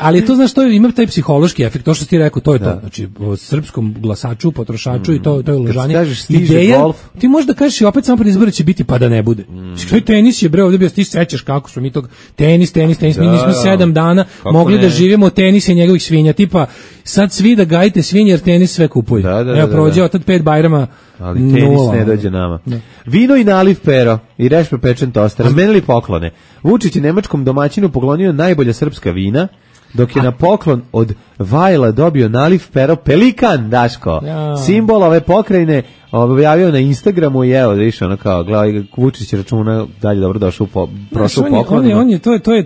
Ali to, znaš, to ima taj psihološki efekt, to što ti rekao, to je to. Znači, o srpskom glasaču, potrošaču i to je uložanje. Ideja, ti možda kažeš i opet samo pred izbore će biti pa da ne bude. Što tenis je, bre, ovdje bio, ti sećaš kako smo mi tog tenis, mi nismo 7 dana mogli da živimo od tenisa i njegovih svinja, tipa sad svi da gajite svinje jer tenis sve kupuje. Evo prođe od 5 Bajrama, ali tenis ne dođe nama. Vino i naliv pero i rešpe pečen tost, razmenili poklone. Vučić je nemačkom domaćinu poklonio najbolja srpska vina, dok je na poklon od Vajla dobio naliv pero Pelikan, Daško. Simbol ove pokrajine objavio na Instagramu i evo, viš, ono kao, gledaj, Vučić računa dalje dobro došao prošao poklon.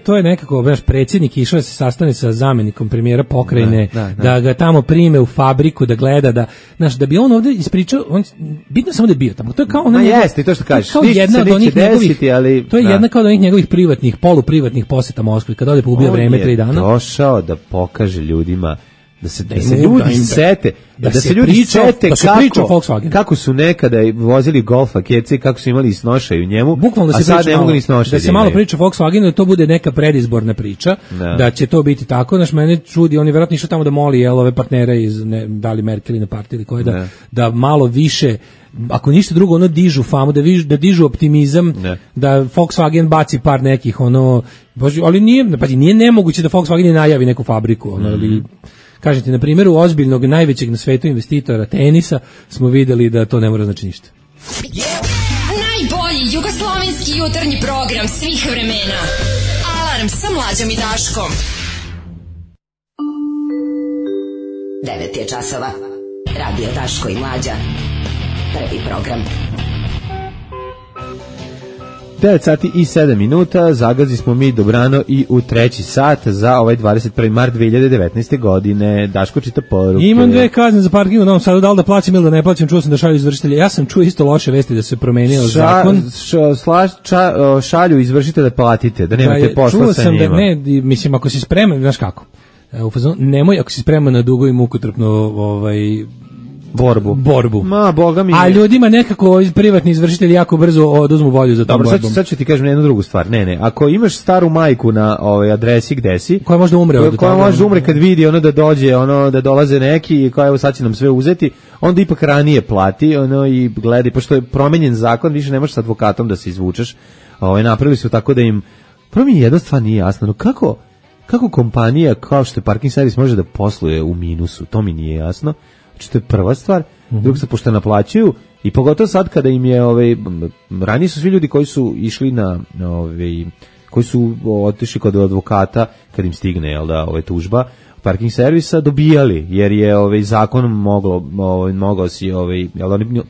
To je nekako, znaš, predsjednik išao da se sastane sa zamenikom premijera pokrajine, da ga tamo prime u fabriku, da gleda, da, znaš, da bi on ovdje ispričao, bitno samo da je bio tamo. To je kao jeste, to što kažeš, ništa se neće desiti, ali... To je jedna kao od onih njegovih privatnih, poluprivatnih poseta Moskvi, kad ode pobija vreme 3 dana. On je došao da pokaže ljudima da se ljudi sete, da se ljudi sete kako su nekada vozili Golfa kece, kako su imali i snošaju u njemu, a sad ne mogu ni snošaju. Da se malo priča o Volkswagenu, da to bude neka predizborna priča, da će to biti tako. Znaš, mene čudi, oni vjerojatno išao tamo da moli ove partnere iz, da li Merkel ili na partiji ili koje, da malo više, ako ništa drugo, ono dižu famu, da dižu optimizam, da Volkswagen baci par nekih, ali nije nemoguće da Volkswagen najavi neku fabriku, ali... Kažem ti, na primjeru ozbiljnog, najvećeg na svetu investitora tenisa smo vidjeli da to ne mora znači ništa. Najbolji jugoslovenski jutarnji program svih vremena. Alarm sa Mlađom i Daškom. 9 je časova. Radio Daško i Mlađa. Prvi program. 9 sati i 7 minuta, zagazi smo mi dobrano i u treći sat za ovaj 21. mart 2019. godine. Daško čita poruke. Imam 2 kazne za parking u Novom Sadu, da li da plaćam ili da ne plaćam, čuo sam da šalju izvršitelje. Ja sam čuo isto loše vesti da se promenio zakon. Šalju izvršitelje, platite, da nemate posla sa njima. Čuo sam da mislim, ako si spreman, znaš kako, nemoj ako si spreman na dugo i mukotrpno borbu. Ma, boga mi. A ljudima nekako privatni izvršitelji jako brzo oduzmu volju za tom borbom. Dobro, sad ću ti kažem jednu drugu stvar. Ne, ako imaš staru majku na adresi gde si, koja možda umre od toga. Koja možda umre kad vidi da dođe, da dolaze neki i koja evo sad će nam sve uzeti, onda ipak ranije plati, i gledaj, pošto je promenjen zakon, više ne možeš s advokatom da se izvučeš. Napravili su tako da im prvo mi jedna stvar nije jasna, kako kompanija kao što je parking servis može da posluje u minusu, to mi nije jasno. Znači, to je prva stvar. Druga se pošto naplaćuju i pogotovo sad kada im je ranije su svi ljudi koji su išli koji su otišli kod advokata kad im stigne tužba parking servisa dobijali, jer je zakon mogao si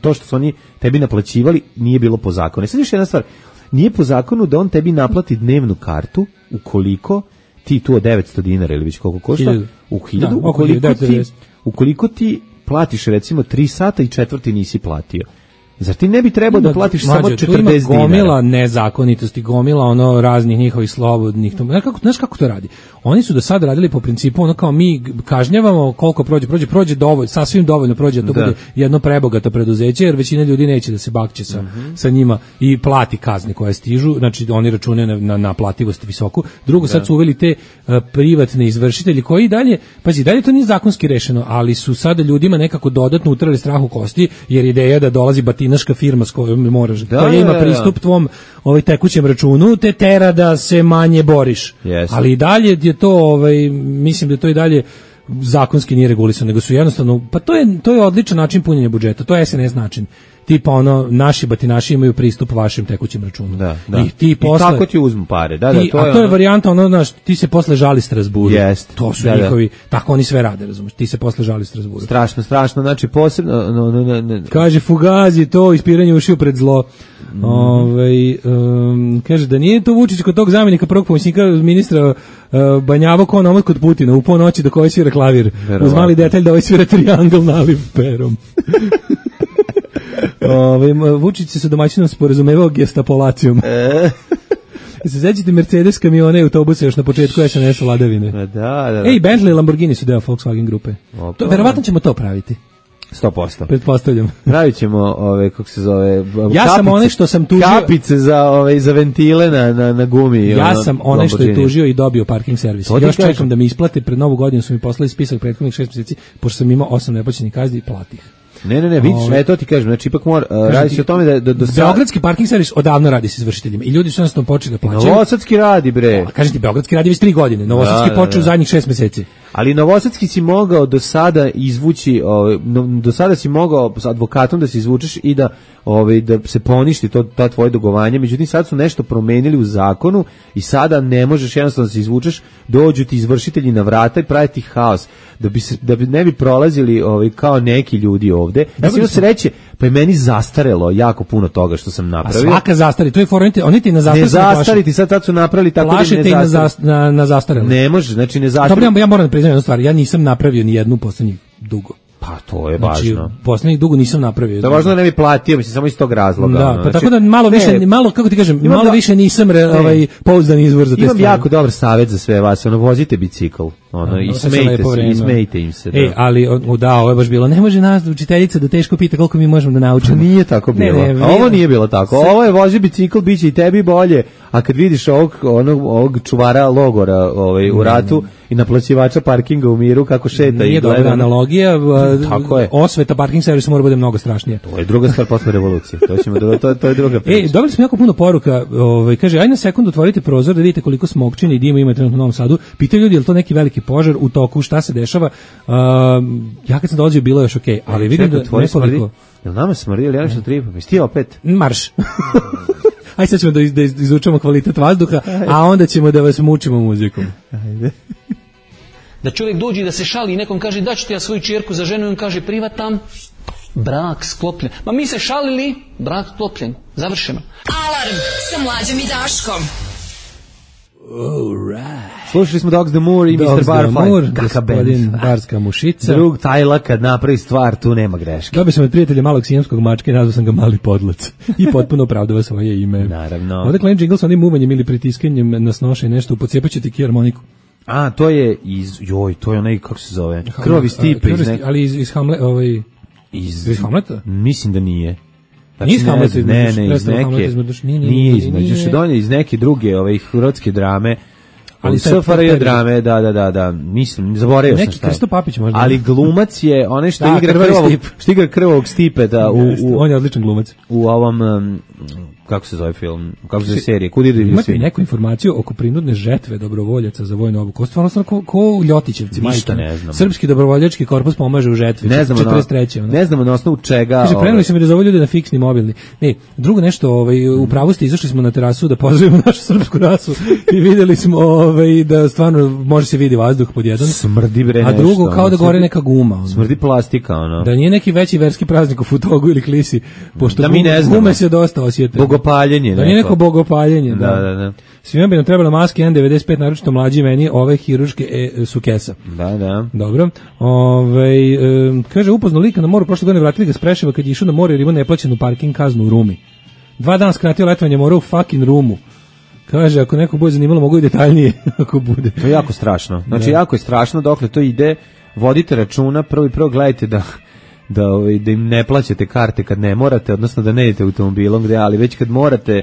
to što su oni tebi naplaćivali nije bilo po zakonu. Sad još jedna stvar, nije po zakonu da on tebi naplati dnevnu kartu ukoliko ti tu od 900 dinara ili već koliko košta u 1000, ukoliko ti platiš recimo 3 sata i četvrti nisi platio. Zar ti ne bi trebao da platiš samo 40 dinara? Ima gomila nezakonitosti, gomila raznih njihovih slobodnih. Znaš kako to radi? Oni su do sada radili po principu kao mi kažnjavamo koliko prođe dovoljno, sasvim dovoljno prođe da to bude jedno prebogato preduzeće, jer većina ljudi neće da se bakće sa njima i plati kazne koje stižu, znači oni računaju na naplativost visoku. Drugo, sad su uveli te privatne izvršitelji koji dalje to nije zakonski rešeno, ali su sada ljudima nekako dodatno utrali strah u kosti, jer ideja da dolazi batinaška firma s kojom moraš, koja ima pristup tvom tekućem računu, te tera da se manje boriš. Ali i dalje je to, mislim da to i dalje zakonski nije regulisano, nego su jednostavno, pa to je odličan način punjenja budžeta, to je SNS način. Tipa naši batinaši imaju pristup vašem tekućem računu. I ti posle, i tako ti uzmu pare. To je varijanta, ti se posle žali Strasburu. To su njihovi, tako oni sve rade, razumeš, ti se posle žali Strasburu. Strašno, znači posebno... Kaže Fugazi, to ispiranje ušiju pred zlo. Kaže da nije to Vučić kod tog zamjenika prvog pomoćnika ministra banjavo kao nomad kod Putina u ponoći dok ovaj svira klavir. Uz mali detalj da ovaj svira triangl naliv perom. Vučić se sa domaćinom sporazumevao gestapolacijom. Se sećate Mercedes kamione i autobuse još na početku SNS vladavine. Da. Ej, Bentley i Lamborghini su deo Volkswagen grupe. Verovatno ćemo to praviti. 100%. Pretpostavljam. Pravit ćemo kako se zove, ja sam onaj što sam tužio kapice za ventile na gumi. Ja sam onaj što je tužio i dobio parking servis. Još čekam da mi isplate, pred Novu godinu su mi poslali spisak prethodnih 6 mjeseci, pošto sam imao 8 neplaćenih kazni i platih. Ne, vidiš, to ti kažem, znači ipak radi se o tome da Beogradski parking servis odavno radi s izvršiteljima i ljudi su jednostavno počeli da plaćaju. Novosadski radi, bre. Kažem ti, Beogradski radi već 3 godine, Novosadski počeo u zadnjih 6 mjeseci. Ali Novosadski si mogao do sada izvući, do sada si mogao s advokatom da se izvučeš i da se poništi ta tvoje dugovanje, međutim sad su nešto promenili u zakonu i sada ne možeš jednostavno da se izvučeš, dođu ti izvršitelji na vrata i pravi ti haos, da bi ne bi prolazili kao neki ljudi ovde. Ja sam se reći, pa je meni zastarelo jako puno toga što sam napravio. A svaka zastari, to je fora, oni ti na zastariti. Ne zastariti, sad su napravili tako da ne zastariti. Na zastarelo. Ne može, znači ne zastariti. Dobro, ja moram da priznam jednu stvar, ja nisam napravio ni jednu poslednjih dugo. Pa to je važno. Poslednjih dugo nisam napravio. To je važno da ne bi platio, mislim, samo iz tog razloga. Da, pa tako da malo, kako ti kažem, malo više nisam pouzdan izvor za te stvari. Imam jako dobar savjet za sve vas, vozite bicikl, i smejte im se. Ali, ovo je baš bilo, ne može nas učiteljica da teško pita koliko mi možemo da naučimo. Pa nije tako bilo. Ovo nije bilo tako. Ovo je vozi bicikl, bit će i tebi bolje, a kad vidiš ovog čuvara logora u ratu i naplaćivača parkinga u miru kako šeta i gleda. Nije dobra analogija, osveta parking servisa mora bude mnogo strašnije. To je druga stvar posle revolucije. To je druga priča. Dobili smo jako puno poruka, kaže, aj na sekundu otvorite prozor da vidite koliko smokčine i dima ima trenutno u Novom Sadu. Pitaju ljudi, je li to neki veliki požar u toku, šta se dešava? Ja kad sam dolazio bilo još okej, ali vidim da nekoliko... Jel nama smrdi, ili ja nešto tripam? Jesi ti opet? Marš. Aj sad ćemo da izučamo kvalitet vazduha, a onda ćemo da vas mučimo muzikom. Ajde. Da čovjek dođe da se šali i nekom kaže da ću ti ja svoju čerku za ženu i on kaže privatam. Brak sklopljen. Ma mi se šalili, brak sklopljen. Završeno. Alarm sa Mlađom i Daškom. Slušali smo Dogs the Moor i Mr. Barfly. Gospodin Barska mušica. Drug Tajla kad napravi stvar, tu nema greške. Dobio sam od prijatelja malog sijemskog mačka i nazvao sam ga Mali podlac. I potpuno opravdava svoje ime. Naravno. Ovdje Klein Jingle sa onim umanjem ili pritiskanjem na snoše nešto, pocijepat ti harmoniku. A, to je to je onaj, kako se zove? Krvavi Stipe. Ali iz Hamleta, iz Hamleta? Mislim da nije. Nije iz Hamleta, nije iz neke druge hrvatske drame, ali SFRJ drame, da, mislim, zaboravio sam šta je. Neki Krsto Papić možda. Ali glumac je onaj što igra krvavog Stipeta. On je odličan glumac. U ovom, kako se zove film, kako se zove serije, Kud ide divlje svinje. Imate neku informaciju oko prinudne žetve dobrovoljaca za vojnu obuku? Stvarno ko Ljotićevci. Ništa ne znam. Srpski dobrovoljački korpus pomaže u žetvi. 43. Ne znamo na osnovu čega. Kaže, preneli su mi da zove ljude na fiksni mobilni. Ne, drugo nešto, u pravu ste, izašli smo na terasu da pozdravimo našu srpsku rasu i vidjeli smo da stvarno može se vidi vazduh pod jedan. Smrdi bre nešto. A drugo, kao da gore neka guma. Smrdi plastika, ono. Da nije neki veći verski praznik u Futogu ili Klisi, pošto gume se dosta osjete. Bogopaljenje. Da nije neko bogopaljenje. Da. Svima bi nam trebala maske N95, naročito mlađi meni, ove hiruške su kesa. Da. Dobro. Kaže, upoznao lika na moru, prošle godine vratili ga s Preševa kad je išao na more jer ima neplaćenu parking kaznu u Rumi. 2 dana skratio letovanje mora u fucking Rumu. Kaže, ako neko bude zanimalo, mogu i detaljnije ako bude. To je jako strašno. Znači, jako je strašno dokle to ide. Vodite računa, prvo gledajte da im ne plaćate karte kad ne morate, odnosno da ne idete automobilom gde, ali već kad morate,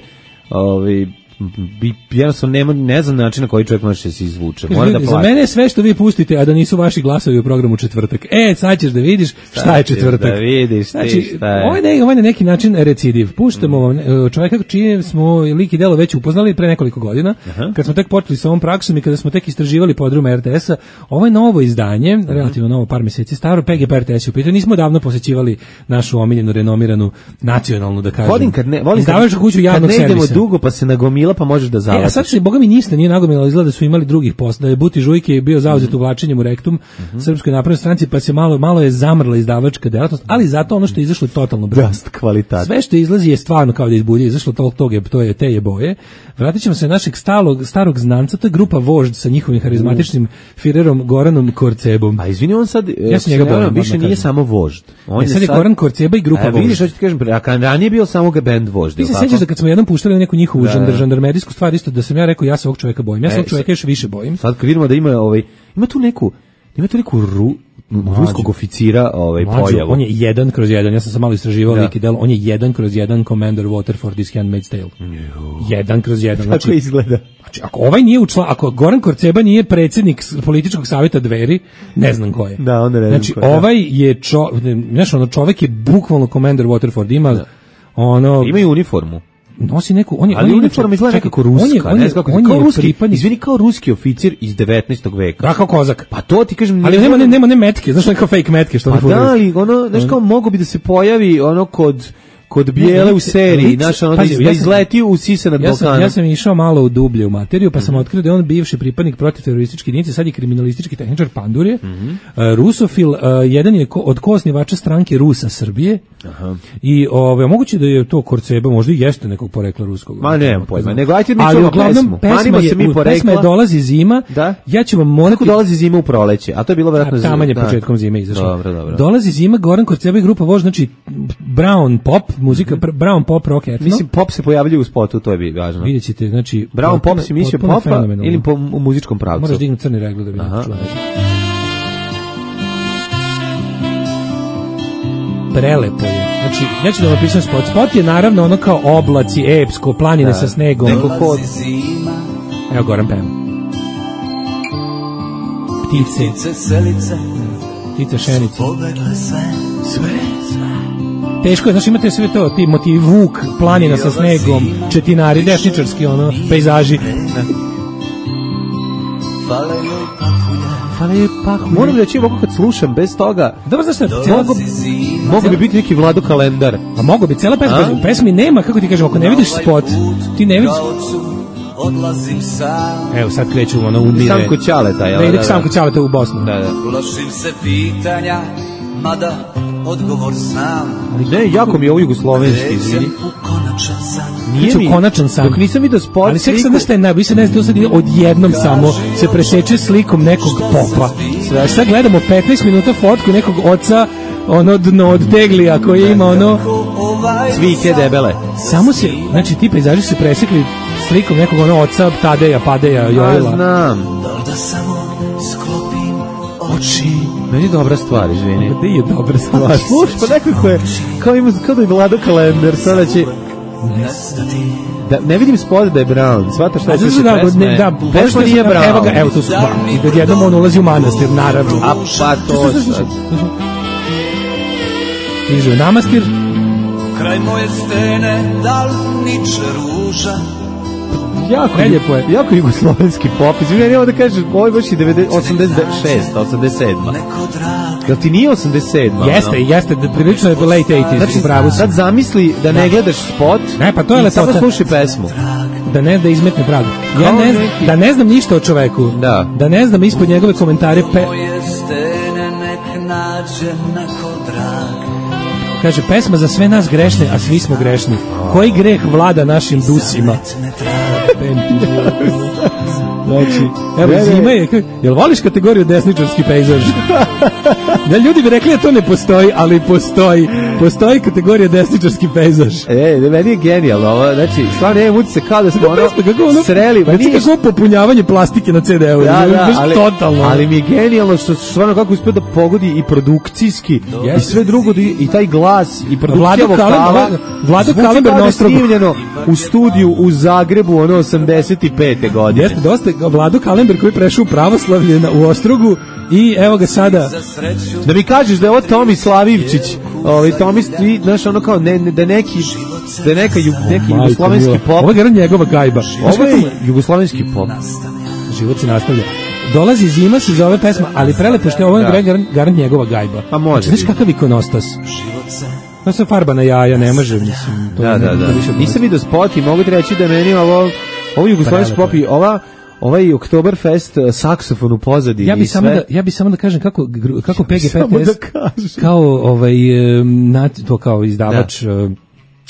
jednostavno ne znam način na koji čovjek može se izvuče. Mora da plati. Za mene je sve što vi pustite, a da nisu vaši glasovi u programu Četvrtak. Sad ćeš da vidiš šta je Četvrtak. Da vidiš ti šta je. Ovo je na neki način recidiv. Puštamo vam čovjeka čije smo lik i delo već upoznali pre nekoliko godina, kad smo tek počeli sa ovom praksom i kada smo tek istraživali podruma RTS-a. Ovo je novo izdanje, relativno novo, par mjeseci staro, PGP RTS u pitanju. Nismo davno posećivali našu omiljenu, renomiranu, nacionalnu, da kažem. Izdavačku kuću javnog servisa. Kad ne idemo dugo pa se nagomila, pa možeš da zavatiš. A sad se, boga mi ništa nije nagomilo, izgleda da su imali drugih posla, da je Buti Žujke bio zauzet uvlačenjem u rektum Srpskoj naprednoj stranci, pa se malo je zamrla izdavačka delatnost, ali zato ono što je izašlo je totalno brzo. Kvalitet. Sve što izlazi je stvarno kao da izbulje, izašlo to je te je boje. Vratit ćemo se našeg starog znanca, to je grupa Vožd sa njihovim harizmatičnim firerom Goranom Korcebom. A izvini, on sad, ja se njega bojim, više nije samo Vožd. Sad je Goran Korceba i grupa Vožd. Vidiš, što ću ti kažem, a ranije bio samo ga band Vožd. Ti se sjećaš da kad smo jednom puštali neku njihovu žandarmerijsku stvar, isto da sam ja rekao, ja se ovog čovjeka bojim. Ja se ovog čovjeka još više bojim. Sad kad vidimo da ima tu neku ruskog oficira pojavu. On je 1/1, ja sam se malo istraživao lik i delo, on je 1/1 Commander Waterford iz Handmaid's Tale. 1/1. Znači, kako izgleda? Znači, ako ovaj nije ako Goran Korceba nije predsjednik političkog savjeta Dveri, ne znam ko je. Da, onda ne znam ko je. Znači, ovaj je čovjek je bukvalno Commander Waterford, ima imaju uniformu. Nosi neku, ali uniforma izgleda nekako ruska, kao ruski oficir iz 19. veka. Da, kao kozak. Pa to ti kažem, ali nema metke, znaš neka fake metke što pa da, ali znaš kao mogo bi da se pojavi kod Bijele u seriji, da izleti u sise nad Balkanom. Ja sam išao malo u dublje u materiju, pa sam otkrio da je on bivši pripadnik protiterorističke jedinice, sad je kriminalistički tehničar Pandurje, rusofil, jedan je od koosnivača stranke Rusa Srbije. I moguće da je to Korceba, možda i jeste nekog porekla ruskog. Ma nemam pojma, nego ajte mi čujemo pesmu. Pesma je Dolazi zima, ja ću vam morati... Kako Dolazi zima u proleće? A to je bilo vjerojatno... Taman je početkom zime izašlo. Dobro. Dolazi zima, Goran Korceba i grupa Vožd, znači brown pop, muzika, brown pop, rock, etno. Mislim, pop se pojavljuje u spotu, to je važno. Vidjet ćete, znači... Brown pop si mislio popa ili u muzičkom pravcu? Moraš dignuti crni reglu da bi čula. Prelepo je. Znači, ja ću da vam pisam spot. Spot je naravno ono kao oblaci, epsko, planine sa snegom. Neko hod. Evo Goran peva. Ptice šenice. Sve. Teško je, znači imate sve to, ti motivi vuk, planina sa snegom, četinari, desničarski, pejzaži. Moram reći ovako kad slušam bez toga. Dobro, znaš šta? Mogu bi biti neki Vlado kalendar. A mogu bi, cela pesma. U pesmi nema, kako ti kažem, ako ne vidiš spot, ti ne vidiš. Evo sad kreću umire. Samko Ćaleta, Samko Ćaleta u Bosnu. Plašim se pitanja, mada odgovor znam. Ne, jako mi je ovo jugoslovenski, izvini. Nije konačan san. Dok nisam vidio spot. Ali sve sad šta je najbolje, ne znam, odjednom samo se preseče slikom nekog popa. Sad gledamo 15 minuta fotku nekog oca, ono dno od teglija koji ima ono cvike debele. Samo se, znači ti pejzaži su presekli slikom nekog ono oca Tadeja, Padeja, Jojila. Znam. Da samo sklopim oči. Meni je dobra stvar, izvini. Gde je dobra stvar? Slušaj, pa nekako je, kao da je Vlado Kalender, sada će... Da, ne vidim spod da je Brown, shvataš šta je pesme? Pesma nije Brown. Evo ga, evo tu su Brown. I odjednom on ulazi u manastir, naravno. A pa to sad. Stiže u namastir. Kraj moje stene, da li niče ruža? Jako jugoslovenski pop. Izvini, evo da kažeš, ovo je baš i 86, 87. Jel ti nije 87? Jeste, prilično je late 80s. Znači, sad zamisli da ne gledaš spot i samo slušaj pesmu. Da izmetne pragu. Da ne znam ništa o čoveku. Da ne znam ispod njegove komentare. Moje stene nek nađe neko drag. Kaže, pesma za sve nas grešne, a svi smo grešni. Koji greh vlada našim dusima? Znači, evo zima je, jel voliš kategoriju desničarski pejzaž? Da, ljudi bi rekli da to ne postoji, ali postoji kategorija desničarski pejzaž. Meni je genijalno ovo, znači, stvarno nemam utisak kao da smo ono sreli. Znači kako popunjavanje plastike na CD-u, ali mi je genijalno što stvarno kako uspio da pogodi i produkcijski i sve drugo, i taj glas i produkcija vokala. Vlado Kalember na Ostrogu. Snimljeno u studiju u Zagrebu, ono 85. godine. Jeste, dosta Vlado Kalember koji prešao u pravoslavlje u Ostrogu i evo ga sada. Da mi kažeš da je ovo Tomi Slavivčić, Tomi, znaš, ono kao, da neki jugoslovenski pop. Ovo je njegova gajba. Ovo je jugoslovenski pop. Život se nastavlja. Dolazi zima, se zove pesma, ali prelepo što je ovo garant njegova gajba. Pa može. Znaš kakav ikonostas? To se farba na jaja, ne može, mislim. Da. Nisam vidio spot i mogu ti reći da meni ovo jugoslovenski pop i ovaj Oktoberfest saksofon u pozadini. Ja bi samo da kažem kako PGP-TS kao izdavač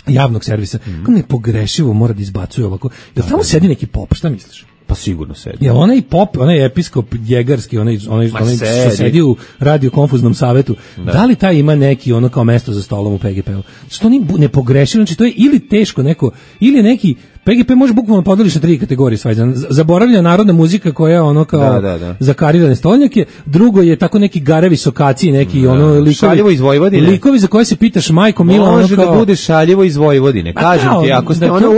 javnog servisa, kako nepogrešivo mora da izbacuje ovako. Jel tamo sedi neki pop, šta misliš? Pa sigurno sedi. Jel onaj pop, onaj episkop jegarski, onaj što sedi u radio konfuznom savetu, da li taj ima neki ono kao mesto za stolom u PGP-u? Što oni ne pogrešivo, znači to je ili teško neko, ili neki PGP može bukvalno podeliš na 3 kategorije svajzan. Zaboravlja narodna muzika koja je ono kao zakarirane stolnjake, drugo je tako neki garevi sokaci, neki ono likovi iz Vojvodine. Likovi za koje se pitaš majko mila, može ono kao, da bude šaljevo iz Vojvodine. Kažem ti, ako ste ono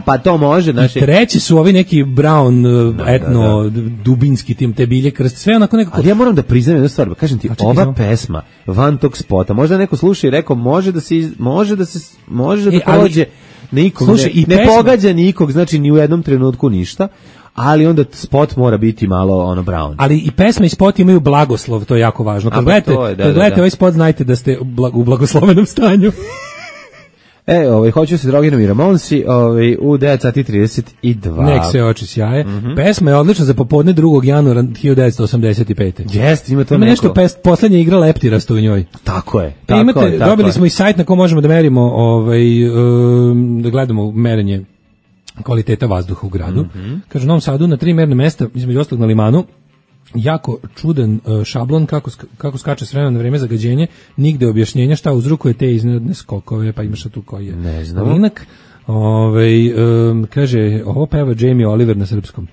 pa to može, znači. Treći su ovi neki Brown etno dubinski tim te bilje krst, sve onako nekako. Ali ja moram da priznam jednu stvar, kažem ti, ova pesma van tog spota, možda neko sluša i rekao može da prođe nikog, ne pogađa nikog, znači ni u jednom trenutku ništa, ali onda spot mora biti malo ono Brown. Ali i pesma i spot imaju blagoslov, to je jako važno. Kad gledate ovaj spot, znajte da ste u blagoslovenom stanju. Hoću se drogiram i Ramonsi, u 9:32. Nek se oči sjaje. Pesma je odlična za popodne 2. januara 1985. Jeste, ima to neko. Nešto poslednja igra Leptirasto u njoj. Tako je. Dobili smo i sajt na kom možemo da merimo, da gledamo merenje kvaliteta vazduha u gradu. Kaže, u Novom Sadu na 3 merne mesta, između ostalog na Limanu, jako čudan šablon kako skače s vremena na vreme zagađenje, nigde objašnjenja šta uzrokuje te iznenadne skokove, pa imaš tu koji je. Ne znam. Linak, kaže, ovo peva Jamie Oliver na srpskom.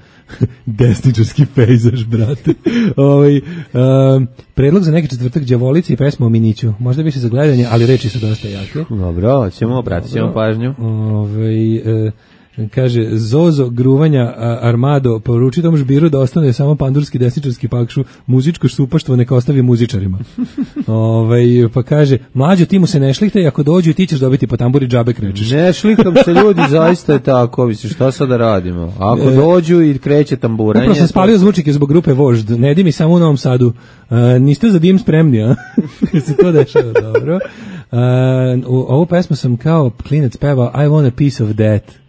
Desničarski pejzaž, brate. Predlog za neki četvrtak đavolice i pesma o Miniću. Možda više za gledanje, ali reči su dosta jake. Dobro, obratit ćemo pažnju. Kaže, Zozo gruvanja Armado poruči tom žbiru da ostane samo pandurski desničarski pakšu, muzičko štupaštvo neka ostavi muzičarima. Pa kaže, mlađo, ti mu se ne šlihtaj, ako dođu ti ćeš dobiti po tamburi džabe krećeš. Ne šlihtam se, ljudi, zaista je tako, misliš, šta sad da radimo? Ako dođu i kreće tamburanje... Upravo sam spalio zvučike zbog grupe Vožd, ne di mi samo u Novom Sadu. Niste za dim spremni, a? Se to dešava, dobro. Ovu pesmu sam kao klinec pevao I want a piece of that.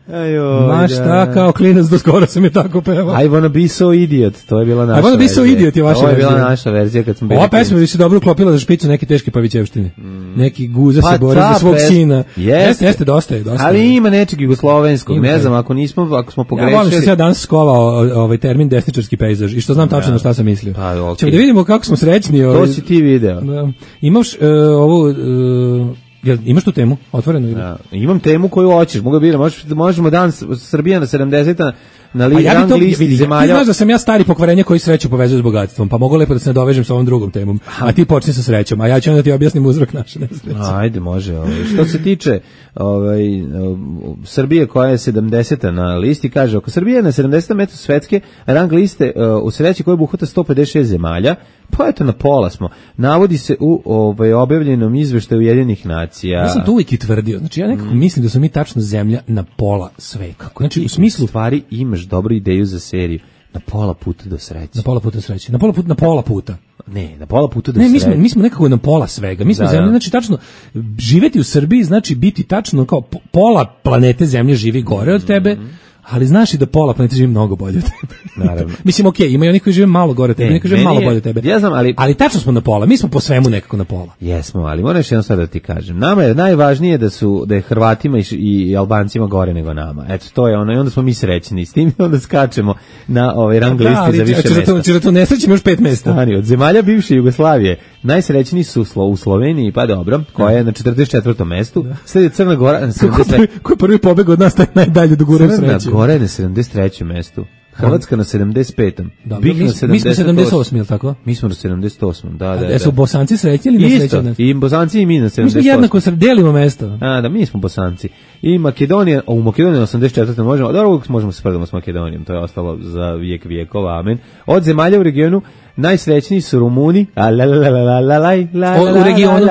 Ma šta, kao klinac do skoro sam je tako pevao. I wanna be so idiot, to je bila naša verzija. I wanna be so idiot je vaša verzija. Ovo je bila naša verzija kad smo bili. Ova pesma bi se dobro uklopila za špicu neke teške Pavićevštine. Neki guza se bori za svog sina. Jeste, dosta je. Ali ima nečeg jugoslovenskog, ne znam, ako smo pogrešili. Ja volim što se ja danas skovao ovaj termin desničarski pejzaž i što znam tačno na šta sam mislio. Ćemo da vidimo kako smo srećni. To si ti video. Imaš ovu... imaš tu temu otvorenu ili? Imam temu koju hoćeš, mogu biram, možemo danas Srbija na 70 na rang listi zemalja. Ti znaš da sam ja stari pokvarenje koji sreću povezuje s bogatstvom, pa mogu lepo da se nadovežem sa ovom drugom temom, a ti počni sa srećom, a ja ću onda ti objasnim uzrok naše nesreće. Ajde, može. Što se tiče Srbije koja je 70 na listi, kaže, ako Srbija je na 70 metu svetske rang liste u sreći koja obuhvata 156 zemalja, pa eto na pola smo. Navodi se u objavljenom izveštaju Ujedinjenih nacija. Ja sam to uvijek i tvrdio. Znači ja nekako mislim da smo mi tačno zemlja na pola sveta. Znači u smislu stvari imaš dobru ideju za seriju. Na pola puta do sreće. Na pola puta do sreće. Na pola puta. Ne, na pola puta do sreće. Ne, mi smo nekako na pola svega. Mi smo zemlja, znači tačno živeti u Srbiji znači biti tačno kao pola planete zemlje živi gore od tebe. Ali znaš i da pola planete živi mnogo bolje od tebe. Naravno. Mislim, okej, ima i oni koji žive malo gore od tebe, neki koji žive malo bolje od tebe. Ja znam, ali tačno smo na pola, mi smo po svemu nekako na pola. Jesmo, ali moram još jedno sad da ti kažem. Nama je najvažnije da je Hrvatima i Albancima gore nego nama. Eto, to je ono, i onda smo mi srećni s tim i onda skačemo na rang listi za više mesta. Čira to nesrećimo još 5 mesta. Stani, od zemalja bivše Jugoslavije, najsrećniji su u Sloveniji, pa dobro, koja je na 44. mestu, sledi Crna Gora na 73. Ko je prvi pobeg od nas, taj najdalje do gore sreće. Crna Gora je na 73. mestu. Hrvatska na 75. Mi smo 78, je li tako? Mi smo na 78, da. A su Bosanci srećni ili nesrećni? I Bosanci i mi na 78. Mi smo jednako delimo mesto. Da, mi smo Bosanci. I Makedonija, u Makedoniji na 84. možemo, dobro, uvijek možemo se spredamo s Makedonijom, to je ostalo za vijek vijekova, amen. Od zemalja u regionu najsrećniji su Rumuni, u regionu,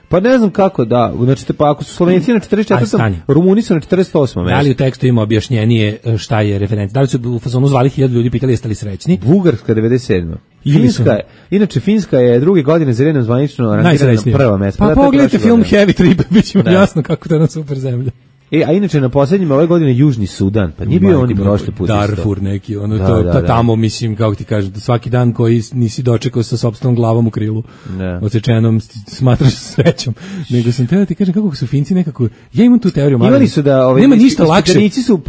pa ne znam kako, da, znači, pa ako su Slovenci na 44. Rumuni su na 48. Da li u tekstu ima objašnjenije šta je referencija? Da li su u fazonu zvali 1000 ljudi, pitali jeste li srećni? Bugarska 97. Finska je druge godine za redom zvanično rangirana na prva mesta. Pa pogledajte film Heavy Trip, bit će vam jasno kako to je na super zemlja. A inače na posljednjim ove godine Južni Sudan, pa nije bio oni prošli put Darfur neki, tamo mislim, kako ti kažem, svaki dan koji nisi dočekao sa sopstvenom glavom u krilu, odsečenom, smatraš srećom. Nego sam teo da ti kažem kako su Finci nekako, ja imam tu teoriju, imali su da nema ništa lakše. Ispitanici su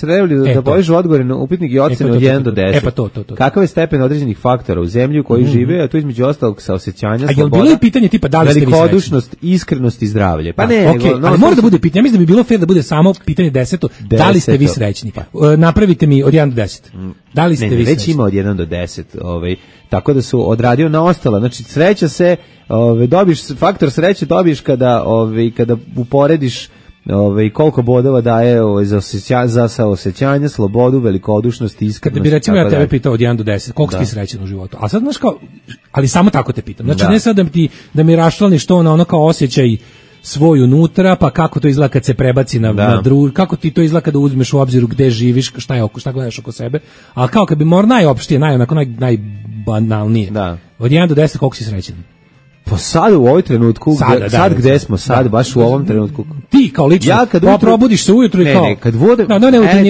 trebali da povežu odgovore na upitnik i ocene od 1 do 10. To. Kakav je stepen određenih faktora u zemlji u kojoj žive, a to između ostalog saosećanja, sloboda, bilo je pitanje tipa da li ste vi srećni? Velikodušnost, iskrenost i zdravlje. Pa ne, ali mora da bude pitanje, ja mislim da bi bilo fair da bude samo pitanje 10. Da li ste vi srećni? Napravite mi od 1 do 10. Da li ste vi srećni? Već ima od 1 do 10, tako da su odradio na ostalo. Znači sreća se, dobiješ faktor sreće dobiješ kada uporediš koliko bodova daje za saosećanje, slobodu, velikodušnost, iskrenost. Kada bi recimo ja tebe pitao od 1 do 10, koliko si ti srećan u životu? A sad znaš kao, ali samo tako te pitam. Znači ne sad da mi raščlaniš to na ono kao osjećaj svoj unutra, pa kako to izgleda kad se prebaci na kako ti to izgleda kada uzmeš u obzir gde živiš, šta gledaš oko sebe, ali kao kad bi najopštije, najbanalnije. Od 1 do 10 koliko si srećan? Pa sad u ovoj trenutku, sad gde smo, baš u ovom trenutku. Ti kao lično, probudiš se ujutru i kao... Ne, kad vodem...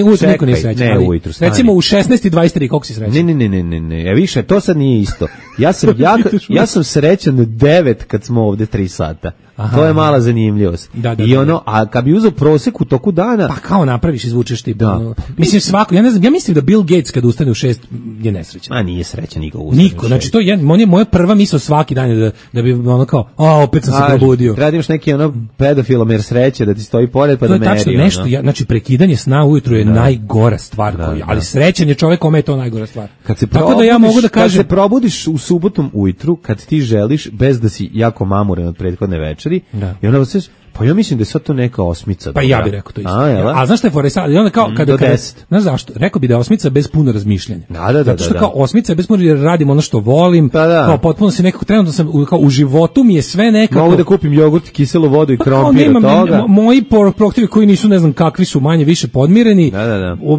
ujutru niko nije srećan. Ne, ujutru, stani. Recimo u 16:23, koliko si srećan? Ne, više, to sad nije isto. Ja sam srećan 9 kad smo ovde 3 sata. Aha, to je mala zanimljivost. A kad bi uzeo prosek u toku dana... Pa kao napraviš, izvučeš ti. Mislim svako, ja mislim da Bill Gates kad ustane u 6 je nesrećan. A nije srećan niko ustane u 6. Niko, znači to je moja prva misao svaki dan da bi ono kao, opet sam se probudio. Radiš neki pedofilomer sreće da ti stoji pored pa da meri. To je tačno nešto, znači prekidanje sna ujutru je najgora stvar, ali srećan je čovjek kome je to najgora stvar. Tako da ja mogu da kažem, kad se probudiš u subotom ujutru, kad ti želiš, bez da si jako mamuren od prethodne večeri, i onda se pa ja mislim da je sad to neka osmica. Pa ja bih rekao to isto. A znaš šta je fora sad? I onda kao kada znaš zašto? Rekao bi da je osmica bez puno razmišljanja. Zato što kao osmica je bez puno, jer radim ono što volim, kao potpuno se nekako trenutno sam u životu mi je sve nekako. Mogu da kupim jogurt, kiselu vodu i krompir od toga. Moji proaktivi koji nisu ne znam kakvi su manje više podmireni.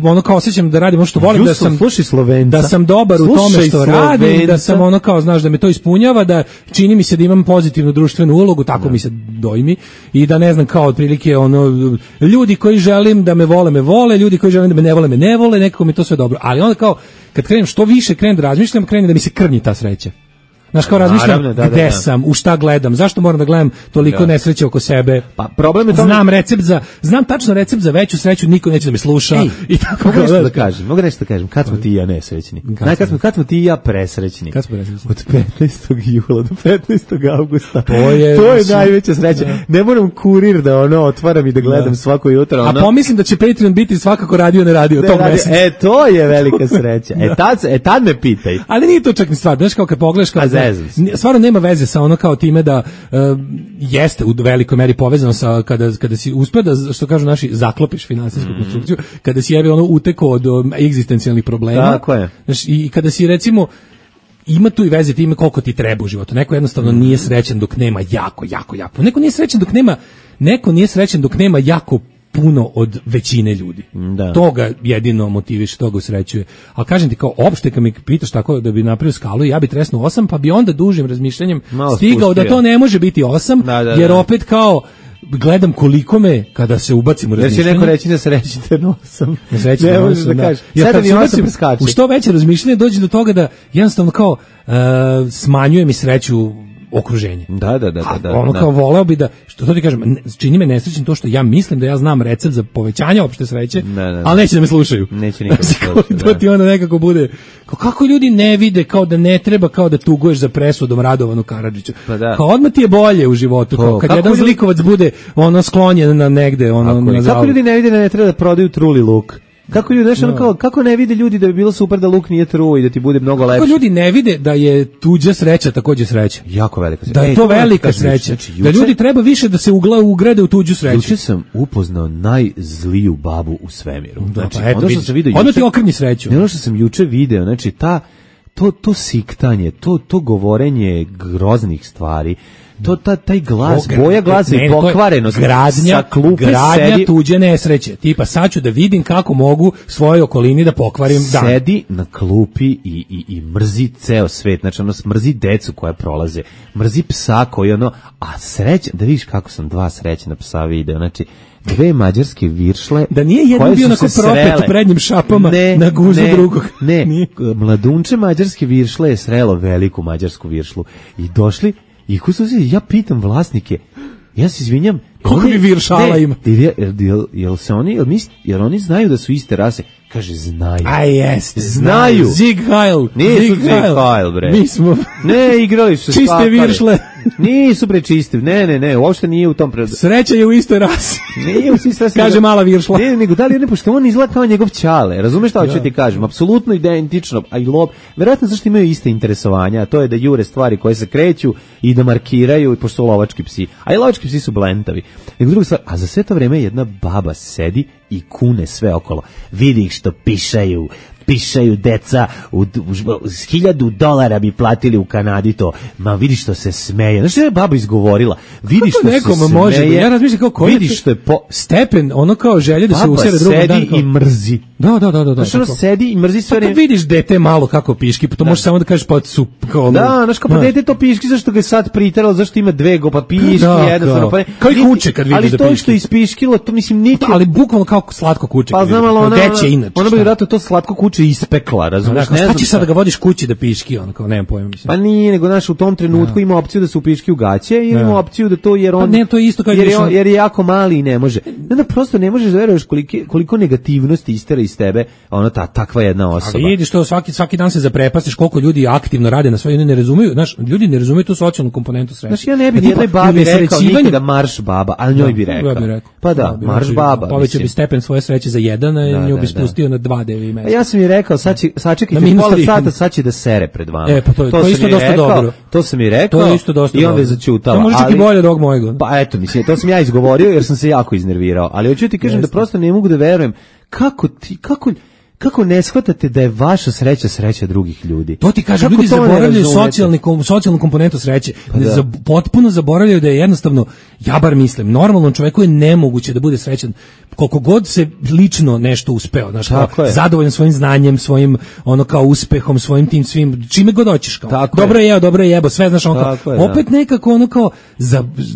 Ono kao osjećam da radim ono što volim, da sam dobar u tome što radim, da sam ono kao znaš da me to ispunjava, da čini mi se da imam pozitivnu društvenu ulogu, tako mi se dojmi i i da ne znam kao otprilike ono ljudi koji želim da me vole, ljudi koji želim da me ne vole, nekako mi to sve dobro. Ali onda kao kad krenem što više krenem da razmišljam, krenem da mi se krnji ta sreća. Znaš, kao razmišljam gde sam, u šta gledam, zašto moram da gledam toliko nesreće oko sebe. Pa problem je to. Znam tačno recept za veću sreću, niko neće da me sluša. I tako mogu nešto da kažem, kad smo ti i ja nesrećni. Kad smo ti i ja presrećni. Kad smo presrećni? Od 15. jula do 15. avgusta. To je najveća sreća. Ne moram kurir da otvaram i da gledam svako jutro. A pomislim da će Patreon biti svakako radio ne radio tog meseca. To je velika sreća. Tad me pitaj. Ali nije to čak ni stvar, znaš, kao kad pogledaš stvarno nema veze sa ono kao time da jeste u velikoj meri povezano sa kada si uspeo da, što kažu naši, zaklopiš finansijsku konstrukciju, kada si utekao od egzistencijalnih problema. Tako je. Znaš, i kada si recimo ima tu i veze time koliko ti treba u životu. Neko jednostavno nije srećan dok nema jako. Neko nije srećan dok nema jako puno od većine ljudi. Da. Toga jedino motiviše, toga usrećuje. A kažem ti, kao opšte kad mi pitaš tako da bi napravio skalu, ja bi tresnuo 8, pa bi onda dužim razmišljanjem stigao da to ne može biti 8, jer opet kao gledam koliko me kada se ubacim u razmišljanje. Jer će neko reći da srećite na 8. Ne možeš da kažeš. Ja kad se ubacim u što veće razmišljanje dođe do toga da jednostavno kao smanjuje mi sreću okruženje. Da. Kao voleo bi da, što to ti kažem, čini me nesrećnim to što ja mislim da ja znam recept za povećanje opšte sreće, ali neće da me slušaju. Neće nikad slušati. To ti onda nekako bude, kako ljudi ne vide, kao da ne treba, kao da tuguješ za presudom Radovanu Karadžiću. Kao odmah ti je bolje u životu, kao kad jedan zlikovac bude sklonjen na negde, na kako ljudi ne vide da ne treba da prodaju truli luk? Kako ljudi, kako ne vide ljudi da bi bilo super da luk nije true i da ti bude mnogo lepše? Kako ljudi ne vide da je tuđa sreća takođe sreća? Jako velika sreća. Da je to velika sreća. Da ljudi treba više da se ugrade u tuđu sreću. Juče sam upoznao najzliju babu u svemiru. Znači, ono što sam video juče. Ono ti okrnji sreću. Ono što sam juče video, znači to siktanje, to govorenje groznih stvari, taj glas, boja glasa i pokvarenost, gradnja tuđe nesreće. Tipa, sad ću da vidim kako mogu svojoj okolini da pokvarim dan. Sedi na klupi i mrzi ceo svet, znači mrzi decu koja prolaze, mrzi psa koji a srećan, da vidiš kako sam dva srećna psa video, znači dve mađarske viršle, da nije jedan bio onako propet u prednjim šapama na guzu drugog. Ne, mladunče mađarske viršle je srelo veliku mađarsku viršlu i došli. I ja pitam vlasnike, ja se izvinjam, koliko bi viršala ima? Jer oni znaju da su iste rase. Kaže, znaju. A jeste, znaju. Zig Heil. Nisu Zig Heil, bre. Mi smo ne, igrali su čiste viršle. Nisu bre čiste. Ne, uopšte nije u tom Sreća je u istoj rasi. Nije u istoj rasi. Kaže mala viršla. Ne, nego da li ne, pošto on izgleda kao njegov ćale. Razumeš šta hoću ti kažem? Apsolutno identično. A i lob, verovatno zašto imaju iste interesovanja, a to je da jure stvari koje se kreću i da markiraju, pošto su lovački psi. A i lovački psi su blentavi. Nego druga stvar, a za sve to vreme jedna baba sedi i kune sve okolo. Vidi ih što pišaju deca, $1,000 bi platili u Kanadi to. Ma vidi što se smeje. Znaš što je baba izgovorila? Vidi što se smeje. Može, ja razmišljam kao koji vidi što je stepen, ono kao želje da se usere drugom dan. Baba sedi i mrzi. Da. Znaš ono sedi i mrzi sve. Pa kad vidiš dete malo kako piški, pa to možeš samo da kažeš pa su kao... Da, znaš kao pa dete to piški, zašto ga je sad priteralo, zašto ima dve pa piški, jednostavno. Kao i kuće kad vidiš da piški. Ali to što ispiškilo, to mislim nikad... Ali bukvalno kao slatko kuće. Pa znam, ali ona bi vjerojatno to slatko kuće ispekla, razumiješ? Šta ćeš sad da ga vodiš kući da piški, ono kao, nemam pojma, mislim. Pa nije, nego znaš, u tom trenutku ima opciju da se upiški u gaće i ima opciju da to, jer on... Pa ne, to je isto kao jer je jako mali i ne može. Ne, prosto ne možeš da veruješ koliko negativnosti istera iz tebe, ono takva jedna osoba. A vidiš to, svaki dan se zaprepastiš koliko ljudi aktivno rade na svoje, ne razumeju, znaš, ljudi ne razumeju tu socijalnu komponentu sreće. Znaš, ja ne bih jednoj babi rekao nikada marš baba, ali njoj bi rekao. Pa da, marš baba. Povećao bi stepen svoje sreće za 1, a nju bi spustio na 2 devi mesta. Ja sam mi rekao, sačekajte pola sata, sad će da sere pred vama. Pa to isto dosta dobro. To sam mi rekao. To je isto dosta i onda je začutala. To može čak i bolje od ovog mojega. Pa eto, mislim, to sam ja izgovorio jer sam se jako iznervirao. Ali hoću ti kažem da prosto ne mogu da verujem kako ne shvatate da je vaša sreća drugih ljudi? To ti kažem, ljudi zaboravljaju socijalnu komponentu sreće. Potpuno zaboravljaju da je jednostavno ja bar mislim, normalnom čoveku je nemoguće da bude srećan koliko god se lično nešto uspeo, znaš, zadovoljan svojim znanjem, svojim ono kao uspehom, svojim tim svim, čime god hoćeš, kao dobro je jeo, dobro je jebo, sve znaš, ono kao, opet nekako ono kao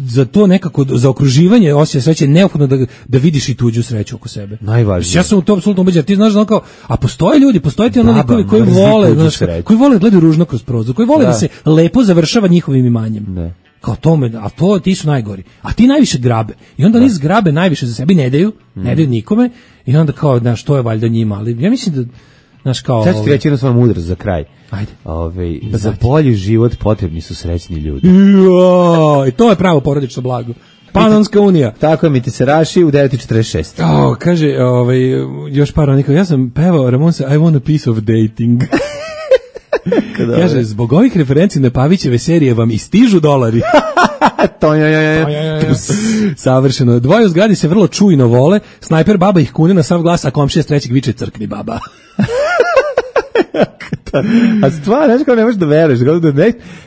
za to nekako, za okruživanje osjećaja sreće je neophodno da vidiš i tuđu sreću oko sebe. Najvažnije. Ja sam u to apsolutno ubeđen, ti znaš ono kao, a postoje ljudi, postoje ti ono likovi koji vole, znaš, koji vole da gledaju ružno kroz prozor, koji vole da se lepo završava njihovim imanjem. Ne. Kao tome, a to ti su najgori. A ti najviše grabe. I onda oni zgrabe najviše za sebi, ne daju nikome. I onda kao, znaš, to je valjda njima. Ali ja mislim da, znaš, kao... Sad ću ti reći jednu stvar mudrost za kraj. Ajde. Za bolji život potrebni su srećni ljudi. I to je pravo porodično blago. Panonska unija. Tako je, mi ti se raši u 9:46. Kaže, još par onika, ja sam pevao Ramonsa, I want a piece of dating. Kaže, zbog ovih referenci na Pavićeve serije vam i stižu dolari. Savršeno. Dvoje u zgradi se vrlo čujno vole, snajper baba ih kune na sav glas, a komšija s trećeg viče crkni baba. A stvar, znaš kao ne možeš da veruješ,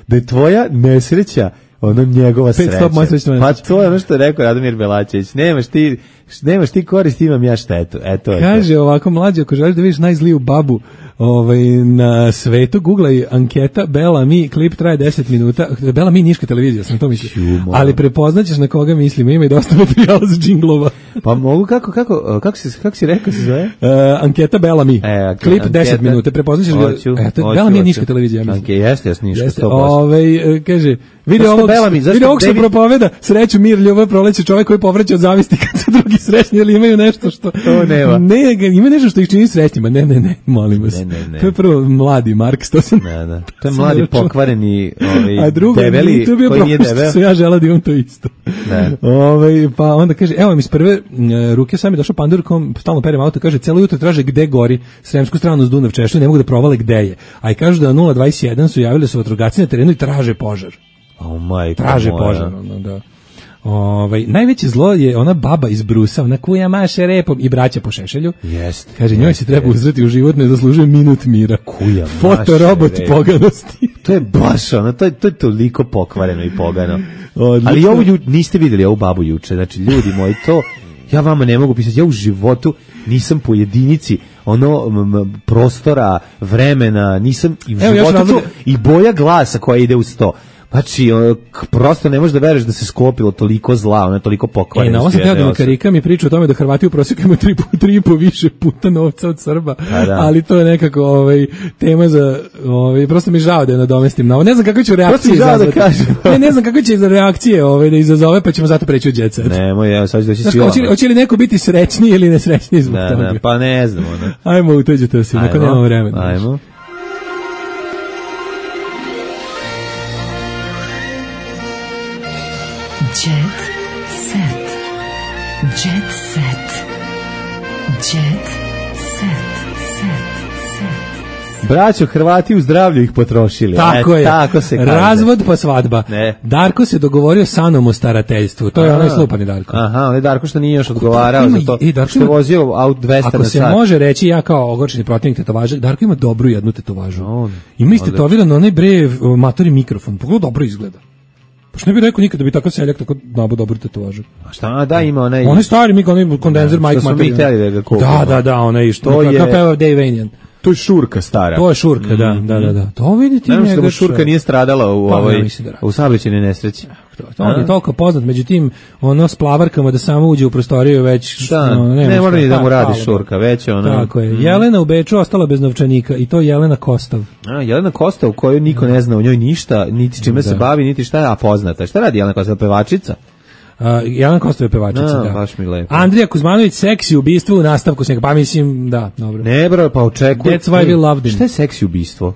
da je tvoja nesreća ono njegova sreća. Pa to je ono što je rekao Radomir Belačević. Nemaš ti korist, imam ja štetu. Kaže ovako, mlađe, ako želiš da vidiš najzliju babu na svetu, googlaj anketa Bela Mi, klip traje 10 minuta. Bela Mi niška televizija, sam to mislio. Ali prepoznaćeš na koga mislimo, ima i dosta materijala za džinglova. Pa mogu, kako si rekao se zove? Anketa Bela Mi, klip 10 minuta, prepoznaćeš ga. Bela Mi je niška televizija, mislim. Jeste, niška, 100%. Kaže, vidi ovog što propoveda sreću, mir, ljubav, proleće, čovjek koji povraća od zavisti kad su drugi srećni, ili imaju nešto što... To nema. Ima nešto što ih čini srećnima. Ne, molim vas. Ne. To je prvo mladi Marks, to sam... Da. To je mladi pokvareni a drugo, debeli koji nije debel. Što ja žela da imam to isto. Pa onda kaže, evo mi iz prve ruke sam je došao pandurkom, stalno perem auto, kaže, celo jutro traže gde gori, Sremsku stranu uz Dunav Češlju, ne mogu da provale gde je. A i kažu da 021 su javili su vatrogasci na terenu i traže požar. Traže požar, da. Najveće zlo je ona baba iz Brusa, ona kuja maše repom i braća po šešelju. Kaže, njoj se treba uzreti u život, ne zaslužuje minut mira. Kuja fotorobot poganosti. To je baš ono, to je toliko pokvareno i pogano. Ali ovo niste vidjeli ovu babu juče, znači ljudi moji, to ja vama ne mogu pisati, ja u životu nisam po jedinici prostora, vremena, nisam i u životu i boja glasa koja ide uz to. Znači, prosto ne možeš da veruješ da se skopilo toliko zla, ona toliko pokvarenosti. Na ovo sam teo da Karika mi priča o tome da Hrvati u prosjeku imaju 3,5 više puta novca od Srba, ali to je nekako tema za, prosto mi žao da je nadomestim na ovo. Ne znam kako će reakcije izazvati. Ne znam kako će za reakcije da izazove, pa ćemo zato preći u jet set. Nemoj, evo sad ću doći svi ovo. Hoće li neko biti srećniji ili nesrećniji zbog toga? Pa ne znam. Ajmo, utođete se, neko nema vremena. Ajmo. Jet set. Jet set. Jet set. Braćo, Hrvati u zdravlju ih potrošili. Tako je. Tako se kaže. Razvod pa svadba. Ne. Darko se dogovorio sa Anom o starateljstvu. To je onaj slupani Darko. Aha, onaj Darko što nije još odgovarao za to. Što je vozio aut 200 na sat. Ako se može reći, ja kao ogorčeni protivnik tetovaža, Darko ima dobru jednu tetovažu. Ima istetovirano onaj matori mikrofon. Pogledaj, dobro izgleda. Pa što ne bih rekao nikad da bi tako seljak tako nabo dobro tetovažu. A šta da ima onaj... Onaj stari kondenzer Mike Material. Da, onaj što je... Kao peva Dave Vanian. To je šurka stara. To je šurka, da. To vidite njega. Naravno da šurka nije stradala u saobraćajnoj nesreći. On je toliko poznat, međutim, s plavarkama da samo uđe u prostoriju već... Ne mora ni da mu radi šurka, već Tako je. Jelena u Beču ostala bez novčanika i to je Jelena Kostav. Jelena Kostav, u kojoj niko ne zna o njoj ništa, niti čime se bavi, niti šta je, a poznata. Šta radi Jelena Kostav, pevačica? Jelena Kostav je pevačica, da. Baš mi lepo. Andrija Kuzmanović, seksi ubistvo u nastavku snega, pa mislim, da, dobro. Ne, bro, pa očekuj. That's why we loved him. Šta je seksi ubistvo?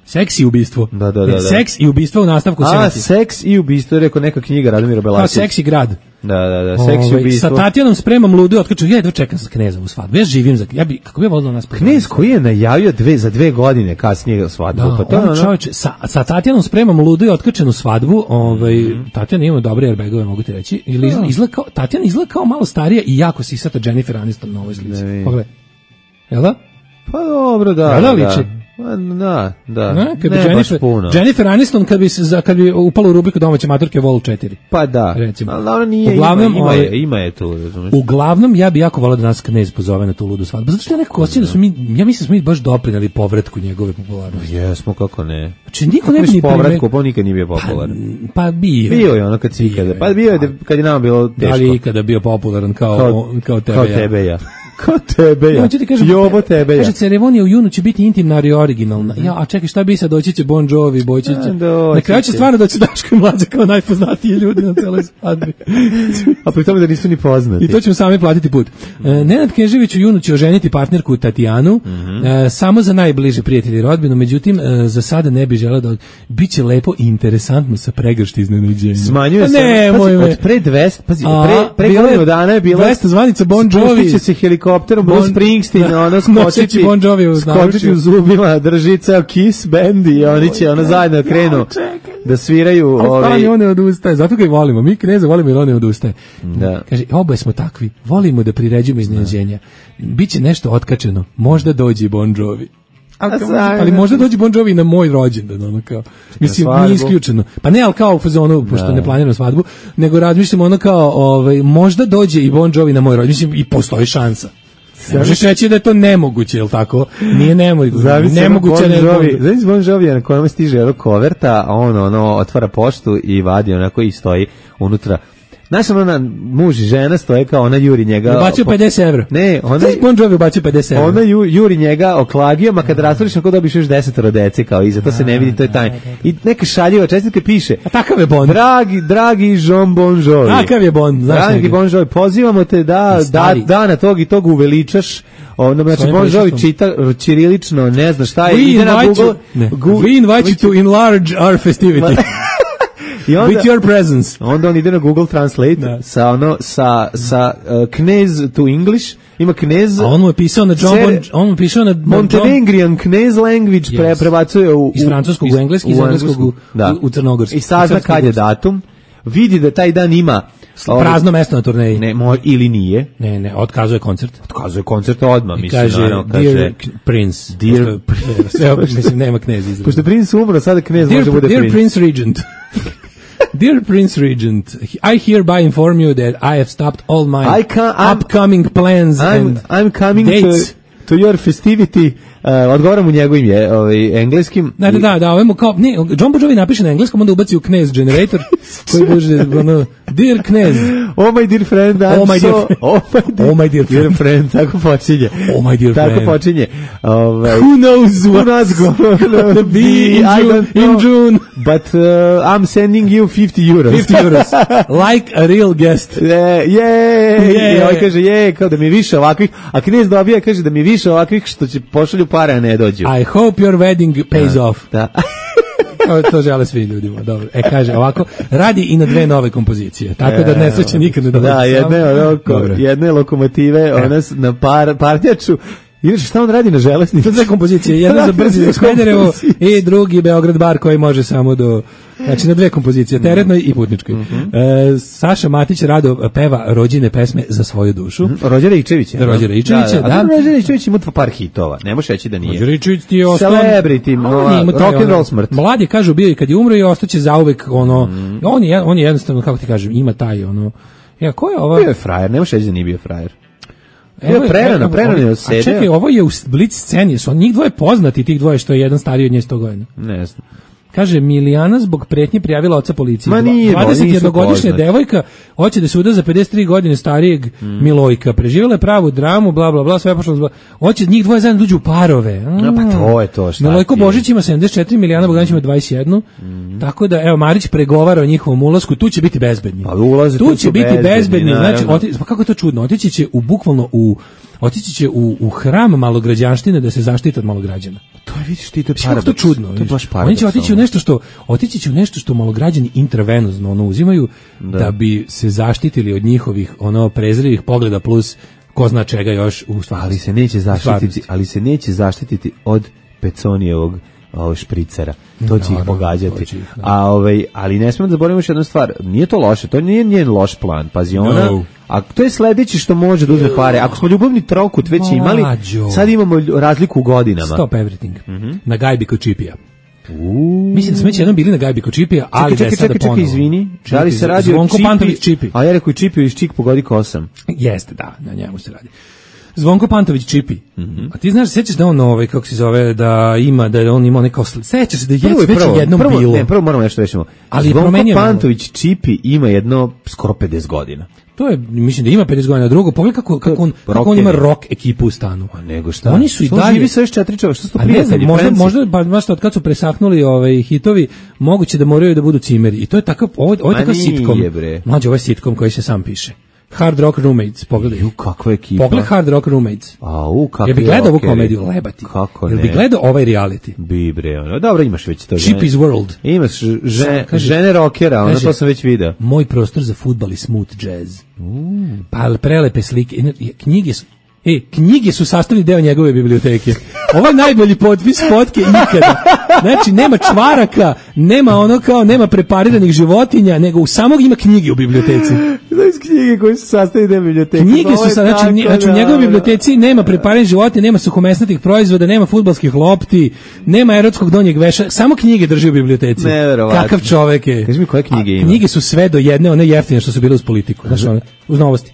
Seks i ubistvo. Da. Seks i ubistvo u nastavku snega. Seks i ubistvo, je rekao neka knjiga Radomira Belačevića. Seks i grad. Da, seks i ubistvo. Sa Tatjanom spremam ludu, otkaču, ja jedva čekam sa Knezovu svadbu. Ja živim za, kako bi ja volila nas... Knez koji je najavio za 2 godine kasnije svadbu. Da, pa on čovječe, sa Tatjanom spremam ludu i otkačenu svadbu, Tatjana ima dobre airbagove, mogu ti reći, Tatjana izgleda kao malo starija i jako sisata Jennifer Aniston na ovoj slici. Pogledaj. Jel da? Pa dobro, da. Jel da liči? Da. Jennifer Aniston kad bi upala u rubriku domaće maturke Vol 4. Pa da. Recimo. Ali ona nije, ima je tu, razumiješ. Uglavnom, ja bi jako volao da nas Knez pozove na tu ludu svadbu. Zato što ja nekako osjećam da smo ja mislim da smo mi baš doprineli povratku njegove popularnosti. Jesmo, kako ne. Znači, niko ne bi ni povratku, pa nikad nije bio popularan. Pa bio. Bio je ono kad si ikada. Pa bio je kad je nama bilo teško. Ali ikada bio popularan kao tebe ja. Kao tebe ja. Jovo tebe ja. Kaže, ceremonija u junu će biti intimna i originalna. Ja, a čekaj, šta bi sad, doći će Bon Jovi, na kraju će stvarno doći Daško i Mlađa kao najpoznatiji ljudi na celoj svadbi. A pri tome da nisu ni poznati. I to ćemo sami platiti put. Nenad Knežević u junu će oženiti partnerku Tatjanu, samo za najbliže prijatelji i rodbinu, međutim, za sada ne bi želeo da... Biće lepo i interesantno sa pregršti iznenađenja. Smanjuje se, od pre 200, pazi, pre godinu dana je bilo 200 zvanica Bon Jovi. Spustit će se helikopterom Bruce Springsteen, ono skočiti u zubima, drži ceo Kiss band i oni će zajedno krenu da sviraju. Ali on ne odustaje, zato ga i volimo. Mi Kneza volimo jer on ne odustaje. Kaže, oboje smo takvi, volimo da priređujemo iznenađenja. Biće nešto otkačeno, možda dođe Bon Jovi. Ali možda dođe Bon Jovi na moj rođendan, ono kao. Mislim, nije isključeno. Pa ne, ali kao u fazonu, pošto ne planiramo svadbu, nego razmišljamo ono kao, možda dođe i Bon Jovi na moj rođendan. Mislim, i postoji šansa. Možeš reći da je to nemoguće, je li tako? Nije nemoguće. Nemoguće ne je. Zavis Bon Jovi na kojem stiže koverta, a on otvara poštu i vadi onako i stoji unutra. Znaš, muž i žena stoje kao ona juri njega... Ubacio 50 evra. Ne, ona... Bon Jovi ubacio 50 evra. Ona juri njega oklagijama, kad rastvoriš na ko dobiš još 10 dece, kao iza, to se ne vidi, to je tajno. I neka šaljiva čestitka piše... A takav je Bon. Dragi Jean Bon Jovi. Takav je Bon, znaš Dragi Bon Jovi, pozivamo te da dana tog i tog uveličaš. Znači, Bon Jovi čita čirilično, ne zna šta je, ide na Google... We invite you to enlarge our festivity. With your presence. Onda on ide na Google Translate sa Knez to English. Ima Knez. A on mu je pisao na Montenegrin Knez language, prebacuje iz francuskog u engleski, iz engleskog u crnogorski. I sazna kad je datum. Vidi da taj dan ima prazno mesto na turneji. Ne, ili nije. Ne, otkazuje koncert. Otkazuje koncert odmah, mislim. Kaže, Dear Prince. Mislim, nema Knez izraz. Pošto Prince umro, sada Knez može bude Prince. Dear Prince Regent. Dear Prince Regent, I hereby inform you that I have stopped all my upcoming plans and I'm coming dates. To your festivity. Odgovaram u njegovim engleskim. Da, ovemu kao, ne, John Bon Jovi napiše na engleskom, onda ubaci u Knez generator, koji bude, Dear Knez. Oh my dear friend, oh my dear friend, tako počinje. Oh my dear friend. Tako počinje. Who knows what's gonna be in June. But I'm sending you 50 euros. 50 euros. Like a real guest. I ovaj kaže, kao da mi više ovakvih, a Knez dobija, kaže da mi više ovakvih što će pošalju pare, a ne dođu. I hope your wedding pays off. Da. To žele svi ljudima, dobro. Kaže ovako, radi i na 2 nove kompozicije, tako da nesreće nikad ne dolazi. Da, jedne lokomotive, ona na parnjaču. Inače, šta on radi na železnici? 2 kompozicije, jedna za brzi za Smederevo i drugi Beograd bar koji može samo do... Znači na 2 kompozicije, teretnoj i putničkoj. Saša Matić rado peva rođene pesme za svoju dušu. Rođera Ičevića. Da. Rođera Ičević ima par hitova, ne može reći da nije. Rođera Ičević ti je ostao... Celebrity, rock and roll smrt. Mladi kažu bio i kad je umro i ostaće zauvek on je jednostavno, kako ti kažem, ima taj ko je ovo? Bio je frajer, ne može reći da nije bio frajer. Prerano je osede. A čekaj, ovo je u Blitz sceni, su njih dvoje poznati, tih dvoje što je jedan stariji od nje 100 godina. Ne znam. Kaže, Milijana zbog pretnje prijavila oca policiji. Ma nije, 21-godišnja devojka hoće da se uda za 53 godine starijeg Milojka. Preživjela je pravu dramu, bla, bla, bla, sve pošlo. Hoće njih dvoje zajedno dođu u parove. Pa to je to, šta Milojko Božić ima 74, Milijana Bogdanić ima 21. Tako da, evo, Marić pregovara o njihovom ulasku, tu će biti bezbedni. Tu će biti bezbedni, znači, pa kako je to čudno, otići će u hram malograđanštine da se zaštiti od malograđana. To je, vidiš ti, to je paradoks. To je čudno. To je baš paradoks. Oni će otići će u nešto što malograđani intravenozno uzimaju da bi se zaštitili od njihovih prezirivih pogleda plus ko zna čega još u stvarnosti. Ali se neće zaštititi od Peconijevog špricera. To će ih pogađati. Ali ne smemo da zaboravimo još jednu stvar. Nije to loše, to nije njen loš plan. Pazi, ona... A to je sledeće što može da uzme pare. Ako smo ljubavni trokut već imali, sad imamo razliku u godinama. Stop everything. Na gajbi kod Čipija. Mislim da smo već jednom bili na gajbi kod Čipija, ali da je sada ponovo. Čekaj, izvini. Da li se radi Zvonko Pantović Čipi? A ja rekao i Čipiju iz Čik pogodi kosam. Jeste, da, na njemu se radi. Zvonko Pantović Čipi. A ti znaš, sećaš da on kako se zove, da on imao neko, sećaš se da je već jednom bilo. Ne, prvo moramo nešto rešimo. Zvonko Pantović Čipi ima jedno skoro 50 godina. To je, mislim da ima 50 godina. Drugo, pogledaj kako on ima rock ekipu u stanu. A nego šta? Oni su i dalje. Živi sa još 4 čovjeka, što su to prijatelji? Možda baš od kad su presahnuli hitovi, moguće da moraju da budu cimeri. I to je takav, ovo je takav sitcom. Mlađe, ovo je sitcom koji se sam piše. Hard Rock Roommates, pogledaj. Kakva ekipa. Pogledaj Hard Rock Roommates. Kakvi. Jel bi gledao ovu komediju, lebati? Kako ne? Jel bi gledao ovaj reality? Bi bre, dobro, imaš već to. Cheapy's World. Imaš žene rockera, ono to sam već video. Moj prostor za fudbal i smooth jazz. Pa prelepe slike, knjige su sastavni deo njegove biblioteke. Ovo je najbolji potpis fotke ikada. Znači, nema čvaraka, nema prepariranih životinja, nego u samog ima knjige u biblioteci. Znači, knjige koje su sastavni deo biblioteke. Knjige su, znači u njegovoj biblioteci nema prepariranih životinja, nema suhomesnatih proizvoda, nema fudbalskih lopti, nema erotskog donjeg veša, samo knjige drži u biblioteci. Neverovatno. Kakav čovek je. Kaži mi koje knjige ima. Knjige su sve do jedne, one jeftine što su bile uz politiku, znači uz novosti.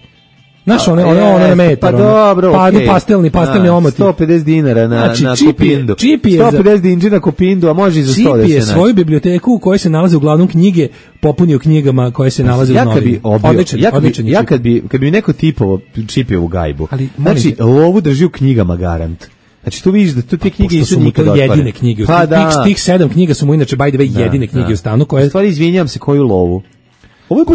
Znaš, one na metar. Pa dobro, okej. Pastelni omoti. 150 dinara na Kopindu. 150 dinđi na Kopindu, a može i za 100 da se naći. Čipi je svoju biblioteku u kojoj se nalaze uglavnom knjige, popunio knjigama koje se nalaze u novini. Ja kad bi neko tipovo Čipiju u gajbu, znači, lovu drži u knjigama garant. Znači tu vidiš da tu te knjige nisu nikad otvorene. Jedine knjige. Tih 7 knjiga su mu inače by the way jedine knjige u stanu koje... U stvari, izvinjam se, koju lovu? Ovo je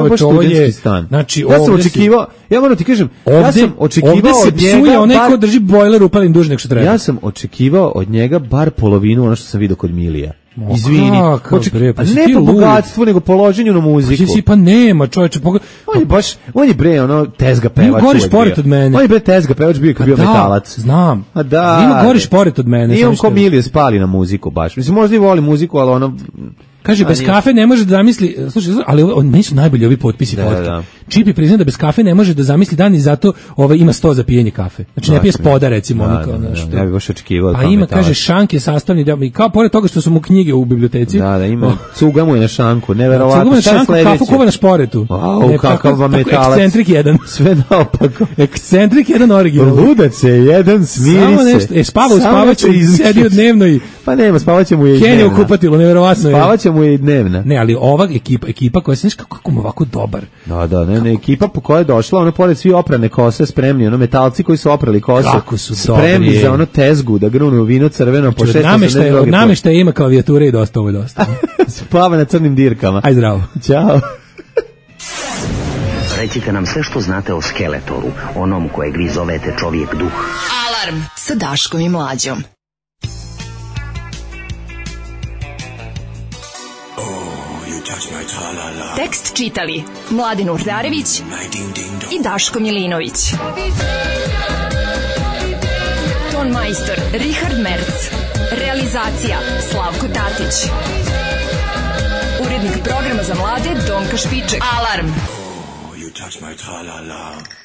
baš studentski stan. Znači, ja sam očekivao, ja moram ti kažem, ovde se psuje onaj ko drži bojler upalim duže nego što treba. Ja sam očekivao od njega bar polovinu ono što sam vidio kod Milija. Izvini. Ne po bogatstvu, nego po loženju na muziku. Pa nema, čoveče. On je bre, tezga pevač. Ima gori šporet od mene. On je bre tezga pevač bio kad bio metalac. Znam. Ima gori šporet od mene. Nije on ko Milija spali na muziku baš. Mislim, možda i voli muziku, ali ono... Kaže, bez kafe ne može da zamisli, slušaj, ali meni su najbolji ovi potpisi fotke. Čipi prizna da bez kafe ne može da zamisli dan i zato ima 100 za pijenje kafe. Znači ne pije spoda, recimo. Ja bih baš očekivao. Pa ima, kaže, šank je sastavni deo, i kao pored toga što su mu knjige u biblioteci. Da, ima, cuga mu je na šanku, neverovatno. Cuga mu je na šanku, kafu kuva na šporetu. Kakav vam metalac. Ekscentrik jedan. Sve naopako. Ekscentrik jedan original. Ludac je jedan, smiri se. Spava u spavaću, sedio dnevno i... Pa nema, spavaće mu je i dnevna. Kenja u kupatilu, neverovatno je. Spavaće mu je i dnevna. Ne, ali ova ekipa koja se, znaš kako mu ovako dobar. Da, ne, ekipa po kojoj je došla, ono pored svi oprane kose spremni, metalci koji su oprali kose. Kako su spremni dobri. Za tezgu, da grunu vino crveno po 680 od nameštaja ima klavijature i dosta, ovo je dosta. Spava na crnim dirkama. Aj zdravo. Ćao. Recite nam sve što znate o Skeletoru, onom kojeg vi zovete čovjek duh. Alarm sa Daškom i Mlađom. Tekst čitali Mladin Urdarević i Daško Milinović. Ton majstor Richard Merc. Realizacija Slavko Tatić. Urednik programa za mlade Donka Špiček. Alarm. You touch my tra-la-la.